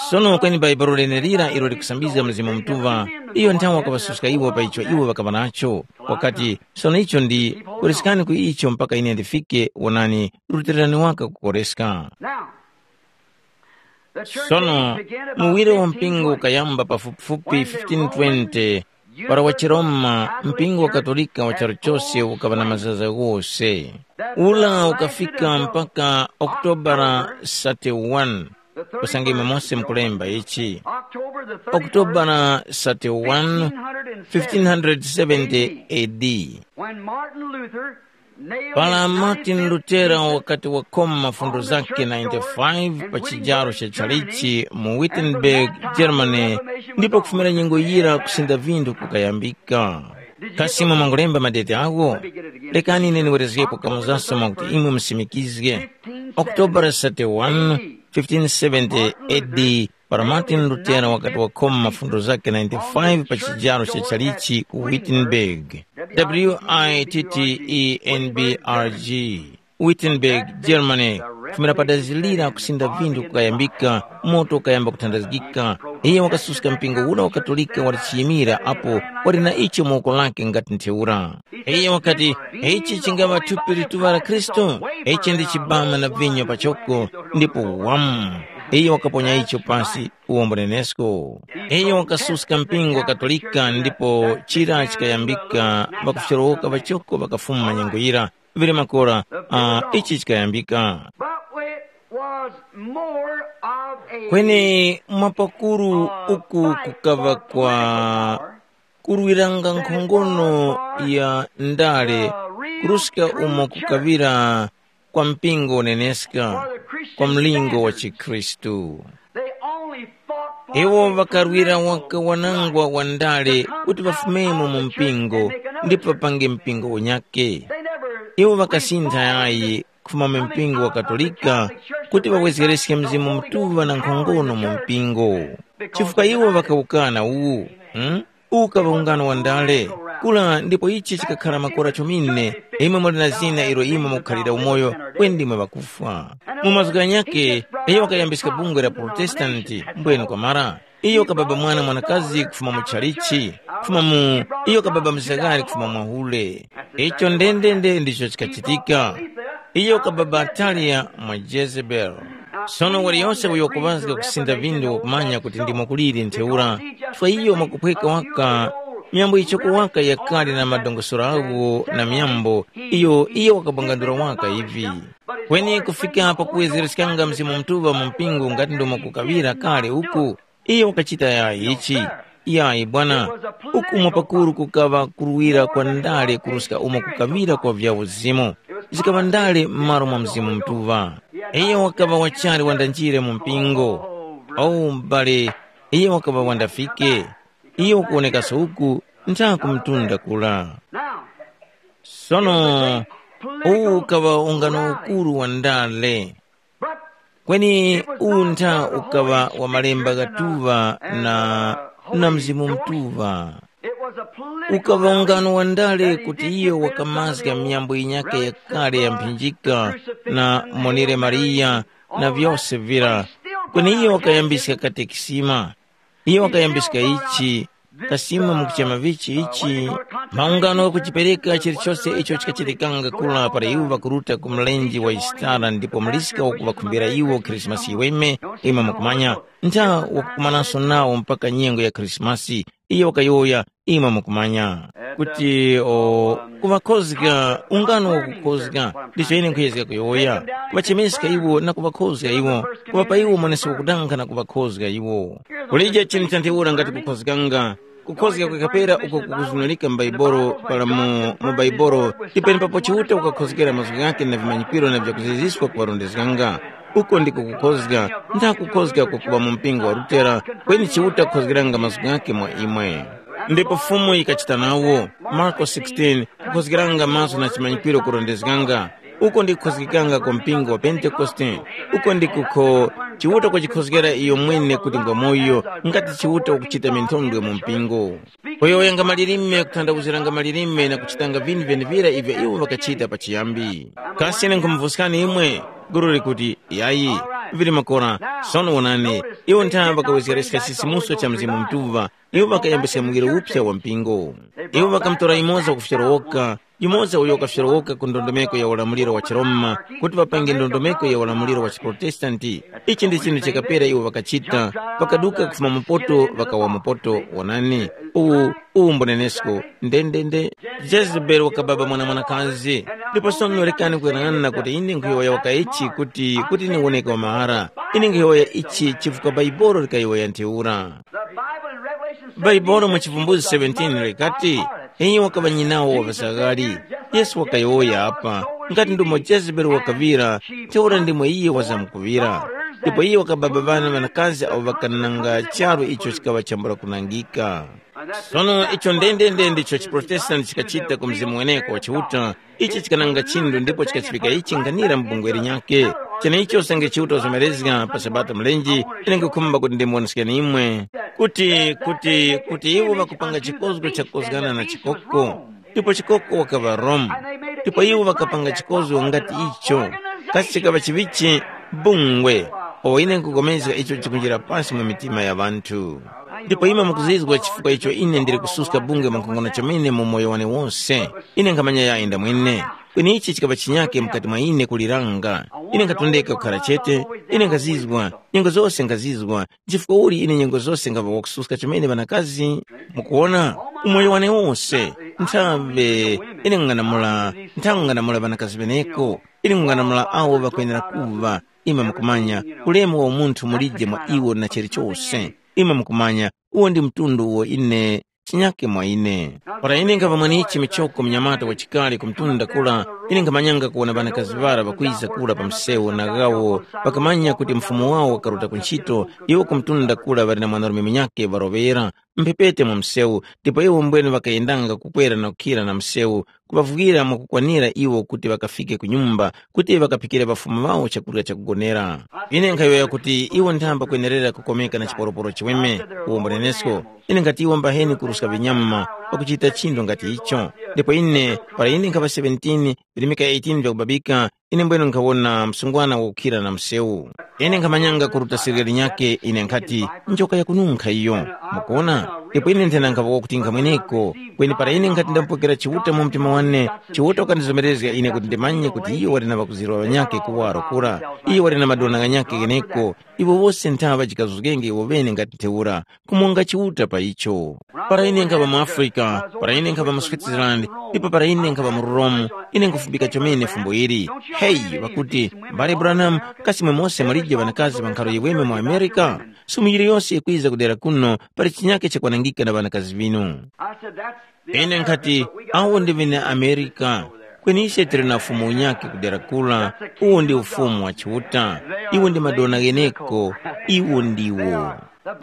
Sono kweni Bhaibuli lenelira ilo likusambizga Mzimu Mutuŵa, iyo nthawe wakaŵasuska iwo pa icho iwo ŵakaŵa nacho. Wakati, sono icho ndi, koreskani ku icho mpaka ine ndifike, wonani, rutererani waka kukoreska. Now, the church Sono, age began about muwire wa mpingu fifteen twenty. Ukayamba pafupifupi fifteen twenty, para wa chiRoma, mpingu wa Katolika wa charu chose ukaŵa na mazaza ghose. Ula ukafika mpaka Okutobara thirty-one, kusangima mose mkulemba ichi. Okutobara thirty-one, fifteen hundred seventy A D. When Martin Luther Para Martin Lutera wakati wakhoma mafundo zakhe ninety-five pa chijaro cha chalichi mu Wittenberg, Germany, ndipo kufumira nyengo yira kusinda vinthu kukayambika. Kasi imwe mwangolemba madeti agho? Lekani ine ndiwerezgepo kamuzaso mwakuti imwe musimikizge. Okutobara thirty-one, fifteen seventy A D, para Martin Lutera wakati wakhoma mafundo zakhe ninety-five pa chijaro cha chalichi ku Wittenberg, W I T T E N B R G, Wittenberg, Germany, kufumira pa dazi lira kusinda vinthu kukayambika, moto ukayamba kuthandazgika. Iye wakasuska mpingo ura wa Katolika wali chiyimira apo wali na icho mu woko lake ngati ntheura. Iye wakati, ichi chingaŵa thupi lituŵa la Khristu, ichi ndi chibama na vinyo pachoko, ndipo wamu. Iye wakaponya icho pasi, uwombo nenesko. Iyo wakasuska mpingo wa Katolika ndipo chira chikayambika, ŵakufyorowoka ŵachoko ŵakafuma nyengo yira. Vili makora, ah, ichi chikayambika. But it was more of a Kweni mwapakuru uku kukaŵa kwa kurwiranga nkhongono ya ndale, kuruska umo kukaŵira kwa mpingo uneneska, kwa mlingo wa chikhristu. They only fought for Iwo ŵakarwira waka wanangwa wa ndale kuti ŵafumemo mu mpingo ndipo ŵapange mpingo unyake. Iwo ŵakasintha yayi kufuma mu mpingo wa Katolika kuti ŵawezgereske Mzimu Mutuŵa na nkhongono mu mpingo, chifukwa iwo ŵakawukana uwu. Hmm? Ukaŵa ungano wa ndale, kula ndipo ichi chikakhala makora chomine, imwe muli na zina ilo imwe mukukhalira umoyo, kweni ndimwe ŵakufwa. Mu mazgu ghanyakhe, iyo wakayambiska bungwe la Protestanti, mbwenu kwamara. Iyo kababa mwana mwanakazi kufuma mu chalichi, kufuma mu, iyo kababa mzagari kufuma mwahule. Icho ndendende ndicho chikachitika. Iyo kababa Ataliya mwa Jezebeli. Sono waliyose uyo wakuŵazga kusinda vindu wakumanya kuti ndimo kuliri ntheura, chifukwa iyo mwakuphweka waka myambo yichoko waka yakali na madongosoro agho na myambo iyo iyo wakabwangandula waka ivi. Kweni kufika pakuwezereskanga Mzimu Mutuŵa mu mpingo ngati ndomwe kukaŵira kale uku, iyo wakachita yayi ichi. Yayi bwana, ukumwa pakuru kukaŵa kuruwira kwa ndale kuruska umo kukaŵira kwa vya uzimu. Zikaŵa ndale m'malo mwa Mzimu Mutuŵa. Iyo wakaŵa wachali wandanjire mu mpingo. O m'bale, iyo wakaŵa wandafike. Iyo ukuwonekaso uku ntha ku mtunda kula. Sono uwu ukaŵa ungano ukuru wa ndale. Kweni uwu ntha ukaŵa wa malemba ghatuŵa na, na Mzimu Mutuŵa. Ukaŵa ungano wa ndale kuti iyo wakamazga myambo yinyakhe yakale ya mphinjika na monere Mariya na vyose vira. Kweni iyo wakayambiska katekisima. Iyo wakayambiska ichi, kasima mukuchema vichi ichi, maungano ghakuchipereka chilichose icho chikachitikanga kula para iwo ŵakuruta ku mlenje wa Yisitara ndipo muliska wakuŵakhumbira iwo Khrisimasi yiweme, imwe mukumanya, ntha wakukumananso nawo mpaka nyengo ya Khrisimasi, iyo wakayowoya, imwe mukumanya, kuti o, kuŵakhozga ungano wakukhozga, ndicho ine nkhuyezga kuyowoya, kuŵachemeska iwo na kuŵakhozga iwo, kuŵapa iwo mwaneso wakudanga na kuŵakhozga iwo. Kulije chinthu cha ntheura ngati kukhozganga, kukhozga kwakapera uko kukuzunulika m'Baibolo pala mu, mu Baibolo, ndi penepapo Chiuta ukakhozgera mazgu ghakhe na vimanyikiro na vyakuziziska kuŵarondezganga. Uko ndiko kukhozga, ntha kukhozga kwakuŵa mu mpingo wa Lutera, kweni Chiuta kukhozgeranga mazgu ghakhe mwa imwe. Ndipo Fumu yikachita nawo, Marko sixteen, kukhozgeranga mazgu na chimanyikiro kurondezganga, uko ndikukhozgekanga ku mpingo wa Pentekoste, uko ndikukho Chiuta kuchikhozgera iyo mwene kuti ngwamoyo, ngati Chiuta ukuchita minthondwe mu mpingo. Kuyowoyanga malilime, kuthandawuziranga malilime na kuchitanga vinthu vyenevira ivyo iwo ŵakachita pachiyambi. Kasi ine nkhumuvuskani imwe? Guru likuti, yayi, vili makora, sono wonani, iwo ntha ŵakawezgereska chisimuso cha Mzimu Mutuŵa, iwo ŵakayambisa muwiro uphya wa mpingo. Iwo ŵakamutora yumoza wakufyorowoka, yumoza uyo wakafyorowoka ku ndondomeko ya ulamuliro wa chiRoma, kuti ŵapange ndondomeko ya ulamuliro wa chiProtestanti. Ichi ndi chinthu chakapera iwo ŵakachita, ŵakaduka kufuma mupoto ŵakawa mupoto, wonani, uwu, uwu mbunenesko, ndendende. Jezebeli wakababa mwana mwanakazi, ndipo sono rekani kuyang'ana kuti ine nkhuyowoya waka ichi kuti, kuti ine woneke wa mahara, ine nkhuyowoya ichi chifukwa Baibolo likayowoya ntheura. Bhaibuli mu Chivumbuzi seventeen likati, iyo wakaŵa nyinawo wa ŵasaghali. Yesu wakayowoya apa, ngati ndumo Jezebeli wakaŵira, ntheura ndimo iyo wazamkuŵira. Ndipo iyo wakababa ŵana ŵanakazi awo ŵakananga charu icho chikaŵa chambula kunangika. Sono icho ndendende ndicho chiProtestanti chikachita ku mzimu weneko wa Chiuta, ichi chikananga chinthu ndipo chikachifika ichi nkhanira mu bungwe linyakhe. Cheneicho usange Chiuta wazomerezga pa Sabata mlenje, ine nkukhumba kuti ndimuwoneskeni imwe kuti, kuti, kuti iwo ŵakupanga chikozgo chakukozgana na chikoko. Ndipo chikoko wakaŵa Roma. Ndipo iwo ŵakapanga chikozgo ngati icho. Kasi chikaŵa chivichi? Bungwe. O ine nkupulikana icho chikunjira pasi mu mitima ya ŵanthu. Ndipo imwe mukuzizwa chifukwa icho ine ndili kususka bungwe mwankhonono chomene mu moyo wane wose. Ine nkhamanya yayi ndamwene. Kweni ichi chikaŵa chinyake mukati mwa ine kuliranga. Ine nkhatondeka kukhala chete. Ine nkhazizwa, nyengo zose nkhazizwa. Chifukwa uli ine nyengo zose nkhava wakususka chomene ŵanakazi? Mukuwona, umoyo wane wose, nthawe ine nkung'anamula, nthawe nkung'anamula ŵanakazi ŵeneko. Ine nkung'anamula awo ŵakwenera kuŵa. Imwe mukumanya, ulemu wa umunthu mulije mwa iwo na chilichose. Imwe mukumanya, uwo ndi mtundu uwo ine chinyake mwa ine. Para ine nkhava mwenichi michoko mnyamata wachikale ku mtunda kura, Ine nkhamanyanga kuwona ŵanakazi ŵara ŵakwiza kura pa msewu na ghawo ŵakamanya kuti mfumu wawo wakaruta ku nchito, iwo kumtunda kura ŵali na mwanarume munyakhe ŵaroŵera. Mphepete mwa msewu, ndipo iwo mbwene ŵakayendanga kukwera na kukhira na msewu, kuŵavwira mwakukwanira iwo kuti ŵakafike ku nyumba, kuti ŵakaphikire ŵafumu ŵawo chakurya chakugonera. Ine nkhayowoya kuti iwo nthamba kwenerera kukomeka na chiporoporo chiweme, uwombo nenesko. Ine nkhatiwa mbaheni kuruska vinyama pakuchita chinthu ngati icho. Ndipo ine, para ine nkhaŵa seventeen, virimika eighteen vyakubabika, ine mbwene nkhawona msungwana wakukhira na msewu. Ine nkhamanyanga kuruta sirikali nyakhe, ine nkhati, njoka yakununkha iyo. Mukuona? Ndipo ine nthena nkhaŵa wakuti nkhamweneko. Kweni para ine nkhati ndamupokera Chiuta mu mtima wane, Chiuta wakandizomerezga ine kuti ndimanye kuti iyo wali na ŵakuzirwa ŵanyakhe kuwaro kura. Iyo wali na madona ghanyakhe gheneko. Iwo wose nthaŵa jikazuzgenge iwo ŵene ngati ntheura, kumonga Chiuta pa icho. Para ine nkhaŵa mu Africa, para ine nkhaŵa mu Switzerland, ndipo para ine nkhaŵa mu Rome, ine nkhufumbika chomene fumbo ili. Heyi, ŵakuti, mbale Branham, kasi imwe mose mulije ŵanakazi ŵa nkharo yiweme mu America? Sumu yiliyose yikwiza kudera kuno, pali chinyake chakwanangika na ŵanakazi vinu. Ine nkhati, awo ndi ŵene Amerika, kweni ise tili na ufumu unyakhe kudera kura, uwo ndi ufumu wa Chiuta, iwo ndi madona gheneko, iwo ndiwo.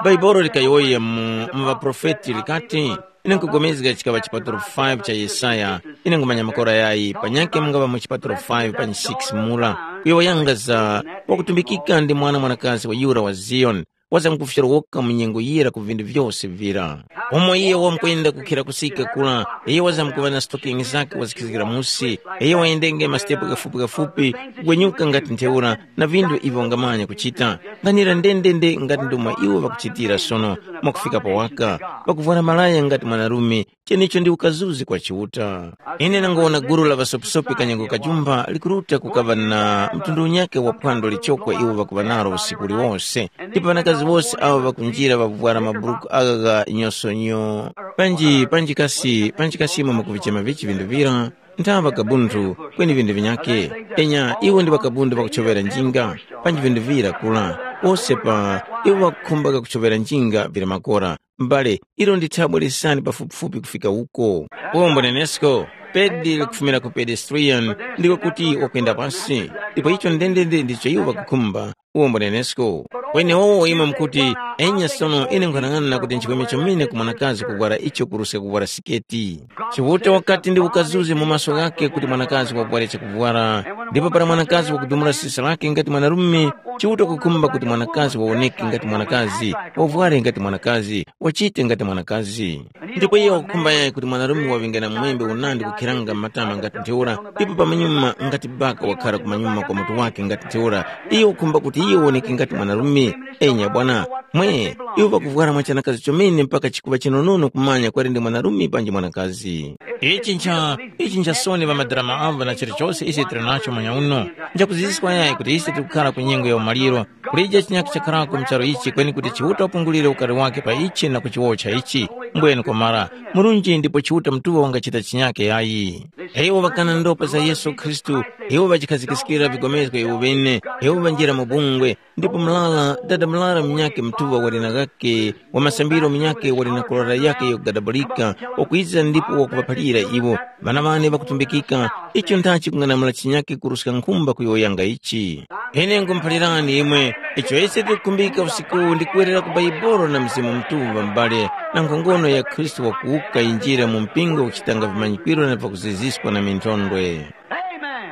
Bhaibuli likayowoya mu mu ŵaprofeti likati, ine nkupulikana chikaŵa chipatulo five cha Yesaya, ine nkhumanya makora yayi, panyakhe mungaŵa mu chipatulo five panyi six mura, kuyowoyanga za wakutumbikika ndi mwana mwanakazi wa yura wa Ziyoni, wazamkufyorowoka mu nyengo yira ku vintu vyose vira. Umo iye wamkwenda kukhira kusika kura, iye wazamkuŵa na stokingi zakhe wazikhizgira musi, iye wayendenge masitepo ghafupi-ghafupi, kugwenyuka ngati ntheura, na vintu ivyo wangamanya kuchita. Nganira ndendende ngati ndomwe iwo ŵakuchitira sono, mwakufika pa waka, pakuvwara malaya ngati mwanarume, chenecho ndi ukazuzi kwa Chiuta. Ine nangowona gulu la ŵasopisopi kanyengo kajumpha likuruta kukaŵa na mtundu unyakhe wa phwando lichoko iwo ŵakuŵa nalo usiku uliwose, ndipo ŵanakazi wose awo ŵakunjira ŵavwara maburuku agha gha nyosonyo, panji panji kasi panji kasi imwe mukuvichema vichi vindu vira, nthaŵa kabunthu, kweni vindu vinyakhe. Enya iwo ndi ŵakabundu ŵakuchovera njinga, panji vindu vira kula, wose pa iwo ŵakukhumba kakuchovera njinga vira makora. M'bale, ilo ndi thabwa lisani pafupifupi kufika uko. Uwombo nenesko, pedi likufumira ku pedestrian, ndiko kuti wakwenda pasi. Ndipo icho ndendende ndicho iwo ŵakukhumba. Uwombo nenesko. Kwenewowo imwe mukuti, enya sono ine nkhanang'ana kuti nchiweme chomene ku mwanakazi kuvwara icho kuruska kuvwara siketi. Chiuta wakati ndi ukazuzi mu maso ghakhe kuti mwanakazi wavware chakuvwara. Ndipo para mwanakazi wakudumula sisa lake ngati mwanarume, Chiuta kukhumba kuti mwanakazi wawoneke ngati mwanakazi, wavware ngati mwanakazi, wachite ngati mwanakazi. Ndipo iye wakukhumba yayi kuti mwanarume waŵenge na mwembe unandi kukhiranga m'matama ngati ntheura, ndipo pamanyuma ngati baka wakhara kumanyuma kwa mutu wake ngati ntheura. Iye wakukhumba kuti iye woneke ngati mwanarume. Enya bwana, mwe, iwo ŵakuvwara mwachanakazi chomene mpaka chikuŵa chinonono kumanya kwali ndi mwanarume panji mwanakazi. Ichi ncha, ichi ncha soni ŵamadrama avo na chilichose ise tili nacho manya uno. Nchakuziziskwa yayi kuti ise tikukhara ku nyengo ya umaliro, kulija chinyakhe chakharako mu charu ichi kweni kuti Chiuta wapungulire ukari wake pa ichi na kuchiwotcha ichi. Mbwene kwamara, murunji ndipo Chiuta mutuŵa wangachita chinyakhe yayi. Iwo ŵakana ndopa za Yesu Khristu, iwo ŵachikhazikiskira vigomezgo iwo ŵene, iwo ŵanjira mu bungwe, ndipo mlala, dada mlala munyakhe mutuŵa wali na ghakhe, wa masambiro munyakhe wali na kolora yakhe yogadabulika, wakwiza ndipo wakuŵaphalira iwo, ŵana ŵane ŵakutumbikika, icho ndachi kung'anamula chinyakhe kuruska nkhumba kuyowoyanga ichi. Ine nkhumuphalirani imwe, icho ise tikukhumbika usiku ndi kuwerera ku Baibolo na Mzimu Mutuŵa m'bale, na nkhongono ya Khristu wakuwuka yinjira mu mpingo kuchitanga vimanyikwiro na vakuziziskwa na minthondwe. Amen.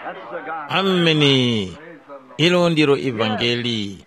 That's the gospel. Ameni. Ilo ndilo ivangeli.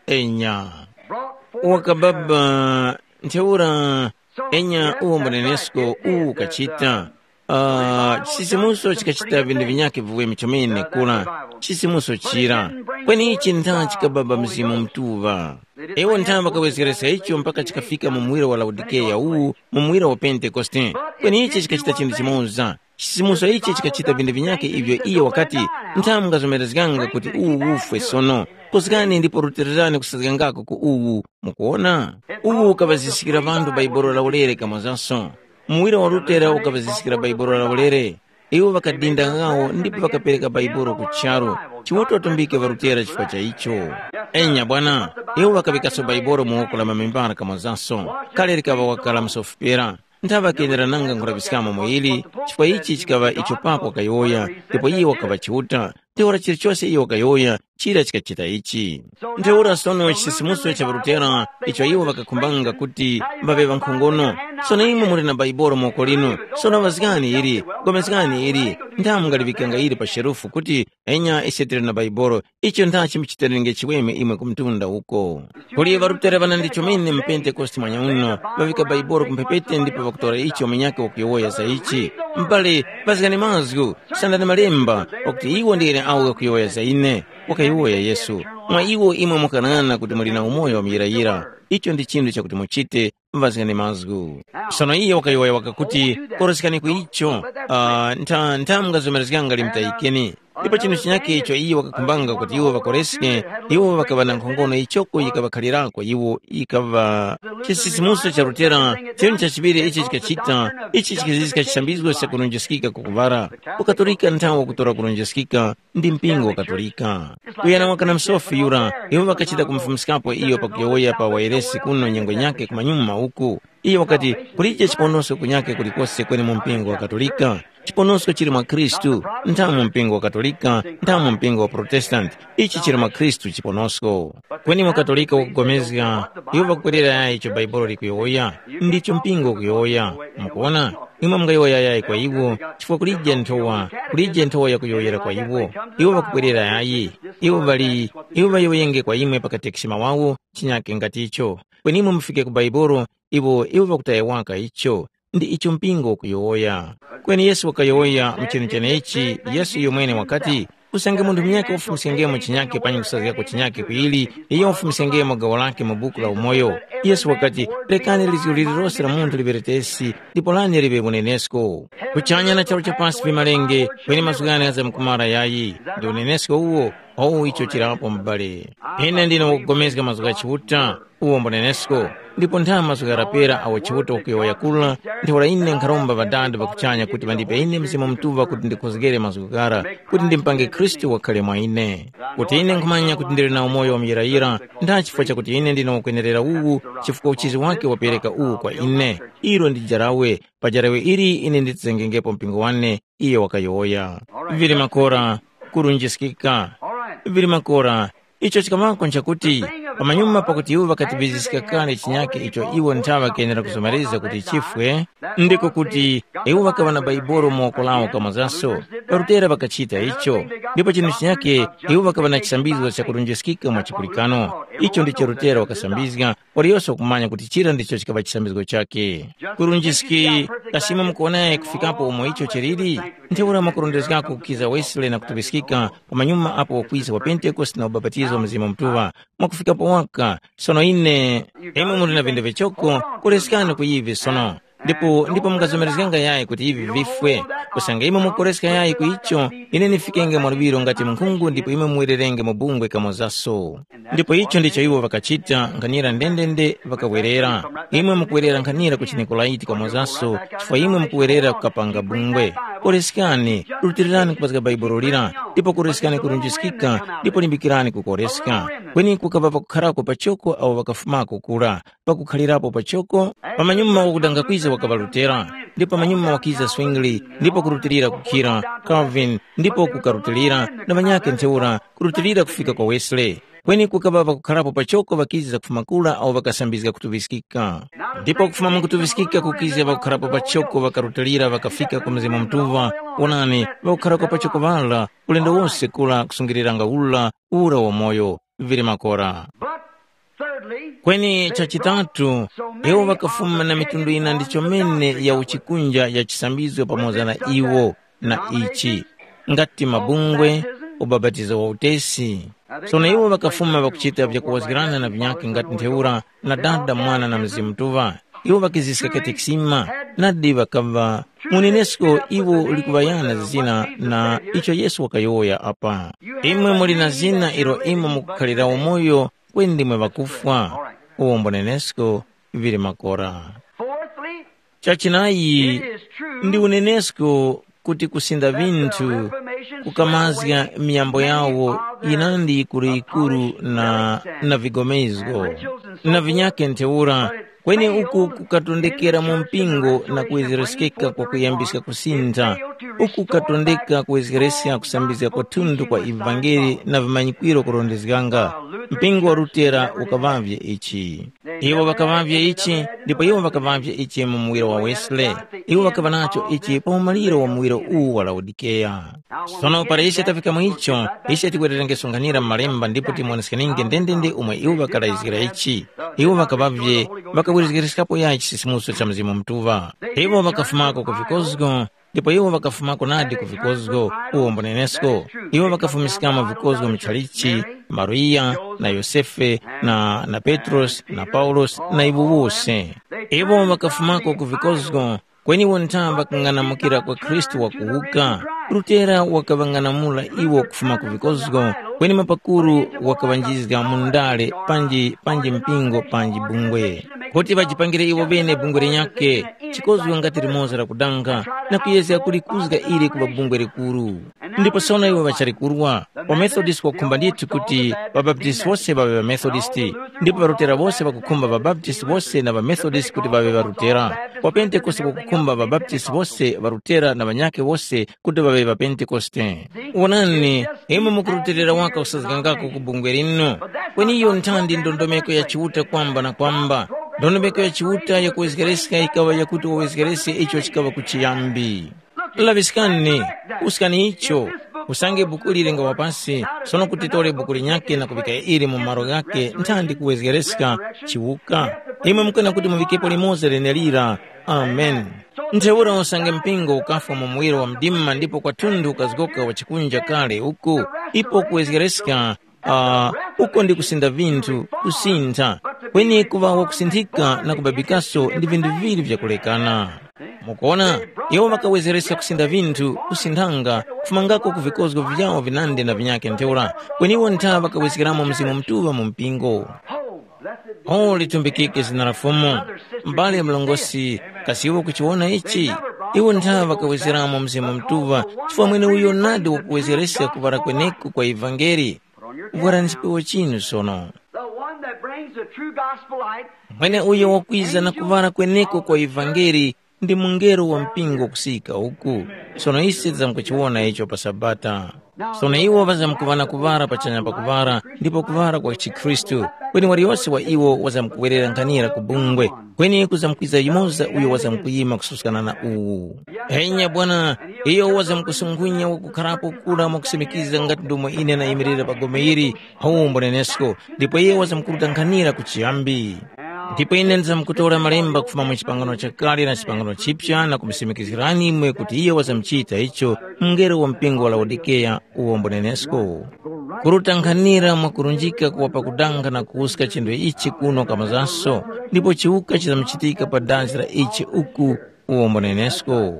Enya. Brought forth wakababa ntheura. Enya uwo mbunenesko uwu ukachita. Uh, chisimuso chikachita vindu vinyakhe viweme chomene kula. Chisimuso chira. Kweni ichi ntha chikababa Mzimu Mutuŵa. Iwo ntha ŵakawezgereska icho mpaka chikafika mu muwiro wa Laodikeya uwu, mu muwiro wa Pentekoste. Kweni ichi chikachita chinthu chimoza. Chisimuso ichi chikachita vindu vinyakhe ivyo iyo wakati, ntha mungazomerezganga kuti uwu ufwe sono. Kuzgani ndipo rutilirani kusazgangako ku uwu. Mukuona? Uwu ukaŵaziskira ŵanthu Baibolo la ulere kamwazaso. Muwira wa Lutera ukaŵaziskira Baibolo la ulere. Iwo ŵakadinda ghawo ndipo ŵakapereka Baibolo ku charu. Chiuta watumbike ŵaLutera chifukwa cha icho. Enya bwana, iwo ŵakaŵikaso Baibolo mu woko la mamembara kamwazaso. Kale likaŵa wakala msofipera. Nthaŵa kenera nanga nkhulaŵiskamo mu ili, chifukwa ichi chikaŵa icho Papa wakayowoya, ndipo iye wakaŵa Chiuta. Ntheura chilichose iye wakayowoya, chira chikachita ichi. Ntheura sono chisisimuso cha ŵarutera icho iwo ŵakakhumbanga kuti ŵaŵe ŵankhongono. Sono imwe muli na Baibolo mu woko linu, sono ŵazgani ili, gomezgani ili, nthamu mungaliŵikanga ili pa sherufu kuti, enya ise tili na Baibolo, icho nthachi muchiterenge chiweme imwe ku mtunda uko. Kuli ŵarutera ŵanandi chomene mu Pentekoste mwanyauno, ŵavika Baibolo ku mphepete ndipo ŵakutora icho munyakhe wakuyowoya za ichi. M'bale, ŵazgani mazgu, sandani malemba, pakuti iwo ndi ene awo ghakuyowoya za ine, wakayowoya Yesu. Mwa iwo imwe mukanana kuti muli na umoyo wa muyirayira. Icho ndi chinthu chakuti muchite, ŵazgani mazgu. Sono iye wakayowoya wakakuti, koroskani ku icho, uh, ntha, ntha mungazomerezganga limutayikeni. Ndipo chinthu chinyakhe icho iye wakakhumbanga kuti iwo ŵakoreske, iwo ŵakaŵa na nkhongono ichoko yikaŵakhalirako iwo, yikaŵa chisisimuso cha Lutera. Chinthu chachiŵiri ichi chikachita, ichi chikaziska chisambizgo cha kulonjeskika kwakuŵara. Ukatolika nthawi wakutora kulonjeskika ndi mpingo wa Katolika. Kuyana mwaka na msofi yura, iwo ŵakachita kumufumskapo iyo pakuyowoya pa wairesi kuno nyengo nyakhe kumanyuma uku. Iyo wakati, kulije chiponosko kunyakhe kulikose kweni mu mpingo wa Katolika. Chiponosko chili mwa Khristu, nthamu mu mpingo wa Katolika, nthamu mu mpingo wa Protestanti. Ichi chili mwa Khristu chiponosko. Kweni mwa Katolika wakupulikana, iwo ŵakukwerera yayi icho Bhaibuli likuyowoya, ndicho mpingo ukuyowoya. Mukuwona? Imwe mungayowoya yayi kwa iwo, chifukwa kulije nthowa, kulije nthowa yakuyowoyera kwa iwo. Iwo ŵakukwerera yayi. Iwo ŵali, iwo ŵayowoyenge kwa imwe pa katekisima wawo, chinyake ngati icho. Kweni imwe mufike ku Bhaibuli, iwo, iwo ŵakutaya waka icho. Ndi icho mpingo ukuyowoya. Kweni Yesu wakayowoya mu chinu chenechi, Yesu iyomwene wakati, usange munthu munyakhe wafumiskengemo chinyakhe panyi kusazgako chinyakhe kuili, iyo wafumiskengemo gawo lakhe mu buku la umoyo. Yesu wakati, rekani lizgu lililose la munthu liberetesi, ndipo lane liŵe unenesko. Kuchanya na charu cha pasi vimalenge, kweni mazgu ghane ghazamkumara yayi. Ndi unenesko uwo, owu icho chirapo mubale. Ine ndine wakugomezga mazgu gha Chiuta. Uwo mbunenesko, ndipo ntha mazgu gharapera awo Chiuta wakuyowoya kula, ntheura ine nkharomba Ŵadada ŵa kuchanya kuti ŵandipe ine Mzimu Mutuŵa kuti ndikhozgere mazgu ghara, kuti ndimpange Khristu wakhale mwa ine. Kuti ine nkhumanya kuti ndili na umoyo wa muyirayira, ntha chifukwa chakuti ine ndine wakwenerera uwu, chifukwa uchizi wake wapereka uwu kwa ine. Ilo ndi jarawe, pa jarawe ili ine nditizengengepo mpingo wane, iyo wakayowoya. Vili makora, kurunjiskika. Vili makora, icho chikaŵako nchakuti, pamanyuma pakuti iwo ŵakativiziska kale chinyake icho iwo nthaŵa kenera kuzomereza kuti chifwe, ndiko kuti iwo ŵakaŵa na Baibolo mu woko lawo kamozaso, ŵarutera ŵakachita icho, ndipo chinthu chinyake iwo ŵakaŵa na chisambizgo chakurunjiskika mwa chipulikano. Icho ndicho Lutera wakasambizga, waliyose wakumanya kuti chira ndicho chikaŵa chisambizgo chakhe. Kurunjiski, kasi imwe mukuwonaye kufikapo umo icho chiliri? Ntheura mwakurondezgako kukiza Wesley na kutuŵiskika, pamanyuma apo wakwiza wa Pentekoste na ubapatizo wa Mzimu Mutuŵa, mwakufikapo waka. Sono ine, imwe muli na vinthu vichoko, kuleskani ku ivi sono. Ndipo, ndipo mungazomerezganga yayi kuti ivi vifwe. Kusanga imwe mukuleska yayi ku icho, ine nifikenge mwa luŵiro ngati munkhungu ndipo imwe muwererenge mu bungwe kamozaso. Ndipo icho ndicho iwo ŵakachita, nkhanira ndendende ŵakawerera. Imwe mukuwerera nkhanira ku Chinikolaiti kamozaso, chifukwa imwe mukuwerera kukapanga bungwe. Koreskani, rutirirani kupazga Bhaibuli lira, ndipo koreskani kurunjiskika, ndipo limbikirani kukoreska. Kweni kukaŵa pakukharako pachoko awo ŵakafumako kura, pakukhalirapo pachoko, pamanyuma wakudanga kwiza wakaŵa Lutera, ndipo pamanyuma wakiza Zwingli, ndipo kurutilira kukhira Calvin, ndipo kukarutilira na ŵanyakhe ntheura, kurutilira kufika kwa Wesley. Kweni kukaŵa pakukharapo pachoko ŵakiza kufuma kura awo ŵakasambizga kutuŵiskika. Ndipo kufuma mu kutuŵiskika kukiza pakukharapo pachoko ŵakarutilira ŵakafika ku Mzimu Mutuŵa, wonani, ŵakukharako pachoko ŵara, ulendo wose kura kusungiriranga ura, ura wamoyo, vili makora. But thirdly, kweni chachitatu, iwo ŵakafuma na mitundu yina ndi chomene ya uchikunja ya chisambizgo pamoza na iwo na ichi, ngati mabungwe, ubapatizo wa utesi. Sono iwo ŵakafuma ŵakuchita vyakuwazgirana na vinyakhe ngati ntheura na Dada, Mwana na Mzimu Mutuŵa. Iwo ŵakiziska katekisima, nadi ŵakaŵa munenesko iwo likuŵayana zina na icho Yesu wakayowoya apa. Imwe muli na zina ilo imwe mukukhalira umoyo kweni ndimwe ŵakufwa. Uwo mbunenesko vili makora. Fourthly, chachinayi, ndi unenesko kuti kusinda vinthu kukamazga miyambo yawo yinandi yikuru-yikuru na, na vigomezgo na vinyake ntheura, Kweni uku kukatondekera mu mpingo na kuwezereskeka kwa kuyambiska kusintha, uku kukatondeka kuwezgereska kusambizga kwathunthu kwa ivangeli na vimanyikwiro kurondezganga. Mpingo wa Lutera ukaŵavye ichi. Iwo ŵakaŵavye ichi, ndipo iwo ŵakaŵavye ichi mu muwiro wa Wesley. Iwo ŵakaŵa nacho ichi pa umaliro wa muwiro uwu wa Laodikeya. Sono para ise tafika mu icho, ise tikwererenge sonkhanira mu Malemba ndipo timuwoneskeninge ndendende umwe iwo ŵakalayizgira ichi. Iwo ŵakaŵavye, ŵakawerezgereskapo yayi chisisimuso cha Mzimu Mutuŵa. Iwo ŵakafumako ku vikozgo, ndipo iwo ŵakafumako nadi ku vikozgo, uwo mbunenesko. Iwo ŵakafumiskamo vikozgo muchalichi, Mariya, na Yosefe, na, na Petrosi, na Paulosi, na iwo wose. Iwo ŵakafumako ku vikozgo, kweni iwo ntha ŵakang'anamukira kwa Khristu wakuwuka. Lutera wakaŵang'anamula iwo kufuma ku vikozgo, kweni mapakuru wakaŵanjizga mu ndale panji panji mpingo panji bungwe, kuti ŵajipangire iwo ŵene bungwe linyakhe, chikozgo ngati limoza lakudanga, na kuyezga kulikuzga ili kuŵa bungwe likuru. Ndipo sono iwo ŵachalikurwa, waMethodist wakukhumba ndithu kuti ŵaBaptisti wose ŵaŵe ŵaMethodist, ndipo ŵaRutera wose ŵakukhumba ŵaBaptisti wose na ŵaMethodist kuti ŵaŵe ŵaRutera. WaPentekoste wakukhumba ŵaBaptisti wose, ŵaRutera na ŵanyakhe wose kuti ŵaŵe ŵaPentekoste. Wonani, imwe mukurutilira waka kusazgangako ku bungwe linu. Kweni iyo nthandi ndondomeko ya Chiuta kwamba na kwamba. Ndondomeko ya Chiuta yakuwezgereska yikaŵa yakuti wawezgerese icho chikaŵa kuchiyambi. Laŵiskani, uskani icho, usange bukuli lingawa pasi, sono kuti tore buku linyakhe na kuŵika ili mu malo ghakhe nthandi kuwezgereska chiwuka. Imwe mukana kuti muŵikepo limoza lenelira. Amen. Ntheura usange mpingo ukafwa mu muwiro wa mdima ndipo kwathunthu ukazgoka wa chikunja kale uku, ipo kuwezgereska, uh, uko ndi kusinda vinthu, kusintha. Kweni kuŵa wakusinthika na kubabikaso ndi vinthu viŵiri vyakulekana. Mukuona, iwo ŵakawezereska kusinda vinthu, kusinthanga, kufumangako ku vikozgo vyawo vinandi na vinyakhe ntheura, kweni iwo ntha ŵakawezgeramo Mzimu Mutuŵa mu mpingo. Oh, litumbikike zina la Fumu. M'bale mlongosi, kasi iwe ukuchiwona ichi? Iwo ntha ŵakawezgeramo Mzimu Mutuŵa, chifukwa mwene uyo nadi wakuwezereska kuŵala kweneko kwa ivangeli. Vwarani chipewa chinu sono. The one that brings the true gospel light. Mwene uyo wakwiza na kuŵala kweneko kwa ivangeli ndi mungelo wa mpingo kusika uku. Sono ise tizamkuchiwona icho pa Sabata. Sono iwo ŵazamkuŵa na kuŵala pachanya pa kuŵala ndipo kuŵala kwa chikhristu, kweni waliyose wa iwo wazamkuwerera nkhanira ku bungwe, kweni kuzamkwiza yumoza uyo wazamkuyima kususkana na uwu. Enya bwana, iyo wazamkusungunya wakukharapo kura mwakusimikiza ngati ndomwe ine nayimirira pa gome ili, Mphamvu mbunenesko, ndipo iye wazamkuruta nkhanira kuchiyambi. Ndipo ine ndizamkutora malemba kufuma mu chipangano chakale na chipangano chipya na kumusimikizirani imwe kuti iye wazamchita icho mngelo wa mpingo wa Laodikeya uwo mbunenesko. Kuruta nkhanira mwakurunjika kuwa pakudanga na kuwuska chinthu ichi kuno kamazanso, ndipo chiwuka chizamuchitika pa dazi la ichi uku uwo mbunenesko.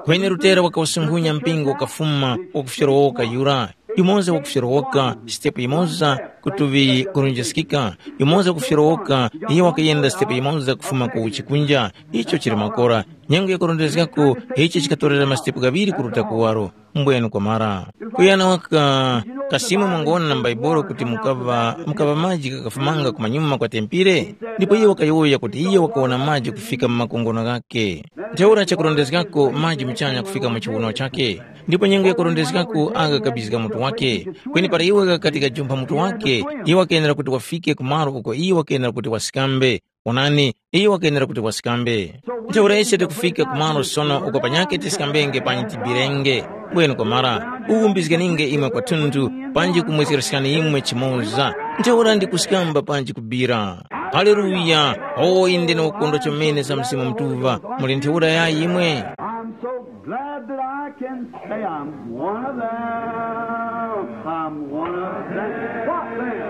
Kweni Lutera wakawusunkhunya mpingo wakafuma wakufyorowoka yura, yumoza wakufyorowoka sitepu yimoza kutuŵi kurunjiskika, yumoza wakufyorowoka iyo wakayenda sitepu yimoza kufuma ku chikunja. Icho chili makora. Nyengo yakurondezgako ichi chikatorera masitepu ghaŵiri kuruta kuwaro. Mbwenu kwamara. Kuyana waka kasimu mwangona na m'Baibolo kuti mukaŵa mukaŵa maji ghakafumanga kumanyuma kwa tempire? Ndipo iye wakayowoya kuti iye wakawona maji kufika mu makongono ghakhe. Ntheura chakurondezgako maji muchanya kufika mu chiwuno chakhe, ndipo nyengo yakurondezgako agha kabizga mutu wakhe. Kweni para iwe ghakati gajumpha mutu wakhe, iye wakenera kuti wafike ku malo uko iye wakenera kuti wasikambe. Onani, iye wakenera kuti wasikambe. Ntheura ise tikufika ku malo sono uko panyakhe tisikambenge panyi tibirenge. Bwenu kwamara, ukumbizganinge imwe kwathunthu, panji kumwezgeresekani imwe chimoza. Ntheura ndikusikamba panji kubira. Haleluya! O inde na ukondwa chomene za Mzimu Mutuŵa, muli ntheura yayi imwe? I'm so glad that I can say I'm one of them. I'm one of them. What then?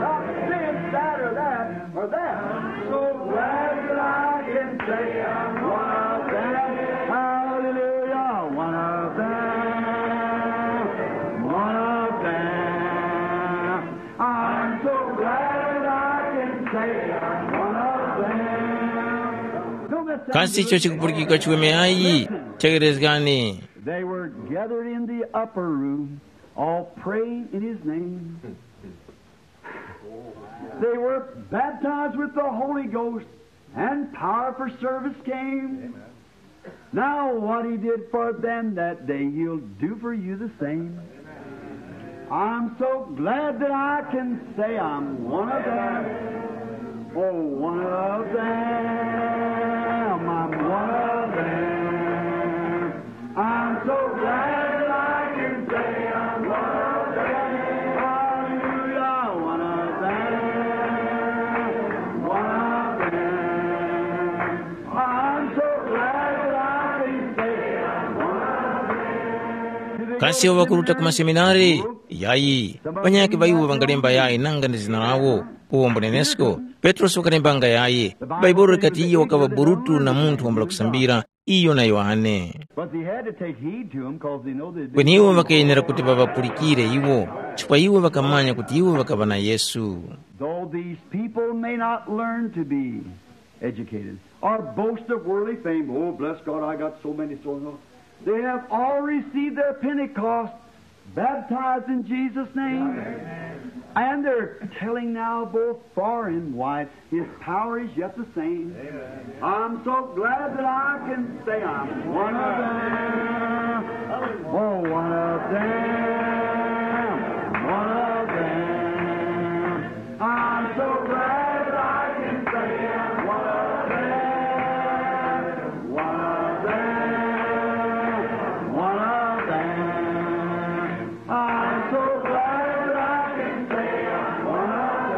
Not this, that, or that, or that. I'm so glad that I can say I'm one of them. Hallelujah, one of them. One of them. I'm so glad I can say I'm one of them. Kasi icho chikupulikika chiweme ayi? Tekerezgani. They were gathered in the upper room, all praying in his name. They were baptized with the Holy Ghost, and power for service came. Now, what he did for them that day, he'll do for you the same. I'm so glad that I can say I'm one of them. Oh, one of them. I'm one of them. I'm so glad that I can say I'm one of them. Hallelujah, one of them. One of them. I'm so glad that I can say I'm one of them. Kasi iwo ŵakuruta ku maseminari? Yayi. Ŵanyakhe ŵa iwo ŵangalemba yayi nanga ndi zina lawo. Uwo mbunenesko, Petrosi wakalembanga yayi. Bhaibuli likati iyo wakaŵa burutu na munthu wambula kusambira, iyo na Yohane. But they had to take heed to him, 'cause they know they did. Kweni iwo ŵakayenera kuti ŵaŵapulikire iwo, chifukwa iwo ŵakamanya kuti iwo ŵakaŵa na Yesu. Though these people may not learn to be educated or boast of worldly fame, "Oh, bless God, I got so many so and so." They have all received their Pentecost, baptized in Jesus' name. And they're telling now both far and wide, his power is yet the same. I'm so glad that I can say I'm one of them. Oh, one of them. One of them. I'm so glad that I can say I'm one of them. One of them. One of them. I'm so glad that I can say I'm one of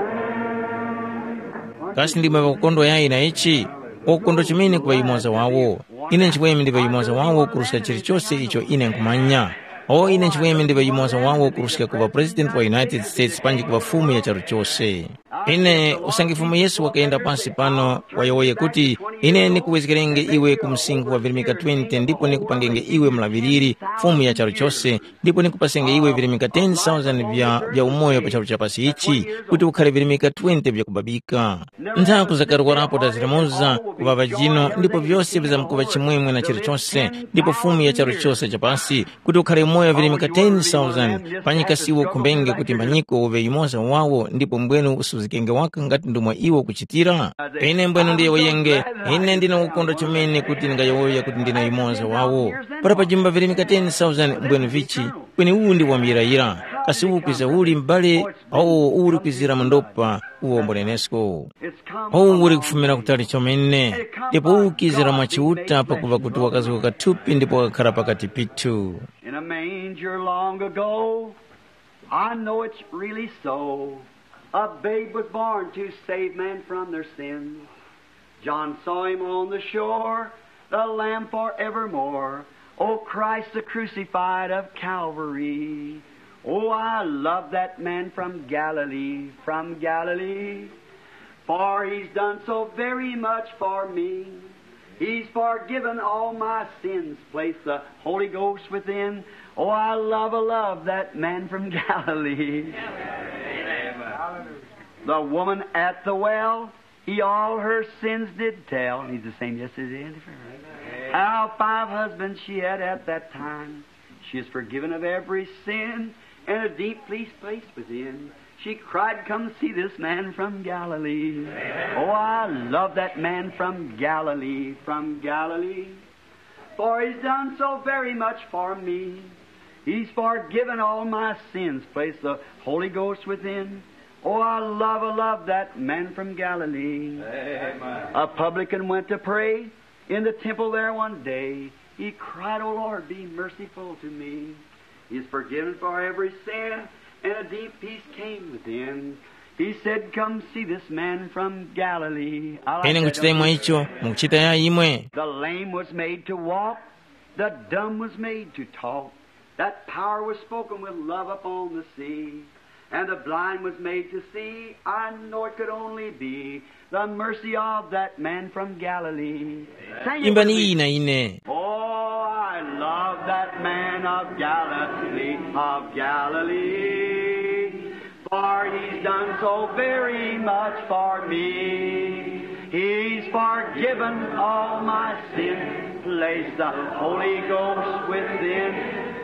them. Kasi ndimwe ŵakukondwa yayi na ichi? Wakukondwa chomene kuŵa yumoza wawo. Ine nchimwemwe ndiŵa yumoza wawo kuruska chilichose icho ine nkhumanya. O ine nchimwemwe ndiŵa yumoza wawo kuruska kuŵa President wa United States panji kuŵa Fumu ya charu chose. Ine usange Fumu Yesu wakayenda pansi pano, wayowoye kuti, ine nikuwezgerenge iwe ku msinkhu wa virimika twenty ndipo nikupangenge iwe mulaŵiriri, Fumu ya charu chose, ndipo nikupasenge iwe virimika ten thousand vya, vya umoyo pa charu cha pasi ichi, kuti ukhale virimika twenty vya kubabika. Nthaku zakarwarapo taziramuza kuŵa ŵajino, ndipo vyose vizamkuŵa chimwemwe na chilichose, ndipo Fumu ya charu chose cha pasi, kuti ukhale umoyo virimika ten thousand, panyika siwo ukhumbenge kuti mbanyiko uŵe yumoza wawo, ndipo mbwenu usuzgenge waka ngati ndomwe iwo ukuchitira? Ine mbwenu ndiyowoyenge, ine ndine ukondwa chomene kuti ndingayowoya kuti ndine yumoza wawo. Para pajumba virimika ten thousand mbwenu vichi, kweni uwu ndi wamuyirayira. Kasi uwu kwiza uli m'bale, awo uli kwizira mu ndopa, uwo mbunenesko. Uwu uli kufumira kutali chomene, ndipo uwu ukizira mwa Chiuta pakuva kuti wakazuka kathupi ndipo wakakhara pakati pithu. In a manger long ago, I know it's really so. A babe was born to save man from their sins. John saw him on the shore, the Lamb forevermore. O Christ the crucified of Calvary. Oh, I love that man from Galilee, from Galilee. For he's done so very much for me. He's forgiven all my sins. Place the Holy Ghost within. Oh, I love, I love that man from Galilee. The woman at the well, he all her sins did tell. He's the same yesterday and forever. How five husbands she had at that time. She is forgiven of every sin and a deep peace place within. She cried, "Come see this man from Galilee." Oh, I love that man from Galilee, from Galilee. For he's done so very much for me. He's forgiven all my sins. Place the Holy Ghost within. Oh, I love, I love that man from Galilee. Amen. A publican went to pray in the temple there one day. He cried, "Oh Lord, be merciful to me." He's forgiven for every sin, and a deep peace came within. He said, "Come see this man from Galilee." I like ine that. Nkuchita imwe icho, mukuchita ya imwe. The lame was made to walk, the dumb was made to talk. That power was spoken with love upon the sea, and the blind was made to see. I know it could only be the mercy of that man from Galilee. Sing it with me. Imbani iyi na ine. Oh, I love that man of Galilee, of Galilee, for he's done so very much for me. He's forgiven all my sins, placed the Holy Ghost within.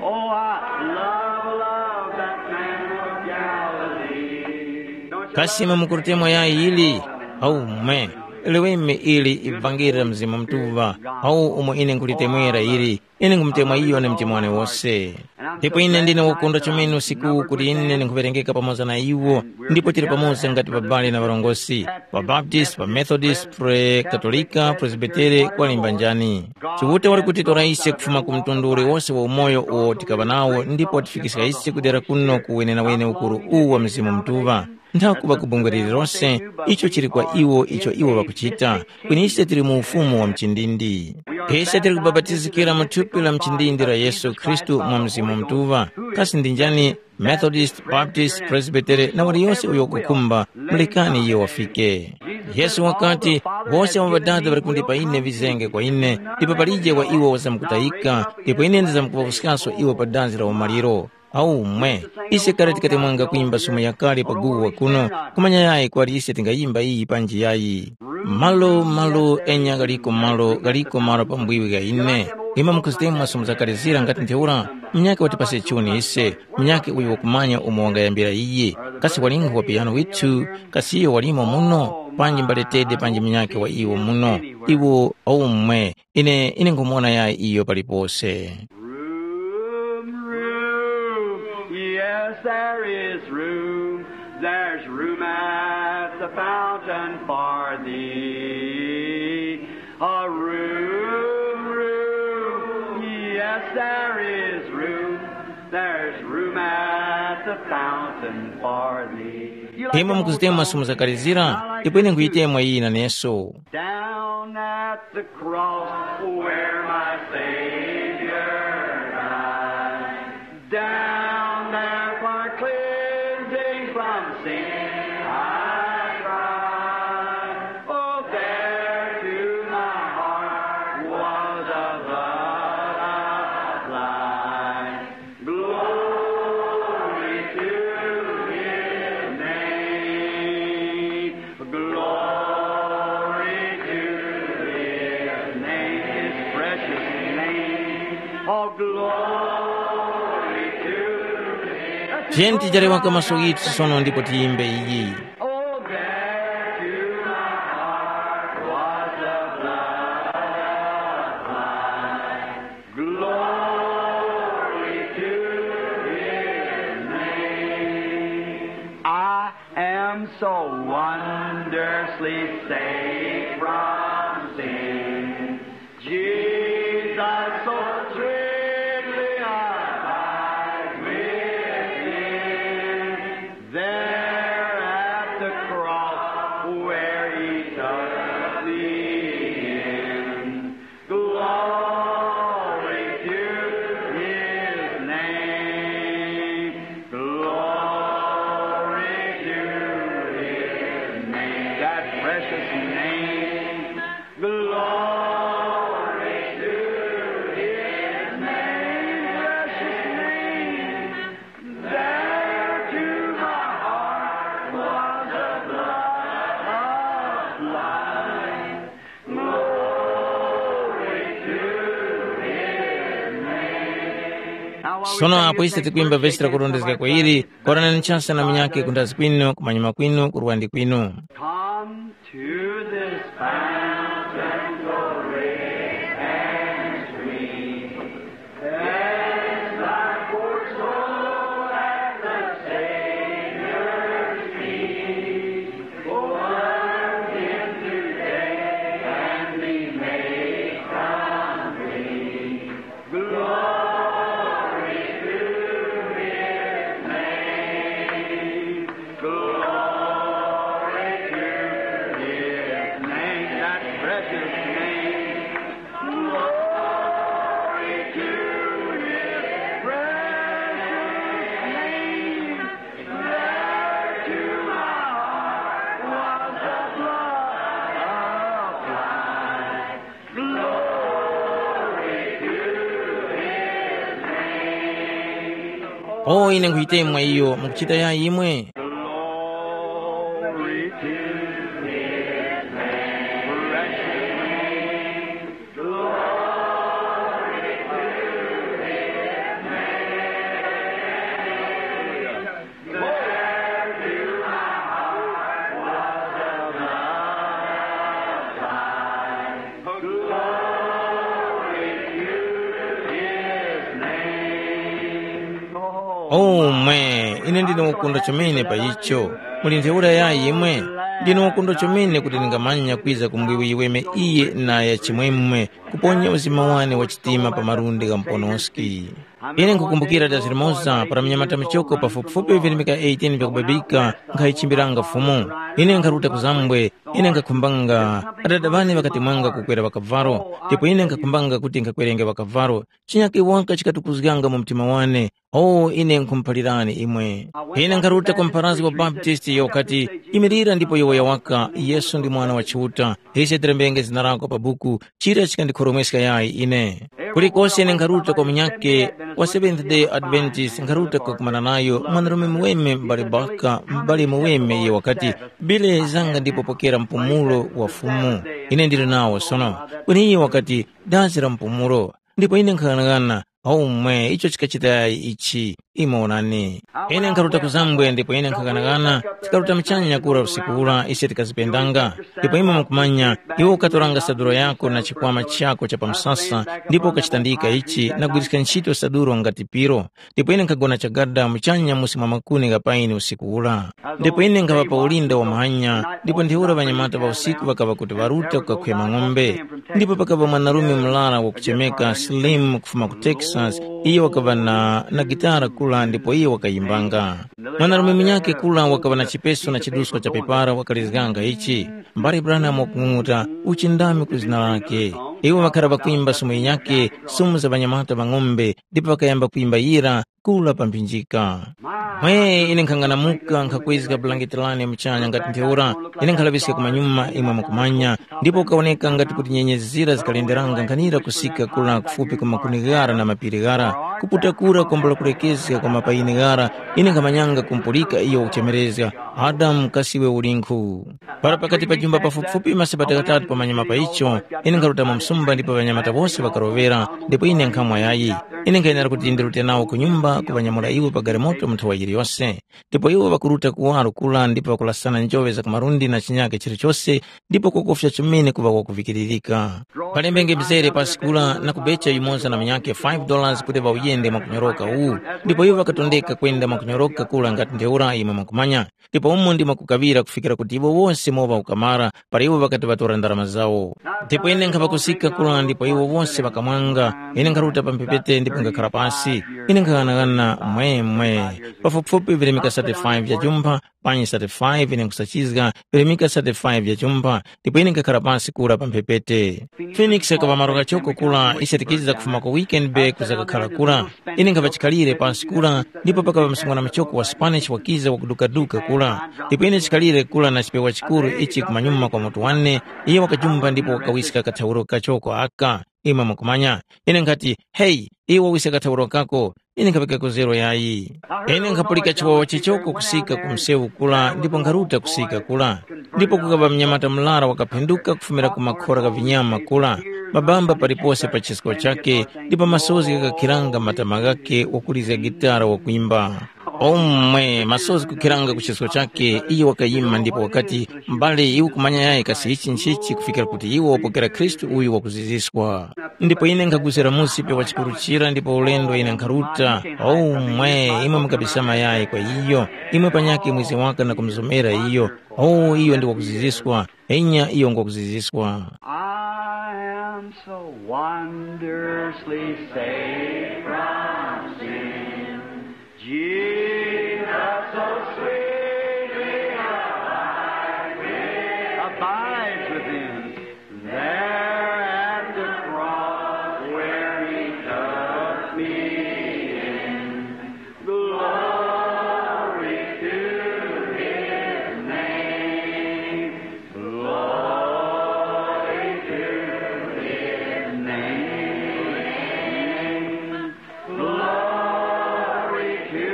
Oh, I love, love that man of Galilee. Don't Kasi imwe mukulitemwa yayi ili? Aumwe, leweme ili ivangeli la Mzimu Mutuŵa, awu umo ine nkhulitemwera ili, ine nkhumutemwa iyo na mtima wane wose. Ndipo ine ndine wokondwa chomene usiku kuti ine ndinkhuŵerengeka pamoza na iwo, ndipo tili pamoza ngati ŵabale na ŵarongozgi, ŵaBaptist, ŵaMethodist, pre Katolika, Presbitere, kwalimba njani. Chiuta wali kutitora ise kufuma ku mtundu uliwose wa umoyo uwo tikaŵa nawo ndipo watifikiska ise kudera kuno ku wenenawene ukuru uwu wa Mzimu Mutuŵa. Nthakuŵa ku bungwe lililose icho chili kwa iwo icho iwo ŵakuchita, kweni ise tili mu ufumu wa mchindindi. Ise tili kubapatizikira mu thupi la mchindindi la Yesu Khristu mwa Mzimu Mutuŵa. Kasi ndi njani? Methodist, Baptist, Presbytere na waliyose uyo wakukhumba, mulekani iyo wafike. Yesu wakati, wose abo Ŵadada ŵali kundipa ine ŵizenge kwa ine, ndipo palije wa iwo wazamkutayika, ndipo ine ndizamkuŵawuskanso iwo pa danzi la umaliro. Aumwe, ise kale tikatemwanga kwimba sumo yakale pa guwa kuno, kumanya yayi kwali ise tingayimba iyi panji yayi. Malo, malo, enya ghaliko malo, ghaliko malo pambwiwi gha ine. Imwe mukuzitemwa sumo zakale zira ngati ntheura, munyakhe watipase chuni ise, munyakhe uyo wakumanya umo wangayambira iye. Kasi walinkhu wa piyano withu, kasi iyo walimo muno, panji mbaletede panji munyakhe wa iwo muno. Iwo aumwe, ine, ine ngumuwona yayi iyo palipose. Room, room, yes, there is room. There's room at the fountain for thee. A room, room, yes, there is room. There's room at the fountain for thee. Imwe mukuzitemwa sumo zakale zira, ndipo ine nkhuyitemwa iyi naneso. Down at the cross where my Savior died. Down there for cleansing from sin I cried. Oh, there to my heart was a blood applied. Glory to his name. Glory to his name. His precious name. Oh, glory to his name. Tiyeni tichaleŵa maso ghithu sono ndipo tiyimbe iyi. Oh, there to my heart was a blood applied. Glory to his name. I am so wondrously saved from sin. Jesus so sweetly abides within. There at the cross where he took me in. Glory to his name. Glory to his name. That precious name. Glory to his name. Precious name. There to my heart was a blood of life. Glory to his name. Sono apo ise tikwimba vesi la kurondezga kwa ili, korani nchasa na minyake kundazi kwinu, kumanyuma kwinu, kurwandi kwinu. Come to this fountain, so great and sweet. Cleanse thy poor soul at the Savior's feet. Learn him today and be made complete. Glory to his name. Glory to his name. That precious name. Glory to his precious name. There to my heart was the blood applied. Glory to his name. O ine nkhuyitemwa iyo mukuchita yayi imwe. Glory to his name. Precious name. Glory to his name. There to my heart “O mwe, ine ndine wakundo chomene pa icho. Muli ntheura yayi imwe? Ndine wakundo chomene kuti ndingamanya kwiza ku mbwiwi yiweme iyi na ya chimwemwe, kuponya uzima wane wa chitima pa malundi gha muponoski.” Ine nkhukumbukira dazi limoza para munyamata muchoko pafupifupi virimika eighteen vyakubabika nkhayichimbiranga Fumu. Ine nkharuta ku zambwe, ine nkhakhumbanga, adada ŵane ŵakatemwanga kukwera ŵakavalo, ndipo ine nkhakhumbanga kuti nkhakwerenge ŵakavalo. Chinyakhe waka chikatukuzganga mu mtima wane. O, ine nkhumuphalirani imwe. Ine nkharuta kwa mpharazgi wa Baptisti iyo wakati, “Imilira ndipo yowoya waka, Yesu ndi Mwana wa Chiuta. Ise tilembenge zina lako pa buku, chira chikandikhoromweska yayi ine.” Kulikose ine nkharuta kwa munyakhe wa Seventh Day Adventist, nkharuta kakumana nayo mwanarume muweme m'bale Baka, m'bale muweme iyo wakati, “Bile zanga ndipo pokera mpumulo wa Fumu. Ine ndili nawo sono.” Kweni iyo wakati, “Dazi la mpumulo.” Ndipo ine nkhaghanaghana, “Aumwe, icho chikachitayi ichi, imwe onani.” Ine nkharuta ku zambwe ndipo ine nkhaghanaghana, tikaruta muchanya kura usiku ura ise tikazipendanga. Ndipo imwe mukumanya, iwe ukatoranga saduro yako na chikwama chako cha pa msasa, ndipo ukachitandika ichi na kugwiriska ntchito saduro ngati piro. Ndipo ine nkhagona chagada muchanya musi mwa makuni gha paini usiku ura. Ndipo ine nkhaŵa pa ulinda wa muhanya, ndipo ntheura ŵanyamata ŵa usiku ŵakaŵa kuti ŵaruta kukakhwema ng'ombe. Ndipo pakaŵa mwanarume murara wakuchemeka Slim kufuma ku Texas, iyo wakaŵa na, na gitara kula ndipo iyo wakayimbanga. Mwanarume munyakhe kula wakaŵa na chipeso na chidusko cha pepara wakalizganga ichi. Mbale Branham wakung'ung'uta, uchindami ku zina lake. Iwo ŵakhara ŵakwimba sumu yinyakhe, sumu za ŵanyamata ŵa ng'ombe, ndipo ŵakayamba kwimba yira, kula pa mphinjika. Mwe ine nkhang'anamuka nkhakwezga bulangeti lane muchanya ngati ntheura, ine nkhalaŵiska kumanyuma imwe mukumanya, ndipo kukawoneka ngati kuti nyenyezi zira zikalenderanga nkhanira kusika kula kufupi ku makuni ghara na mapiri ghara, kuputa kura kwambula kulekezga kwa mapayini ghara, ine nkhamanyanga kumpulika iyo wakuchemerezga, “Adamu, kasi iwe ulinkhu?” Para pakati pa jumba pafupifupi masabata ghatatu pamanyuma pa icho, ine nkharutamo msumba ndipo ŵanyamata wose ŵakaroŵera, ndipo ine nkhamwa yayi. Ine nkhayenera kuti ndirute nawo ku nyumba kuŵanyamula iwo pa galimoto mu nthowa yiliyose. Ndipo iwo ŵakuruta kuwaro kura ndipo ŵakurasana njoŵe za ku malundi na chinyake chilichose, ndipo kwakofya chomene kuŵa wakuvikiririka. Palembenge mzere pasi kura na kubecha yumoza na munyakhe five dollars kuti ŵauyende mwakunyoroka uwu, ndipo iwo ŵakatondeka kwenda mwakunyoroka kura ngati ntheura imwe mwakumanya. Ndipo umo ndimo kukaŵira kufikira kuti iwo wose mowa ukamara, para iwo ŵakati ŵatora ndarama zawo. Ndipo ine nkhaŵa kusika kura ndipo iwo wose ŵakamwanga, ine nkharuta pa mphepete ndipo nkhakhara pasi. Ine nkhaghanaghana mwemwe. Pafupifupi virimika thirty-five vya jumpha, panyi thirty-five ine nkhusachizga, virimika thirty-five vya jumpha, ndipo ine nkhakhara pasi kura pa mphepete. Phoenix yakaŵa malo kachoko kura ise tikiza kufuma ku Weekend Bay kuza kakhala kura. Ine nkhaŵa chikhalire pasi kura, ndipo pakaŵa msungwana muchoko wa Spanish wakiza wakudukaduka kura. Ndipo ine chikhalire kura na chipewa chikuru ichi kumanyuma kwa mutu wane, iyo wakajumba ndipo wakawiska kathawuro kachoko aka. Imwe mukumanya, ine nkhati, “Heyi, iwe wawiska kathawuro kako.” Ine nkhaŵika kuzero yayi. Ine nkhapulika chiwawa chichoko kusika ku msewu kura ndipo nkharuta kusika kura. Ndipo kukaŵa mnyamata murara wakaphenduka kufumira ku makhora gha vinyama kura, mabamba palipose pa chisko chakhe, ndipo masozi ghakakhiranga matama ghakhe wakulizga gitara wakwimba. Omwe masozi kukhiranga ku chisko chakhe, iyo wakayima ndipo wakati, “M'bale, iwe ukumanya yayi kasi ichi nchichi kufikira kuti iwe wapokera Khristu uyu wakuziziswa.” Ndipo ine nkhagwizira musi pewa chikuru chira ndipo ulendo ine nkharuta. Omwe, imwe mukabisama yayi kwa iyo, imwe panyakhe mwizi waka na kumuzomera iyo. O, iyo ndi wakuziziswa. Enya iyo ngwakuziziswa. I am so wondrously saved from sin. Jesus so sweetly abides within. Abides within. There at the cross where he took me in. Glory to his name. Glory to his name. Glory to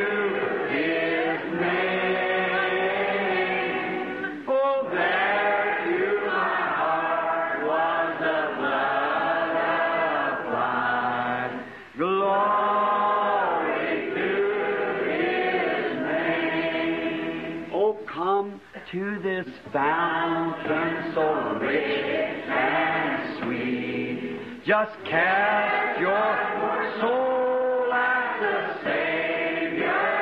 his name. Oh, there to my heart was the blood applied. Glory to his name. Oh, come to this fountain so rich and sweet. Just cast your soul at the Savior's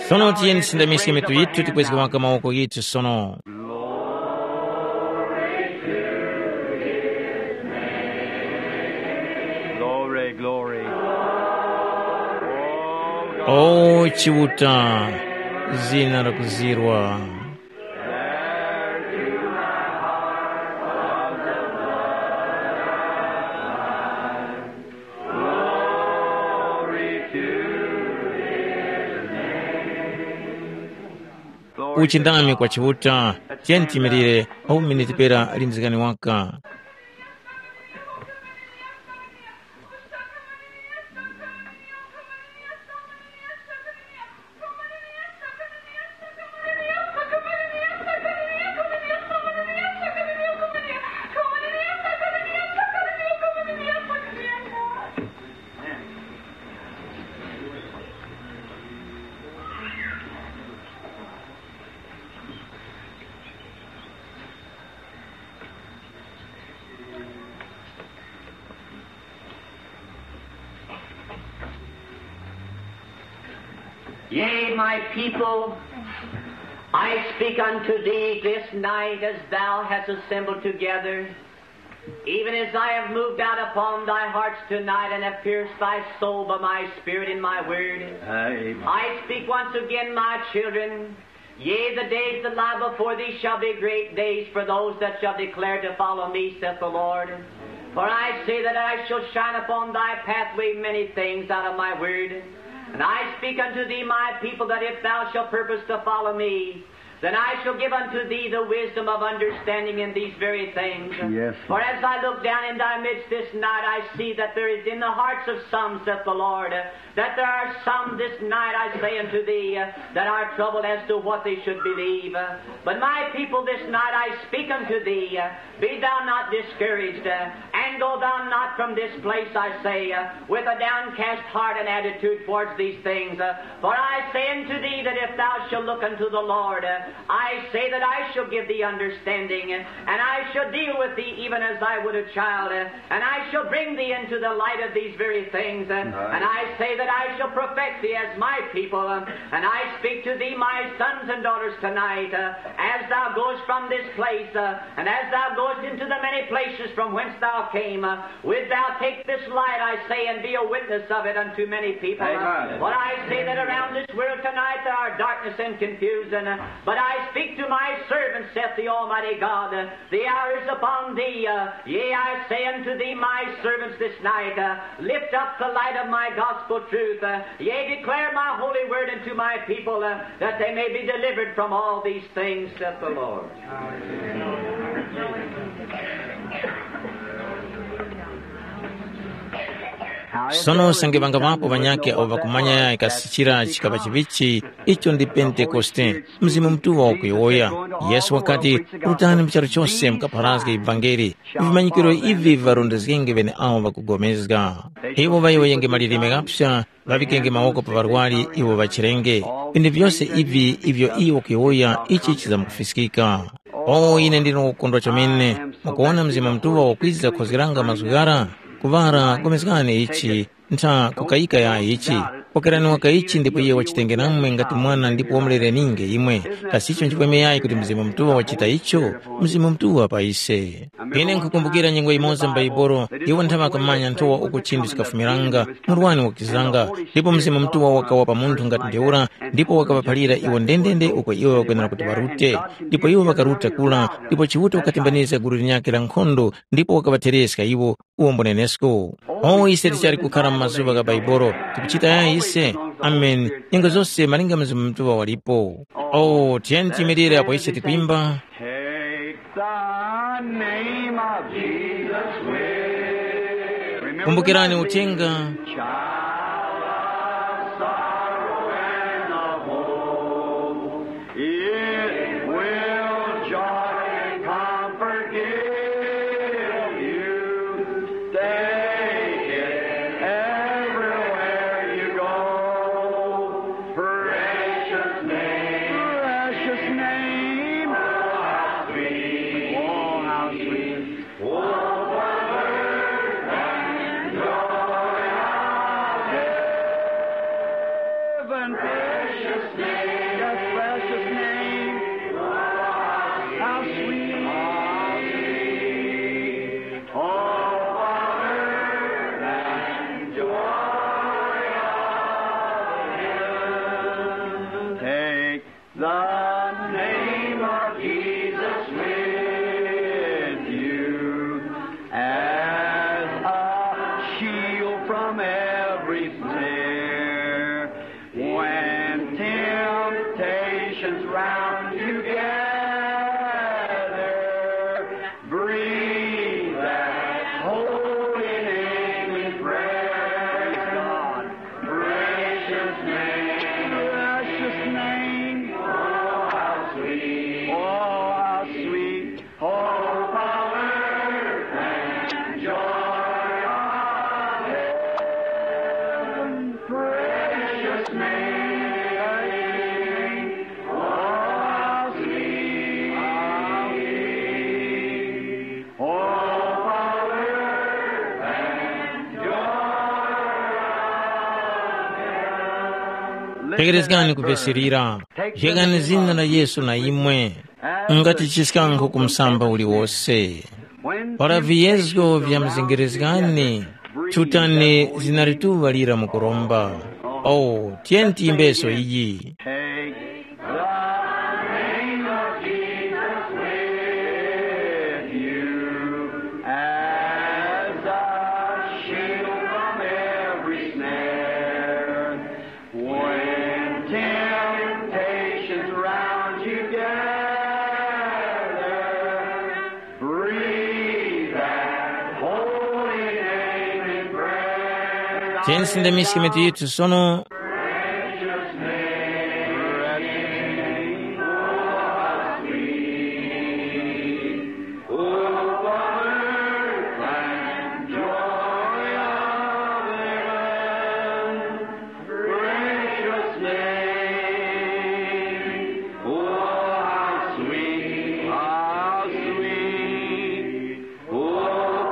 Sono tiyeni tisindamiske mitu yithu tikwezge waka mawoko ghithu sono. Glory, glory. Oh, God. O Chiuta, zina lakuzirwa. Uchindami kwa Chiuta, tiyeni tiyimirire, au miniti pera lindizgani waka. Yea, my people, I speak unto thee this night as thou hast assembled together, even as I have moved out upon thy hearts tonight and have pierced thy soul by my Spirit and my word. Amen. I speak once again, my children, yea, the days that lie before thee shall be great days for those that shall declare to follow me, saith the Lord. For I say that I shall shine upon thy pathway many things out of my word. And I speak unto thee, my people, that if thou shalt purpose to follow me, then I shall give unto thee the wisdom of understanding in these very things. Yes. For as I look down in thy midst this night, I see that there is in the hearts of some, saith the Lord, that there are some this night, I say unto thee, that are troubled as to what they should believe. But my people, this night I speak unto thee, be thou not discouraged, and go thou not from this place, I say, with a downcast heart and attitude towards these things. For I say unto thee that if thou shalt look unto the Lord, I say that I shall give thee understanding, and I shall deal with thee even as I would a child, and I shall bring thee into the light of these very things, and I say that I shall perfect thee as my people. And I speak to thee, my sons and daughters, tonight, as thou goest from this place, and as thou goest into the many places from whence thou came, would thou take this light, I say, and be a witness of it unto many people. Amen. But I say that around this world tonight there are darkness and confusion, but I speak to my servants, saith the Almighty God, the hour is upon thee. Uh, yea, I say unto thee, my servants, this night, uh, lift up the light of my gospel truth. Uh, yea, declare my holy word unto my people, uh, that they may be delivered from all these things, saith the Lord. Sono usange ŵangaŵapo ŵanyakhe awo ŵakumanya kasi chira chikaŵa chiŵichi, icho ndi Pentekoste, Mzimu Mutuŵa wakuyowoya. Yesu wakati, “Rutani mu charu chose mukapharazge ivangeli. Vimanyikiro ivi viŵarondezgenge ŵeneawo ŵakupulikana. Iwo ŵayowoyenge malilime ghaphya, ŵaŵikenge mawoko pa ŵarwari iwo ŵachirenge. Vinthu vyose ivi ivyo iyo wakuyowoya ichi chizamkufiskika.” O ine ndine wakukondwa chomene, mukuwona Mzimu Mutuŵa wakwiza kukhozgeranga mazgu ghara, kuŵala gomezgani ichi, ntha kukayika yayi ichi. Pokerani waka ichi ndipo iye wachitenge namwe ngati mwana ndipo wamulereninge imwe. Kasi icho nchipweme yayi kuti Mzimu Mutuŵa wachita icho? Mzimu Mutuŵa pa ise. Ine nkhukumbukira nyengo yimoza m'Baibolo, iwo nthaŵa akamanya nthowa uko chinthu chikafumiranga, murwani wakizanga, ndipo Mzimu Mutuŵa wakawa pa munthu ngati ntheura, ndipo wakaŵaphalira iwo ndendende uko iwo ŵakwenera kuti ŵarute. Ndipo iwo ŵakaruta kula, ndipo Chiuta wakatembanizga gulu linyakhe la nkhondo, ndipo wakaŵathereska iwo, uwo mbunenesko. O ise tichali kukhara mu mazuŵa gha Baibolo, tikuchita yayi ise. Amen. Nyengo zose malinga Mzimu Mutuŵa walipo. O tiyeni tiyimirire apo ise tikwimba. Take the name of Jesus with. Kumbukirani uthenga. Child of sorrow and of woe. It will joy and comfort give you. Take it everywhere you go. Precious name. Precious name. Oh, how sweet. Oh, how sweet. Oh, what a burden and joy. sweet. Oh, what earth and joy of heaven. Take the name of Jesus with you as a shield from every snare. When temptations round you gather, breathe that holy name in prayer. Praise God. Precious name. Precious name. Oh, how sweet. Oh, how sweet. Oh, power and joy of heaven. Precious name. Oh, how sweet. How sweet. Oh, power and joy of heaven. Tekerezgani kupeserera. Jekani zina la Yesu na imwe. Ngati chiskankho ku msamba uliwose. Para viyezgo vyamuzengerezgani, chutani zina lituŵa lira mukuromba. Oh, tiyeni tiyimbeso iyi. Take the name of Jesus with you as a shield from every snare. When temptations round you gather, breathe that holy name in prayer. Tiyeni tisindamiske mitu yithu sono. Precious name, oh, how sweet, oh, comfort and joy of heaven. Precious name, oh, how sweet, how sweet, oh,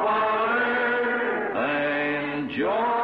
comfort and joy.